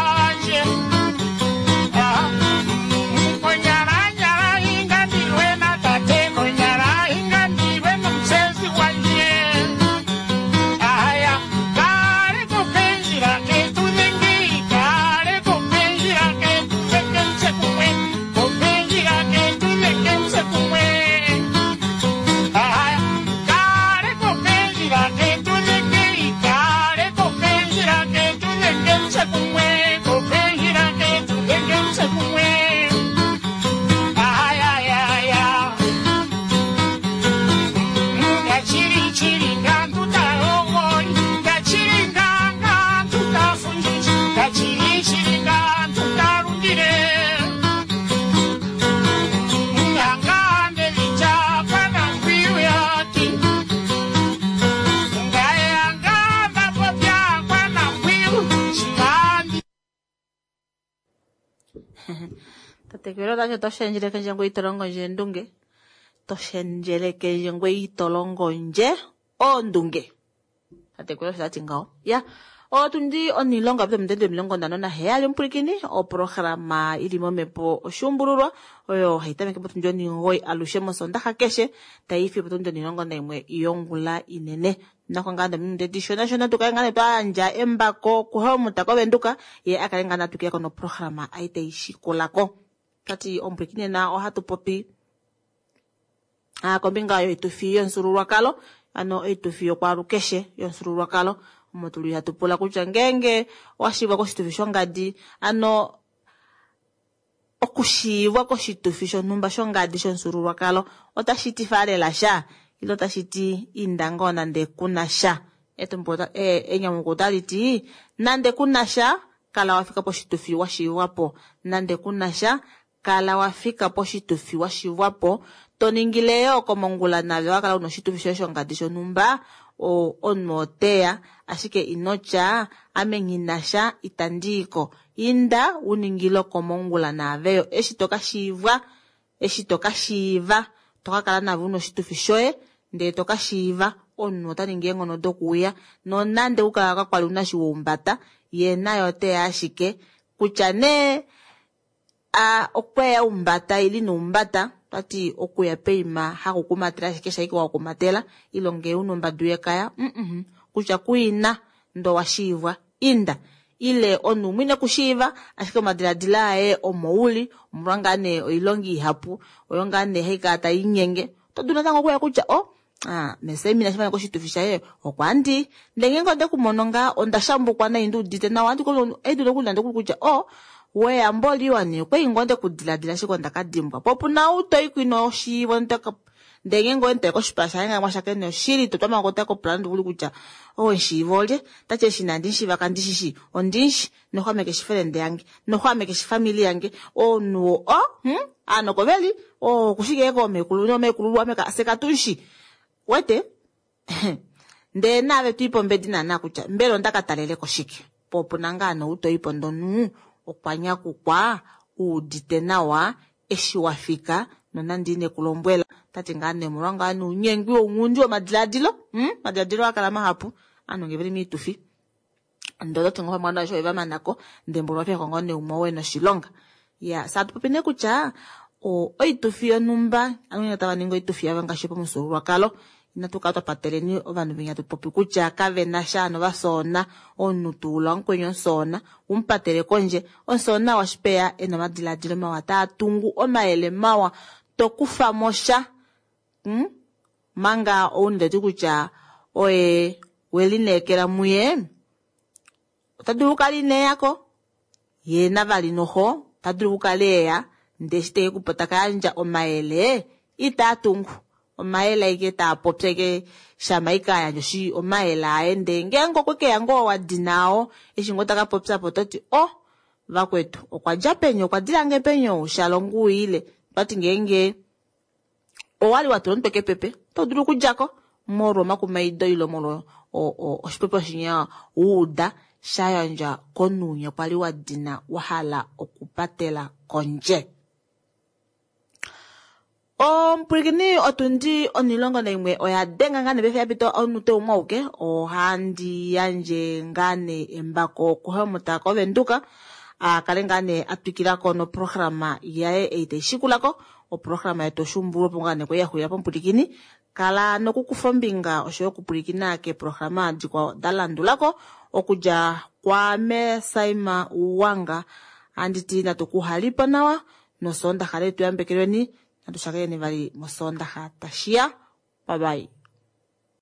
Tatekwelo tasho toshendjeleke nje ngwe itolongo nje endunge. Toshendjeleke nje ngwe itolongo nje oondunge. Tatekwelo osho tati ngaho. Ya, otundi onilonga pita omutende 57 omupulikini, oprograma ili momhepo oshuumbululwa, oyo hai tameke potundi 9 alushe mosondaxa keshe, tai fi potundi 11 yongula inene. Nako ngaa ndominute dishona shona tukale ngaa twayandja embako kuHelmut koVenduka, ye akale ngaa natukile ko noprograma ai tai shikulako. Tati omupulikini nena ohatu popi kombinga yoitufi yomufyuululwakalo, ano oitufi yokwaalukeshe yomufyuululwakalo. Omo tuli hatu pula kutya ngeenge washivwa koshitufi shongadi, ano okushiivwa koshitufi shonhumba shongadi shomufyuululwakalo otashi ti faalela sha, ile otashi ti inda ngoo nande kuna sha. Etumbo enyamukulo otali ti nande kuna sha, kala wafika poshitufi washiivwa po. Nande kuna sha, kala wafika poshitufi washiivwa po. To ningile yo komongula nave wakala una oshitufi shoye shongadi shonhumba, omunhu oteya, ashike inotya ame nghina sha itandiiko. Inda uningile komongula naveyo eshi toka shiivwa, eshi toka shiiva, toka kala nave una oshitufi shoye, ndele toka shiiva omunhu ota ningi eenghono dokuuya, nonande ukala kakwali una shi woumbata, ye naye oteya ashike kutya nee okweya umbata ili noumbata, tati okuya peima hakukumatela ashike shaike wakumatela, ilonge una ombadu yekaya, kutya kuina ndo washiivwa inda. Ile omunhu mwine kushiiva, ashike omadiladilo aye omouli, omolwa ngaa nee oilongi ihapu, oyo ngaa nee haikala tai nyenge. Oto dulu natango okuya kutya, mesemina shifana koshitufi shaye, okwa ndi. Ndele ngeenge onde kumono ngaa, onda shambukwa nai ndi udite nawa, andi kono, ei dulu okulanda kutya, weya mboli wani, okwa ingo onde kudiladila ashike onda ka dimbwa. Po opu na ou toi kwino oshiivo, Ndee ngeenge owe koshipala shaye nga mwashakene oshili to twama kota kopula ndivuli kutya owe nshiiva olye tati eshi inandi nshiiva kandi shishi ondinshi noho ame keshi felende yange noho ame keshi famili yange omunhu o aanoko veli okushike koomekulu nomekululwa ame fye katunshi wete ndee naave twiipe ombedi naana kutya mbela onda ka taleleko shike po opuna ngaa noutoipo ndonu okwa nyakukwa uudite nawa eshi wa fika nonande ine ku lombwela tati ngaa nee omolwa ngaa nounyengwi wounghundi womadilaadilo omadilaadilo akala mahapu aanhu ngee veli miitufi ndee ototi ngoo pamwe ovanhu va manako ndee mboli wafiyako ngoo nee umwe oo ena oshilonga. Ya saa tupopi nee kutya oitufi yonhumba ovanhu tava ningi oitufi yavo ngaashi pamufyuululwakalo inatu kala twa pateleni ovanhu venya tupopi kutya kavena sha novasoona omunhu tuula omukweni omusoona umupatele kondje omusoona washipeya ena omadilaadilo mawa taa tungu omayele mawa tokufamo sha manga ounhu toti kutya oye welineekela muye ota dulu okukala ineyako yee navali noho ota dulu okukala eya ndee eshi teke taka yandja omayele itaa tungu omayele aike taa popi aike shama ike ayandja oshi omayele aye ndee ngeenge okwe keya ngoo wadina eshi ngoo taka popya po ototi oh vakwetu okwa dja peni okwa dilange peni ou shalongo uile twati ngeenge owali watula omutwe kepepe oto dulu okudjako molwa omakumaido ile molwa oshipopiwa shinya wuuda sha yandjwa komunhu kwali wadina wahala okupatela kondje. Omupwilikini otundi 11 oya denga ngaa nee yapita omunute umwe auke ohandi yandje ngaa nee embako kuHelmut koVenduka akale ngaa nee atwikilako noprograma yaye ei taishikulako oprograma yetu oshuumbulwa opo ngaa nee kwali yaxulila pomupwilikini kala nokukufa ombinga oshoyo okupwilikina keeprograma dikwao da landulako okudja kwaame Saima Uwanga anditi natu kuhalipo nawa nosoondaxa letu yambekelweni natu shakeneni vali mosoondaxa tashiya bye bye.